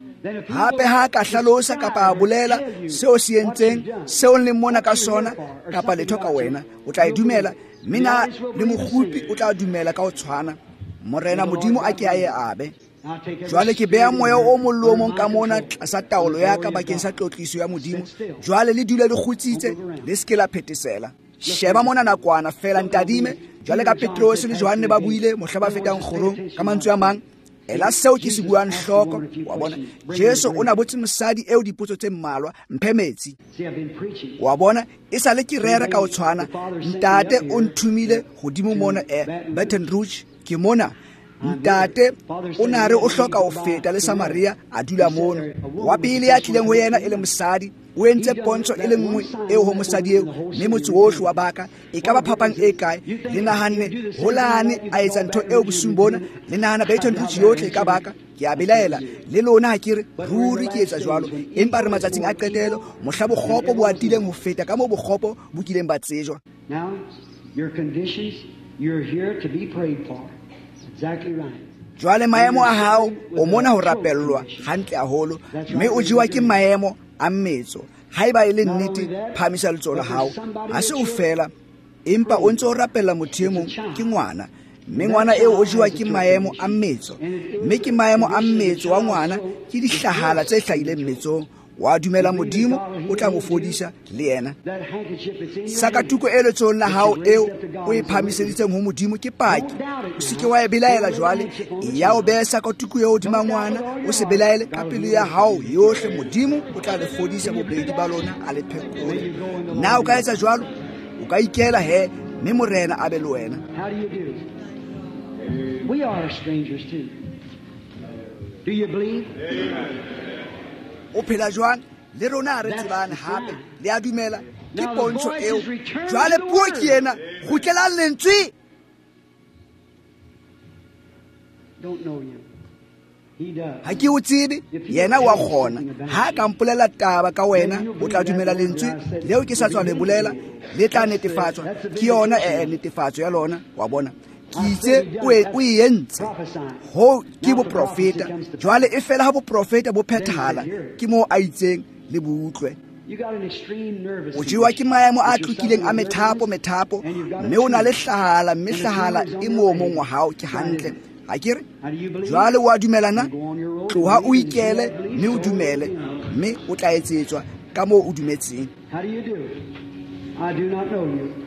Hape ha ka hlalosa kapa a bolela seo se entseng, seo leng mona ka sona kapa letho ka wena, o tla e dumela. Mme na le mokgupi o tla dumela ka ho tshwana. Morena Modimo a ke a e abe. Jwale ke beha moya o mong le o mong ka mona tlasa taolo ya ka bakeng sa tlotliso ya Modimo. Jwale le dule le kgutsitse, le se ke la phethesela. Sheba mona nakwana fela, ntadime. Jwale ka Petrose le Johanne ba buile mohla ba fetang kgorong ka mantswe a mang. Ela seo ke se buang hloko, wa bona. Jesu o na botse mosadi eo dipotso tse mmalwa, mphe metsi. See, I've been preaching. Wa bona, e sale ke rera ka ho tshwana. Ntate o nthomile hodimo mona, Baton Rouge, ke mona. Ntate o na re o hloka ho feta le Samaria, a dula mono. Wa pele ya tlileng ho yena e le mosadi, o entse pontsho e le nngwe eo ho mosadi eo, mme motse wohle wa baka. E ka ba phapang e kae? Le nahanne holane a etsa ntho eo bosiung bona, le nahana Baton Rouge yohle e ka baka. Ke a belaela le lona ha ke re ruri ke etsa jwalo, empa re matsatsing a qetelo, mohla bokgopo bo atileng ho feta ka moo bokgopo bo kileng ba tsejwa. Now, your conditions, you're here to be prayed for. Exactly right. Jwale maemo a hao, o mona ho rapellwa hantle haholo, mme o jewa ke maemo a mmetso. Haeba e le nnete, phahamisa letsoho la hao. Ha se o fela, empa o ntse o rapella motho e mong, ke ngwana. Mme ngwana eo o jewa ke maemo a mmetso, mme ke maemo a mmetso wa ngwana, ke dihlahala tse hlahileng mmetsong. Wa dumela Modimo o tla mo fodisa le yena. That handkerchief that's in your hand. Sakatuko e letsohong la hao eo o e phahamiseditseng ho Modimo ke paki. O se ke wa e belaela jwale. Eya o behe sakatuko eo hodima ngwana, o se belaele ka pelo ya hao yohle. Modimo o tla le fodisa bobedi ba lona, a le phekole. Na o ka etsa jwalo? O ka ikela he, mme Morena a be le wena. How do you do? We are strangers too. Do you believe? O phela jwang? Le rona ha re tsebane hape. Le a dumela? Ke pontsho eo. Jwale puo ke ena. Kgutlelang lentswe. Don't know you. He does. Ha ke o tsebe, yena wa kgona. Ha a ka mpolela taba ka wena, o tla dumela lentswe leo ke sa tswa le bolela, le tla netefatswa. Ke yona netefatso ya lona, wa bona. Ke itse o e entse. Ho ke boprofeta. Jwale e fela ha boprofeta bo phethahala, ke moo a itseng le bo utlwe. You got an extreme nervous O jewa ke maemo a condition. tlokileng a methapo, methapo, mme o na le hlahala, mme hlahala e moomong wa hao ke hantle. Ha ke re? Jwale o a dumela na? Tloha o ikele mme o dumele, mme o tla etsetswa ka moo o dumetseng. How do you do? I do not know you,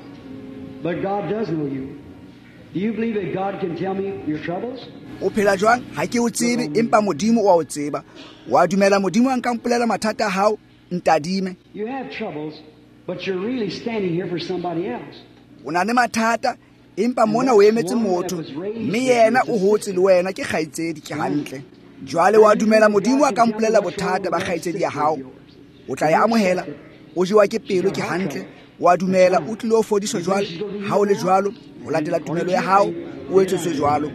but God does know you. Do you believe that God can tell me your troubles? O phela jwang? Ha ke o tsebe, empa Modimo o a o tseba. Wa dumela Modimo a nka mpolela mathata a hao? Ntadime. You have troubles, but you're really standing here for somebody else. O na le mathata, Empa mona o emetse motho, mme yena o hotse le wena, ke kgaitsedi, ke hantle. Jwale wa dumela Modimo a ka mpolela bothata ba kgaitsedi ya hao, o tla e amohela. O jewa ke pelo, ke hantle. Wa dumela o tlilo fodiswa jwale. Ha o le jwalo, ho latela tumelo ya hao, o etsetswe jwalo.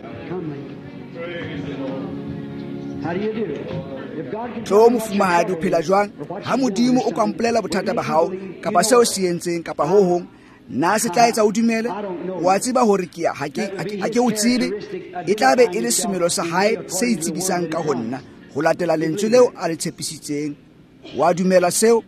Tlo mofumahadi, o phela jwang? Ha Modimo o ka mpolela bothata ba hao, kapa seo se entseng, kapa ho hong, na se tla etsa o dumele? Wa tseba hore ke ha ke o tsebe. E tla be e le semelo sa hae se itsebisang ka ho nna, ho latela lentswe leo a le tshepisitseng. Wa dumela seo?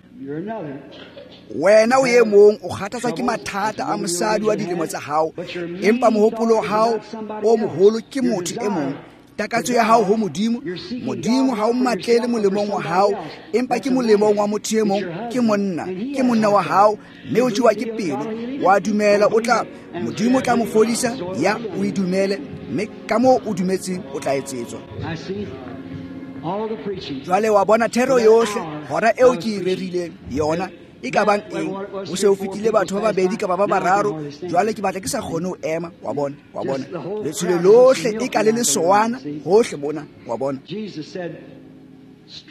Wena o e mong o kgathatswa ke mathata a mosadi wa dilemo tsa hao, empa mohopolo wa hao o moholo ke motho e mong. Takatso ya hao ho Modimo, Modimo ha o mmatlele molemong wa hao, empa ke molemong wa motho e mong, ke monna wa hao, mme o jewa ke pelo. Wa dumela o tla, Modimo o tla mo fodisa, ya o e dumele, mme ka moo o dumetseng o tla etsetswa. Jwale wa bona thero yohle, hora eo ke e rerileng yona e ka bang eng? Ho se ho fetile batho ba babedi kapa ba bararo. Jwale ke batla ke sa kgone ho ema, wa bona, wa bona. Letshwele lohle e ka le lesowana hohle mona, wa bona.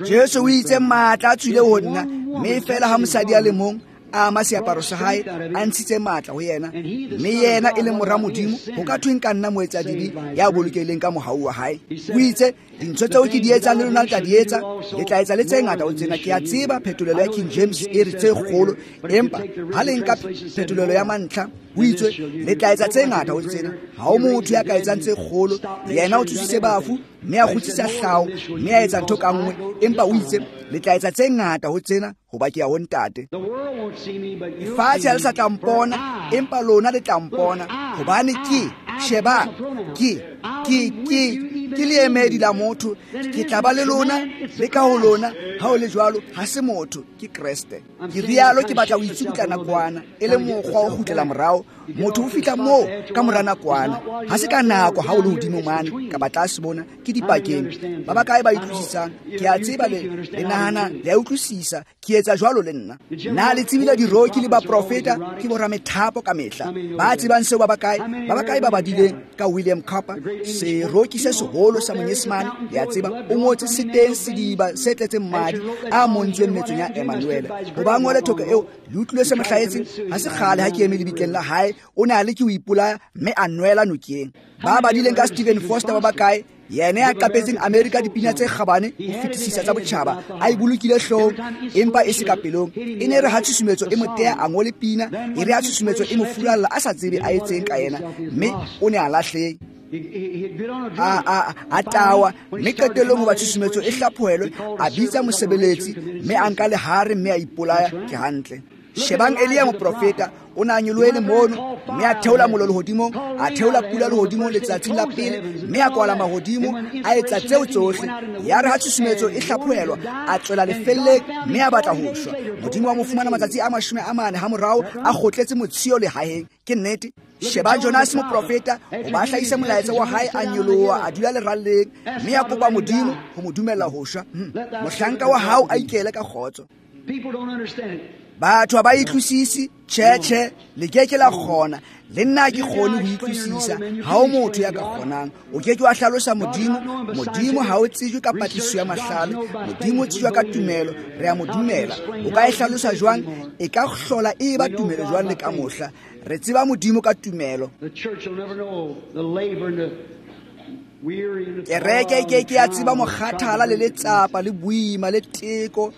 Jesu o itse matla a tswile ho nna, mme feela ha mosadi a le mong a ama seaparo sa hae, a ntshitse matla ho yena, mme yena e le mora Modimo, ho ka thweng ka nna moetsadibe ya bolokehileng ka mohau wa hae? O itse dintho tseo ke di etsang le lona le tla di etsa, le tla etsa le tse ngata ho tsena. Ke a tseba phetolelo ya King James e re tse kgolo, empa ha le nka phetolelo ya mantlha, o itswe le tla etsa tse ngata ho tsena. Ha o motho ya ka etsang tse kgolo. Yena o tsositse bafu, mme a kgutsisa hlao, mme a etsa ntho ka nngwe, empa o itse le tla etsa tse ngata ho tsena, hoba ke ya ho Ntate. Lefatshe ha le sa tla mpona, empa lona le tla mpona, hobane ke, shebang, ke leemedi la motho. Ke tla ba le lona le ka ho lona. Ha o le jwalo, ha se motho, ke Kreste. Ke rialo ke batla ho itsukutla nakwana, e le mokgwa o kgutlela morao. Motho o fihla moo ka mora nakwana, ha se ka nako ha o le hodimo mane kapa tlase mona, ke dipakeng. Ba bakae ba utlwisisang? Ke a tseba le nahana le a utlwisisa. Ke etsa jwalo le nna. Na le tsebile diroki le baprofeta ke boramethapo ka mehla. Ba tsebang seo ba bakae? Ba bakae ba badileng ka William Cowper, seroki se seholo sa Monyesemane? Le a tseba o ngotse se teng sediba se tletseng madi a montsweng metsong ya Emmanuel. Hoba ngole thoko eo, le utlwile se mo hlahetseng? Ha se kgale ha ke eme lebitleng la hae, o ne a le ke ho ipolaya, mme a nwela nokeng. Ba badileng ka Stephen Foster ba bakae? Yena ya qapetseng Amerika dipina tse kgabane ho fetisisa tsa botjhaba, a e bolokile hloohong, empa e se ka pelong. E ne re ha tshusumetso e mo teya, a ngole pina, e re ha tshusumetso e mo furalla, a sa tsebe a etseng ka yena, mme o ne a lahleng. A tawa, mme qetellong hoba tshusumetso e hlaphohelwe, a bitsa mosebeletsi, mme a nka lehare, mme a ipolaya. Ke hantle. Shebang Elia moprofeta, o ne a nyolohele mono, mme a theola mollo lehodimong, a theola pula lehodimong letsatsing la pele, mme a kwala mahodimo, a etsa tseo tsohle. Yare ha tshusumetso e hlaphohelwa, a tswela lefelleng, mme a batla ho shwa. Modimo wa mo fumana matsatsi a 40 ha morao, a kgotletse motshio lehaheng. Ke nnete. Sheba Jonas moprofeta, o ba hlahisa molaetsa wa hae, a nyoloha, a dula leralleng, mme a kopa Modimo ho mo dumella ho shwa. Mohlanka wa hao a ikele ka kgotso. Batho ha ba utlwisise, tjhe, le ke ke la kgona. Le nna ke kgone ho utlwisisa. Ha o motho ya ka kgonang. O ke ke wa hlalosa Modimo. Modimo ha o tsejwe ka patlisiso ya mahlale. Modimo o tsejwa ka tumelo. Re a mo dumela. O ka e hlalosa jwang? E ka hlola e ba tumelo jwang le ka mohla? Re tseba Modimo ka tumelo. Kereke e ke ke ya tseba mokgathala le letsapa le boima le teko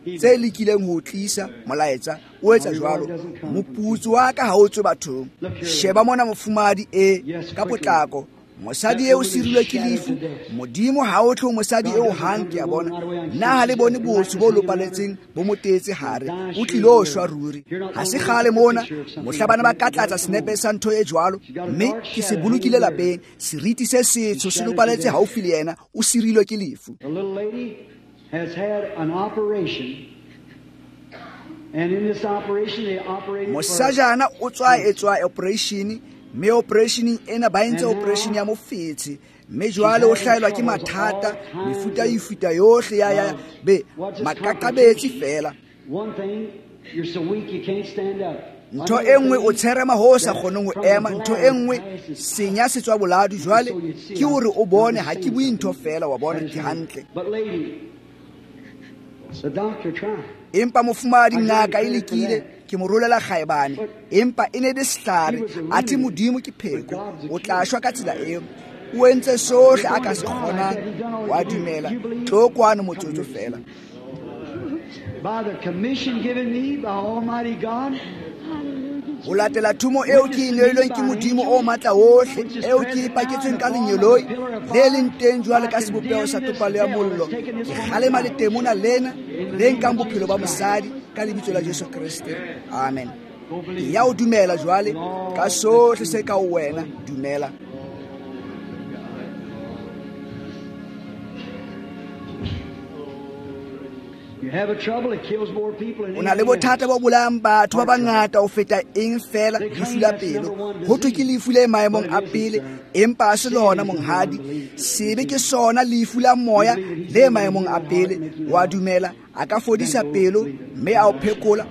tse lekileng ho tlisa molaetsa o etsa jwalo. Moputso wa ka ha o tswe bathong. Sheba mona mofumahadi e ka potlako. Mosadi eo sirilwe ke lefu. Modimo ha o tle ho mosadi eo hang, ke a bona. Na ha le bone botsho bo lopaletseng bo mo teetse hare? O tlilo shwa ruri. Ha se kgale mona mohla bana ba ka tlatsa senepe sa ntho e jwalo, mme ke se bolokile lapeng. Seriti se setsho se lopaletse haufi le yena, o sirilwe ke lefu. Has had an operation, and in this operation they operated. Mosajana o tswa etswa operation, mme operation ena ba entse operation ya mofetshe, mme jwale o hlaelwa ke mathata, mefuta e yohle ya be makakabetsi fela. One thing, you're so weak you can't stand up. Ntho e nngwe o tsherema ho o sa kgoneng ho ema. Ntho e nngwe senya se tswa boladu jwale ke hore o bone ha ke bue ntho feela wa bona ke hantle. Empa mofumahadi ngaka e lekile ke mo rolela kgaebane empa e ne le sehlare athe Modimo ke pheko o tla shwa ka tsela eo. O entse sohle a ka se kgonang wa dumela. Tlo kwano motsotso feela. By the commission given me by Almighty God, ho latela thumo eo ke e neilweng ke Modimo o matla ohle eo ke e paketsweng ka lenyeloi le leng teng jwale ka sebopeho sa topallo ya mollo ke kgalema letemona lena le nkang bophelo ba mosadi ka lebitso la Jesu Kreste. Amen. Ya o dumela jwale ka sohle se ka ho wena dumela. O na le bothata bo bolayang batho ba bangata ho feta eng feela lefu la pelo. Ho thwe ke lefu le maemong a pele empa ha se lona monghadi. Sebe ke sona lefu la moya le maemong a pele. Wa dumela a ka fodisa pelo mme a o phekola.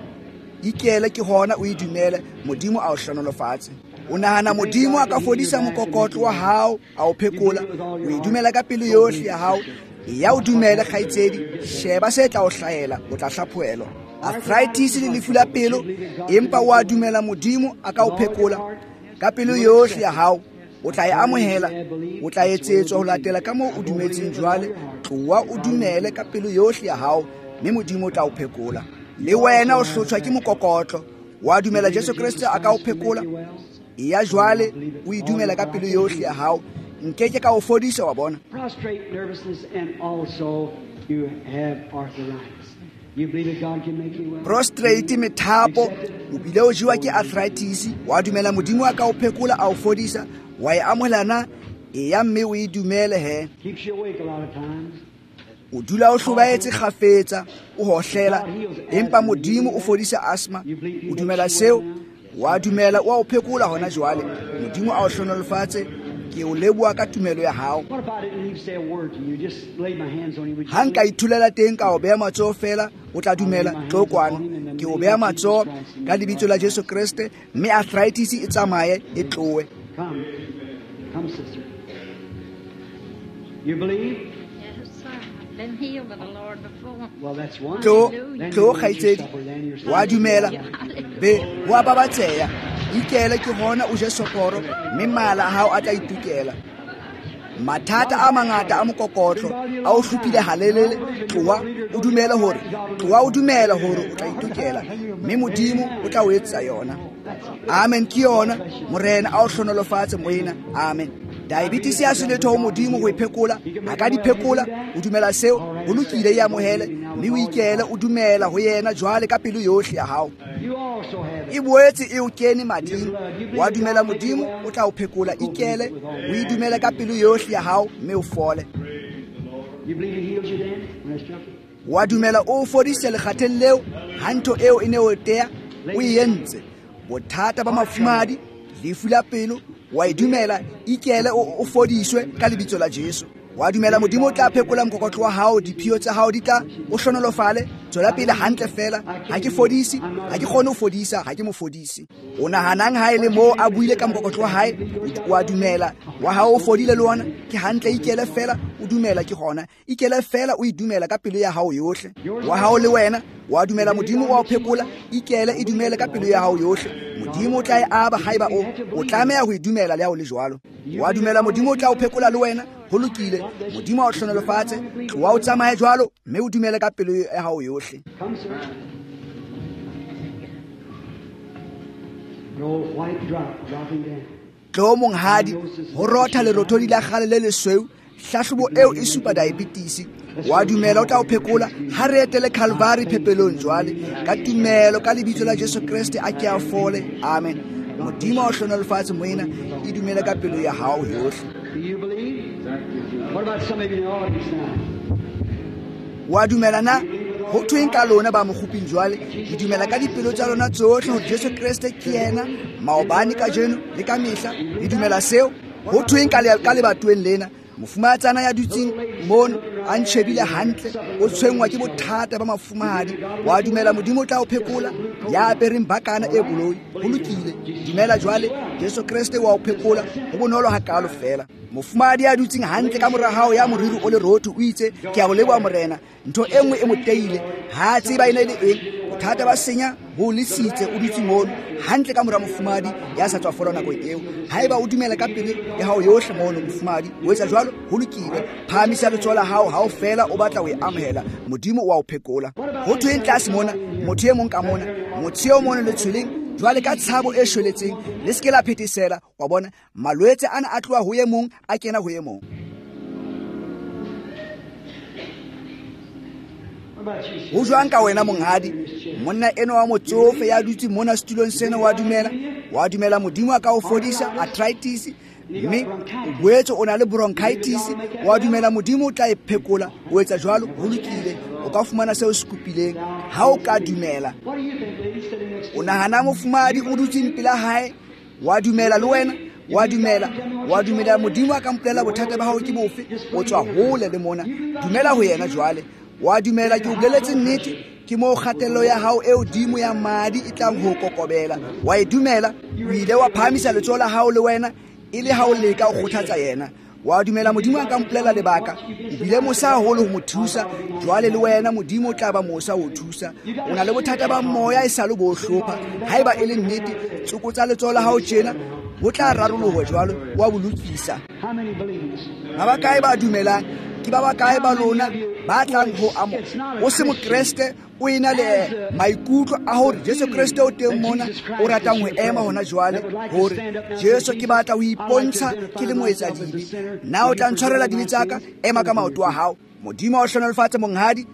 Ikele ke hona o e dumele Modimo a o hlohonolofatse. O nahana Modimo a ka fodisa mokokotlo wa hao a o phekola. O e dumela ka pelo yohle ya hao. Ya o dumele kgaitsedi sheba se tla o hlahela o tla hlaphohelwa. Arthritis le lefu la pelo empa wa dumela Modimo a ka o phekola ka pelo yohle ya hao o tla e amohela o tla etsetswa ho latela ka moo o dumetseng jwale. Tloha o dumele ka pelo yohle ya hao mme Modimo o tla o phekola. Le wena o hlotshwa ke mokokotlo wa dumela Jesu Kreste a ka o phekola. Ya jwale o e dumela ka pelo yohle ya hao nkeke ka o fodisa wa bona. Prostrate nervousness and also you have arthritis. You believe that God can make you well? Prostrate methapo o bile o jewa ke arthritis wa dumela Modimo a ka o phekola a o fodisa wa e amohela na e ya mme o e dumele he. Keeps you awake a lot of times. O dula o hlobaetse kgafetsa o hohlela empa Modimo o fodisa asthma. O dumela seo wa dumela o a o phekola hona jwale. Modimo a o hlohonolofatse. Ke o leboha ka tumelo ya hao. Ha nka ithulela teng ka o beha matsoho feela o tla dumela. Tlo kwano ke o beha matsoho ka lebitso la Jesu Kreste mme arthritis e tsamaye e tlohe. Come, sister. You believe? Yes, sir. I've been healed by the Lord before. Well, that's wonderful. Tlo kgaitsedi wa dumela be wa babatseha. Ikele ke hona o je soporo mme mala a hao a tla itukela. Mathata a mangata a mokokotlo a o hlophile halelele. Tloha o dumele hore tloha o dumela hore o tla itukela mme Modimo o tla o etsa yona. Amen. Ke yona Morena a o hlohonolofatse moena. Amen. Diabetes ya se letho ho Modimo ho e phekola a ka di phekola. O dumela seo ho lokile e amohele mme o ikele o dumela ho yena jwale ka pelo yohle ya hao. E boetse e o kene mading. Wa dumela Modimo o tla o phekola. Ikele o e dumele ka pelo yohle ya hao mme o fole. Wa dumela o fodise lekgatheng leo ha ntho eo e ne o tea o e entse. Bothata ba mafumadi lefu la pelo wa e dumela ikele o fodiswe ka lebitso la Jesu. Wa dumela Modimo o tla phekola mokokotlo wa hao diphio tsa hao di tla o hlohonolofale. Tswela pele hantle feela. Ha ke fodise ha ke kgone ho fodisa ha ke mo fodise. O nahanang ha e le moo a buile ka mokokotlo wa hae wa dumela wa hao o fodile le wona ke hantle. Ikele feela o dumela ke hona. Ikele feela o e dumela ka pelo ya hao yohle. Wa hao le wena wa dumela Modimo wa o phekola. Ikele e dumele ka pelo ya hao yohle. Modimo o tla e aba haeba o tlameha ho e dumela le ha o le jwalo. Wa dumela Modimo o tla o phekola le wena. Ho lokile. Modimo a o hlohonolofatse. Tloha o tsamaye jwalo mme o dumele ka pelo ya hao yohle. Tlo monghadi ho rotha lerothodi la kgale le lesweu. Hlahlobo eo e supa diabetes. Wa dumela o tla o phekola. Ha re etele Calvary phepelong jwale ka tumelo ka lebitso la Jesu Kreste a ke a fole. Amen. Modimo a o hlohonolofatse moena. E dumele ka pelo ya hao yohle. Do you believe? What about some of you in the audience now? Wa dumela na? Ho thweng ka lona ba mokguping jwale? Le dumela ka dipelo tsa lona tsohle hore Jesu Kreste ke yena maobane kajeno le ka mehla? Le dumela seo? Ho thweng ka lebatoweng lena? Mofumahatsana ya dutseng mono a ntjhebile hantle, o tshwenngwa ke bothata ba mafumahadi. Wa dumela Modimo o tla o phekola? Ya apereng bakana e boloi. Ho lokile, dumela jwale, Jesu Kreste wa o phekola. Ho bonolo hakalo fela. Mofumahadi ya dutseng hantle ka mora hao ya moriri o lerotho o itse, ke a o leboha Morena. Ntho e nngwe e mo teile, ha a tseba e ne le eng. Bothata ba senya bo lesitse, o dutse mono hantle ka mora mofumahadi ya sa tswa fola nako eo. Haeba o dumela ka pelo ya hao yohle mono mofumahadi, o etsa jwalo, ho lokile. Phahamisa letsoho la hao ha o fela o batla ho e amohela. Modimo o a o phekola. Ho thweng tlase mona, motho e mong ka mona, motho eo mono letshweleng, jwale ka tshabo e shweletseng, le se ke la phethesela. Wa bona, malwetse ana a tloha ho e mong a kena ho e mong. Ho jwang ka wena monghadi? Monna eno wa motsofe ya dutse mona setulong sena, wa dumela? Wa dumela Modimo a ka o fodisa arthritis, mme o boetse o na le bronchitis. Wa dumela Modimo o tla e phekola? O etsa jwalo, ho lokile. O ka fumana seo se kopileng ha o ka dumela. O nahana mofumahadi o dutseng pela hae? Wa dumela le wena? Wa dumela? Wa dumela Modimo a ka mpolela bothata ba hao ke bofe? O tswa hole le mona. Dumela ho yena jwale. Wa dumela ke o boleletse nnete? Ke moo kgatello ya hao e hodimo ya madi e tlang ho kokobela. Wa e dumela? O ile wa phahamisa letsoho la hao le wena e le ha o leka ho kgothatsa yena. Wa dumela Modimo a ka mpolela lebaka? O bile mosa haholo ho mo thusa. Jwale le wena Modimo o tla ba mosa ho thusa. O na le bothata ba moya e sa le bo hlopha. Haeba e le nnete, tsokotsa letsoho la hao tjena, bo tla raroloha jwalo, wa bo lokisa. Ba bakae ba dumelang? Ke ba bakae ba lona ba tlang ho amo? O se mokreste, o ena le maikutlo a hore Jesu Kreste o teng mona, o ratang ho ema hona jwale, hore Jesu ke batla ho ipontsha ke le moetsadibe. Na o tla ntshwarela dibe tsa ka? Ema ka maoto a hao. Modimo a o hlohonolofatse monghadi.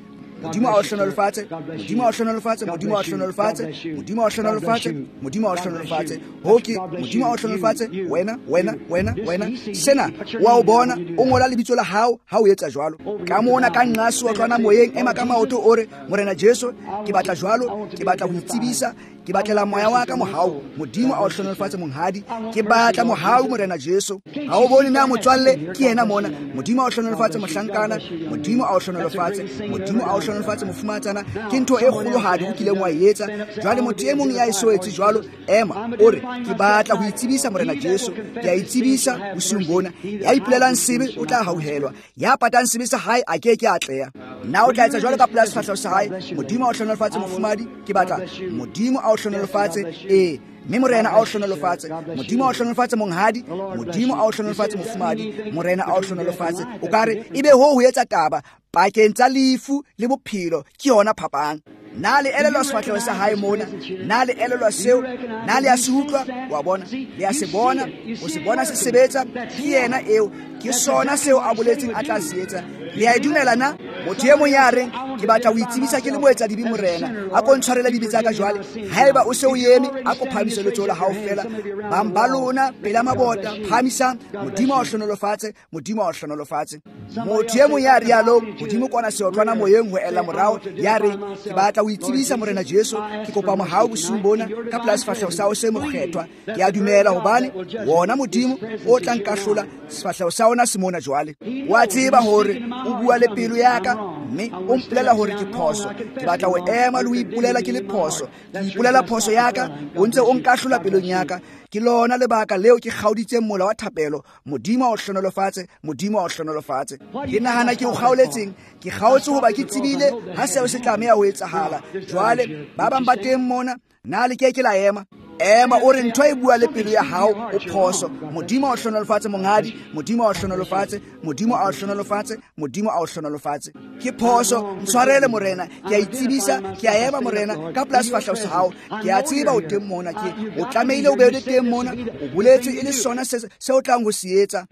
Modimo a o hlohonolofatse. Modimo a o hlohonolofatse. Modimo a o hlohonolofatse. Modimo a o hlohonolofatse. Modimo a o hlohonolofatse. Ho ke Modimo a o hlohonolofatse. Wena, wena, wena, wena. Sena wa o bona, o ngola lebitso la hao ha o etsa jwalo. Ka mona ka nqaso wa tlwana moyeng, ema ka maoto o re, Morena Jesu, ke batla jwalo, ke batla ho itsebisa, ke batlela moya wa ka mohau. Modimo a o hlohonolofatse monghadi. Ke batla mohau Morena Jesu. Ha o bone na motswalle ke yena mona. Modimo a o hlohonolofatse mohlankana. Modimo a o hlohonolofatse. Modimo a o hlohonolofatse mofumahatsana. Ke ntho e kgolohadi o kileng wa e etsa. Jwale motho e mong ya e so etse jwalo, ema o re, ke batla ho itsebisa Morena Jesu. Ke a itsebisa bosiung bona. Ya ipolelang sebe o tla hauhelwa. Ya patang sebe sa hae a ke ke a atleha. Na o tla etsa jwalo ka pela sefahleho sa hae? Modimo a o hlohonolofatse mofumahadi. Ke batla Modimo a o hlohonolofatse. Ee, mme Morena a o hlohonolofatse. Modimo a o hlohonolofatse monghadi. Modimo a o hlohonolofatse mofumahadi. Morena a o hlohonolofatse. O ka re ebe ho ho etsa taba pakeng tsa lefu le bophelo, ke yona phapang. Na le elelwa sefahleho sa hae mona? Na le elelwa seo? Na le a se utlwa? Wa bona, le a se bona, o se bona se sebetsa. Ke yena eo, ke sona seo a boletseng a tla se etsa. Le a e dumela na? Motho e mong ya reng, ke batla ho itsebisa ke le moetsadibe Morena, a ko ntshwarele dibe tsa ka jwale. Haeba o se o eme, a ko phahamise letsoho la hao fela. Bang ba lona pela mabota, phahamisang. Modimo a o hlohonolofatse. Modimo a o hlohonolofatse. Motho e mong ya rialong, hodimo kwana seotlwana moyeng ho ela morao, ya reng, ke batla ho itsebisa Morena Jesu, ke kopa mohau bosiung bona ka pela sefahleho sa hao se mokgethwa. Ke a dumela hobane wona Modimo o tla nkahlola, sefahleho sa ona se mona jwale. Wa tseba hore o bua le pelo ya ka, mme o mpolela hore ke phoso. Ke batla ho ema le ho ipolela ke le phoso. Ke ipolela phoso ya ka, o ntse o nkahlola pelong ya ka. Ke lona lebaka leo ke kgaoditseng mola wa thapelo. Modimo a o hlohonolofatse. Modimo a o hlohonolofatse. Ke nahana ke o kgaoletseng. Ke kgaotse hoba ke tsebile ha seo se tlameha ho etsahala. Jwale ba bang ba teng mona, na le ke ke la ema? Ema o re ntho e bua le pelo ya hao, o phoso. Modimo a o hlohonolofatse monghadi. Modimo a o hlohonolofatse. Modimo a o hlohonolofatse. Modimo a o hlohonolofatse. Ke phoso, ntshwarele Morena. Ke a itsebisa, ke a ema Morena ka pela sefahleho sa hao. Ke a tseba o teng mona, ke o tlamehile o be le teng mona. O boletse e le sona se o tlang ho se etsa.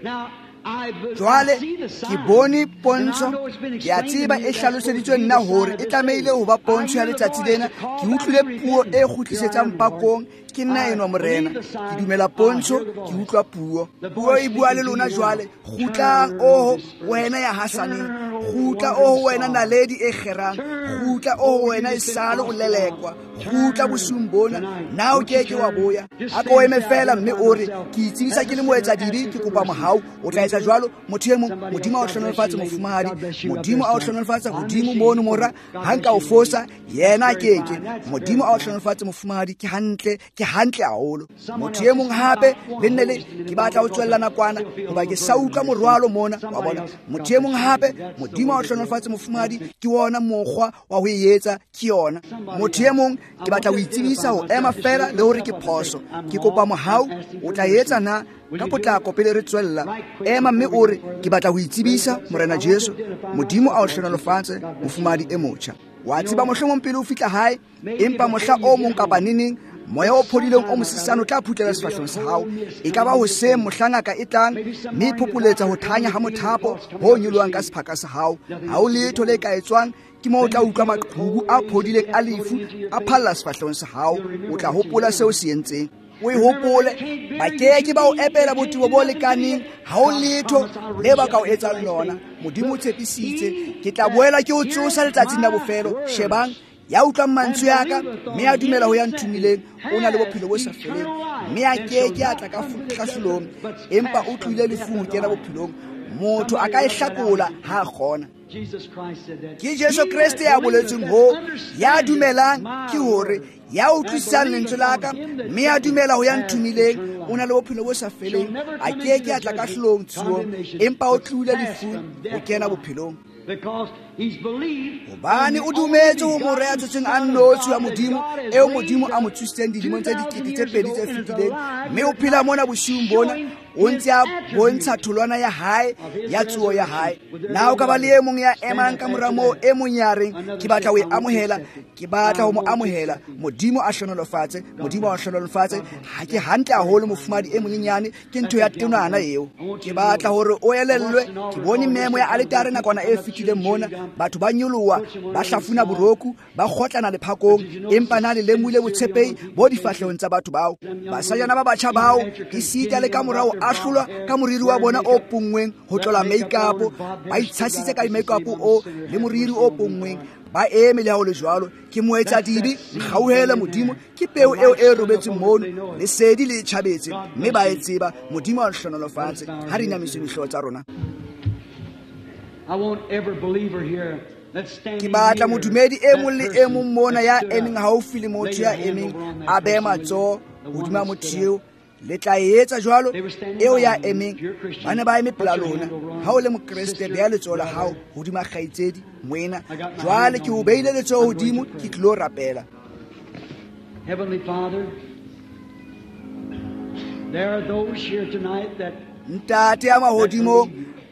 Jwale ke bone pontsho, ke a tseba e hlaloseditswe nna hore e tlamehile ho ba pontsho ya letsatsi lena. Ke utlwile puo e kgutlisetsang pakong. Ke nna enwa Morena. Ke dumela pontsho, ke utlwa puo. Puo e bua le lona jwale. Kgutlang, oho wena ya hasaneng. Kgutla o ho wena naledi e kgerang, kgutla o ho wena e sale o lelekwa, kgutla bosiung bona. Na o keke wa boya? A ko eme fela mme o re, ke itsebisa ke le moetsadibe, ke kopa mohau. O tla etsa jwalo? Motho e mong, Modimo a o hlohonolofatse mofumahadi, Modimo a o hlohonolofatse hodimo mono mora. Ha nka o fosa, yena a keke. Modimo a o hlohonolofatse mofumahadi, ke hantle, ke hantle haholo. Motho e mong hape, le nne le ke batla ho tswella nakwana hoba ke sa utlwa morwalo mona, wa bona. Motho e mong hape, Modimo a o hlohonolofatse mofumahadi, ke wona mokgwa wa ho e etsa, ke yona. Motho e mong, ke batla ho itsebisa ho ema fela le hore ke phoso, ke kopa mohau. O tla etsa na ka potlako pele re tswella? Ema mme o re, ke batla ho itsebisa Morena Jesu. Modimo a o hlohonolofatse mofumahadi e motjha. Wa tseba mohlomong pele o fihla hae, empa mohla o mong kapa neneng moya o phodileng o mosesane o tla phutlela sefahlehong sa hao. E ka ba hoseng mohla ngaka e tlang mme e phopholetsa ho thanya ha mothapo ho nyolohang ka sephaka sa hao. Ha ho letho le ka etswang, ke moo o tla utlwa maqhubu a phodileng a lefu a phalla sefahlehong sa hao. O tla hopola seo se entseng. O e hopole, ba keke ba o epela botebo bo lekaneng. Ha ho letho le ba ka o etsang lona. Modimo o tshepisitse, ke tla boela ke o tsosa letsatsing la bofelo. Shebang, ya utlwang mantswe a ka mme a dumela ho ya nthomileng, o na le bophelo bo sa feleng, mme a keke a tla ka hlahlolong, empa o tlohile lefung ho kena bophelong. Motho a ka e hlakola ha a kgona. Ke Jesu Kreste ya boletseng ho, ya dumelang, ke hore ya utlwisisang lentswe la ka mme a dumela ho ya nthomileng, o na le bophelo bo sa feleng, a keke a tla kahlolong tsuong, empa o tlohile lefung ho kena bophelong. Hobane o dumetse ho mora ya tswetsweng a nnotshi wa Modimo, eo Modimo a mo tsositseng dilemong tse 2000 tse fetileng, mme o phela mona bosiung bona, o ntse a bontsha tholwana ya hae ya tsoho ya hae. Na o ka ba le e mong ya emang ka mora moo, e mong ya reng, ke batla ho e amohela, ke batla ho mo amohela. Modimo a hlohonolofatse, Modimo a hlohonolofatse. Ha ke hantle haholo mofumahadi e monyenyane, ke ntho ya tenwana eo. Ke batla hore o elellwe, ke bone memo ya aletare nakwana e fetileng mona, batho ba nyoloha, ba hlafuna boroku, ba kgotlana lephakong, empa na le lemohile botshepehi bo difahlehong tsa batho bao. Basajana ba batjha bao, esita le ka mora ho ahlolwa ka moriri wa bona o ponngweng ho tlola make-up, ba itshasitse ka make-up o le moriri o ponngweng, ba eme le ha ho le jwalo. Ke moetsadibe, nkgauhele Modimo, ke peo eo e robetseng mono, lesedi le tjhabetse, mme ba e tseba. Modimo a hlohonolofatse. Ha re inamiseng dihlooho tsa rona. Ke batla modumedi e mong le e mong mona ya emeng haufi le motho ya emeng a behe matsoho hodima motho eo. Le tla e etsa jwalo? Eo ya emeng, ba ne ba eme pela lona. Ha o le mokreste, beha letsoho la hao hodima kgaitsedi, moena. Jwale ke o beile letsoho hodimo, ke tlilo rapela. Heavenly Father, there are those here tonight that Ntate ya mahodimong,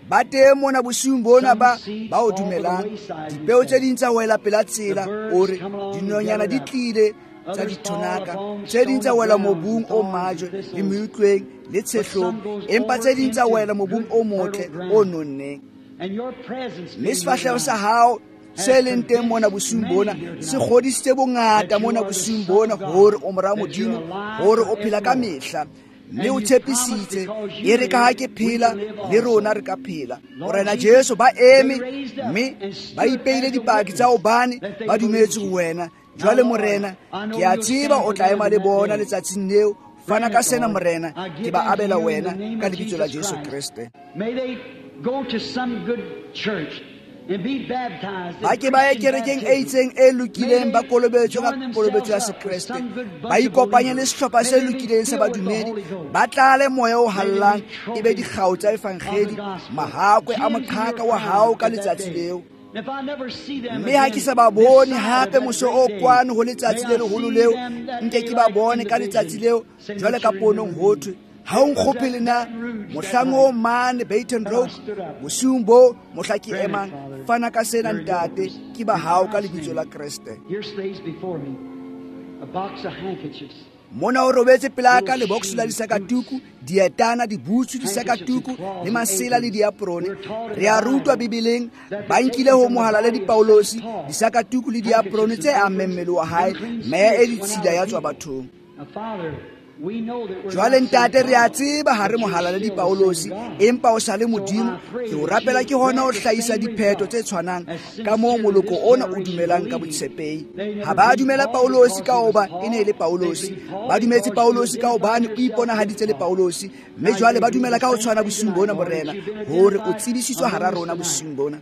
ba teng mona bosiung bona ba o dumelang. Dipeo tse ding tsa wela pela tsela, o re dinonyana di tlile tsa dithonaka, tse ding tsa wela mobung o majwe le meutlweng le tshehlong, empa tse ding tsa wela mobung o motle o nonneng. Mme sefahleho sa hao se leng teng mona bosiung bona se kgodisitse bongata mona bosiung bona hore o mora Modimo, hore o phela ka mehla, mme o tshepisitse, e re ka ha ke phela le rona re ka phela. Morena Jesu, ba eme mme ba ipeile dipaki tsa hobane ba dumetse ho wena. Jwale Morena, ke a tseba o tla ema le bona letsatsing leo. Fana ka sena Morena, ke ba abela wena ka lebitso la Jesu Kreste. Ba ke ba ye kerekeng e itseng e lokileng, ba kolobetswe ka kolobetso ya Sekreste, ba ikopanye le sehlopha se lokileng sa badumedi, ba tlale moya o hallang, e be dikgao tsa evangedi, mahakwe a moqhaka wa hao ka letsatsi leo. Mme ha ke sa ba bone hape moso o kwano ho letsatsi le leholo leo, nke ke ba bone ka letsatsi leo jwale ka ponong ho thwe, ha o nkgopele na mohlang o mane Baton Rouge bosiung bo mohla ke emang. Fana ka sena Ntate, ke ba hao ka lebitso la Kreste. Mona o robetse pela ka lebox la disakatuku, dietana, dibutsu, disakatuku le masela le diaprone. Re a rutwa Bibeleng, ba nkile ho mohala le dipaulosi, disakatuku le diaprone tse ammeng mmele wa hae, meya e ditshila ya tswa bathong. Jwale ntate re a tseba ha re mohalaledi Paulosi, empa o sa le Modimo. Ke o rapela ke hona o hlahisa diphetho tse tshwanang ka moo moloko ona o dumelang ka botshepehi. Ha ba dumela Paulosi ka hoba e ne e le Paulosi, ba dumetse Paulosi ka hobane o iponahaditse le Paulosi, mme jwale ba dumela ka ho tshwana bosiung bona, Morena, hore o tsebisitswe hara rona bosiung bona.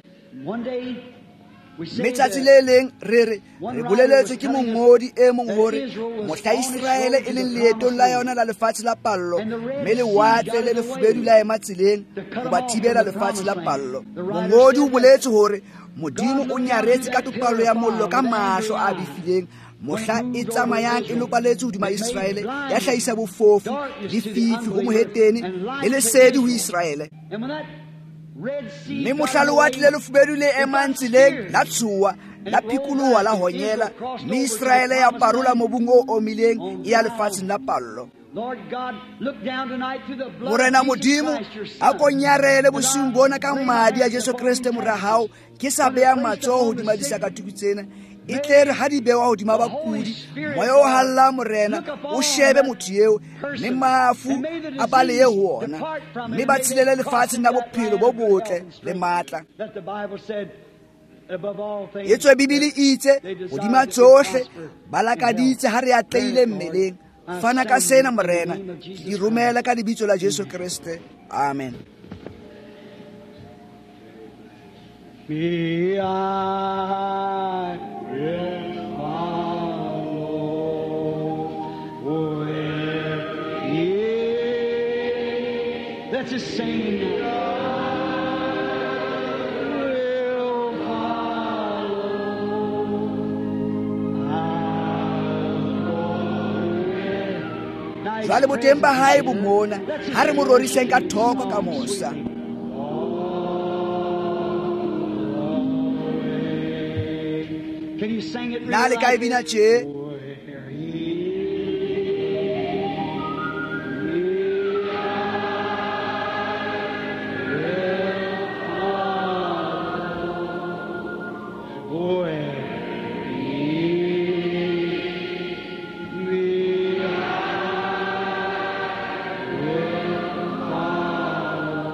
Mme tsatsi le leng re re re boleletswe ke mongodi e mong hore mohla Iseraele e leng leetong la yona la lefatshe la pallo, mme lewatle le lefubedu la ema tseleng ho ba thibela lefatshe la pallo. Mongodi o boletse hore Modimo o nyaretse ka topallo ya mollo ka mahlo a befileng mohla e tsamayang e lopaletse hodima Iseraele, ya hlahisa bofofu le fifi ho mohetene le lesedi ho Iseraele. Mme mohla lewatle le lefubedu le emang tseleng la tshoha, la phikoloha, la honyela, mme Iseraele ya parola mobung o omileng e ya lefatsheng la pallo. Morena Modimo, a ko nyarele bosiung bona ka madi a Jesu Kreste mora hao, ke sa beha matsoho hodima disakatuku tsena, e tle re ha di bewa hodima bakudi, moya o halla Morena o shebe motho eo, mme mafu a balehe ho ona, mme ba tshelele lefatsheng la bophelo bo botle le matla. Etswe Bibele e itse hodima tsohle ba lakaditse ha re atlehile mmeleng. Fana ka sena Morena, ke di romela ka lebitso la Jesu Kreste. Amen. Me I will follow where he. Let's just sing. Will follow. I'll go with. Jwale boteng ba hae bo mona, ha re mo roriseng ka thoko ka mosa. Can you sing it Na le ka e bina tje? Where he will follow, where he will follow,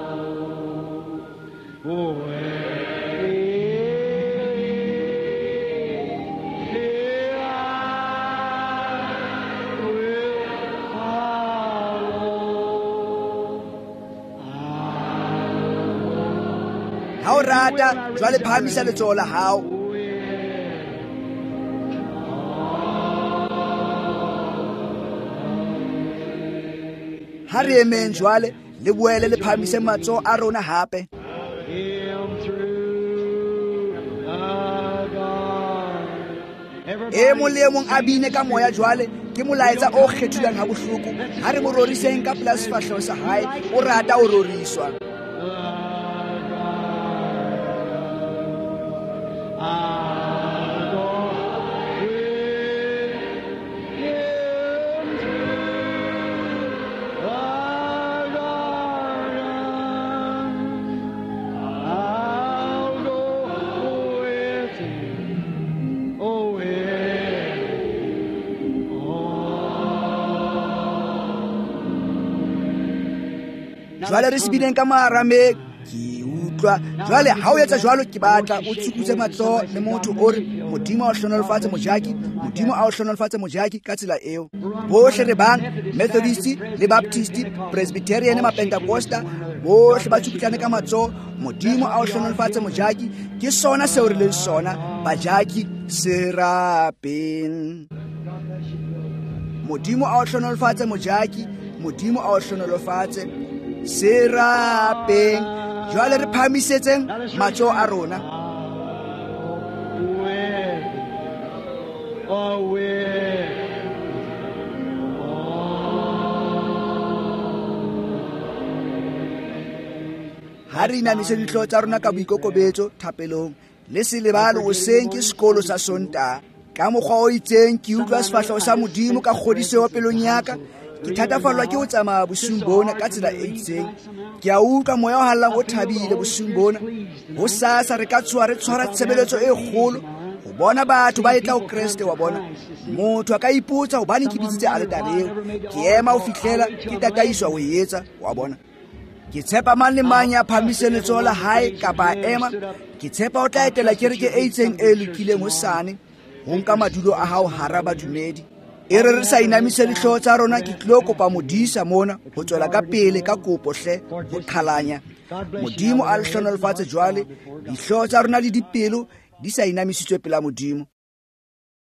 where he will follow. Ha o rata, jwale phahamisa letsoho la hao. Ha re emeng jwale, le boele le phahamise matsoho a rona hape. Him through the garden. E mong le e mong a bine ka moya jwale, ke molaetsa o kgethulang ha bohloko. Ha re mo roriseng ka pela sefahleho sa hae, o rata o roriswa. I'll go with him through the garden. I'll go with him. Oh, with Jwale re se bineng ka maarameng, ke utlwa. Jwale ha o etsa jwalo, ke batla o tsukutse matsoho le motho o re Modimo a o hlohonolofatse mojaki, Modimo a o hlohonolofatse mojaki ka tsela eo. Bohle re bang Methodist le Baptist, Presbyterian, Mapentecosta, bohle ba tsukutlane ka matsoho. Modimo a o hlohonolofatse mojaki, ke sona seo re leng sona, bajaki serapeng. Modimo a o hlohonolofatse mojaki, Modimo a o hlohonolofatse serapeng. Jwale re phahamisetseng matsoho a rona. With, oh, with. Ha re inamise dihlooho tsa rona ka boikokobetso thapelong. Le se lebale hoseng ke sekolo sa Sontaha. Ka mokgwa o itseng ke utlwa sefahleho sa Modimo ka kgodiseho pelong ya ka. Ke thatafallwa ke ho tsamaya bosiung bona ka tsela e itseng. Ke a utlwa moya o hallang o thabile bosiung bona. Hosasa re ka tshoha re tshwara tshebeletso e kgolo, Ho bona batho ba etla ho Kreste, wa bona. Motho a ka ipotsa hobane ke bitsitse aletare eo. Ke ema ho fihlela ke tataiswa ho e etsa, wa bona. Ke tshepa mang le mang ya phahamiseng letsoho la hae kapa a ema. Ke tshepa o tla etela kereke e itseng e lokileng hosane, ho nka madulo a hao hara badumedi. E re re sa inamise dihlooho tsa rona, ke tlilo kopa modisa mona ho tswela ka pele ka kopo hle ho qhalanya. Modimo a le hlohonolofatse jwale, dihlooho tsa rona le dipelo di sa inamisitswe pela Modimo.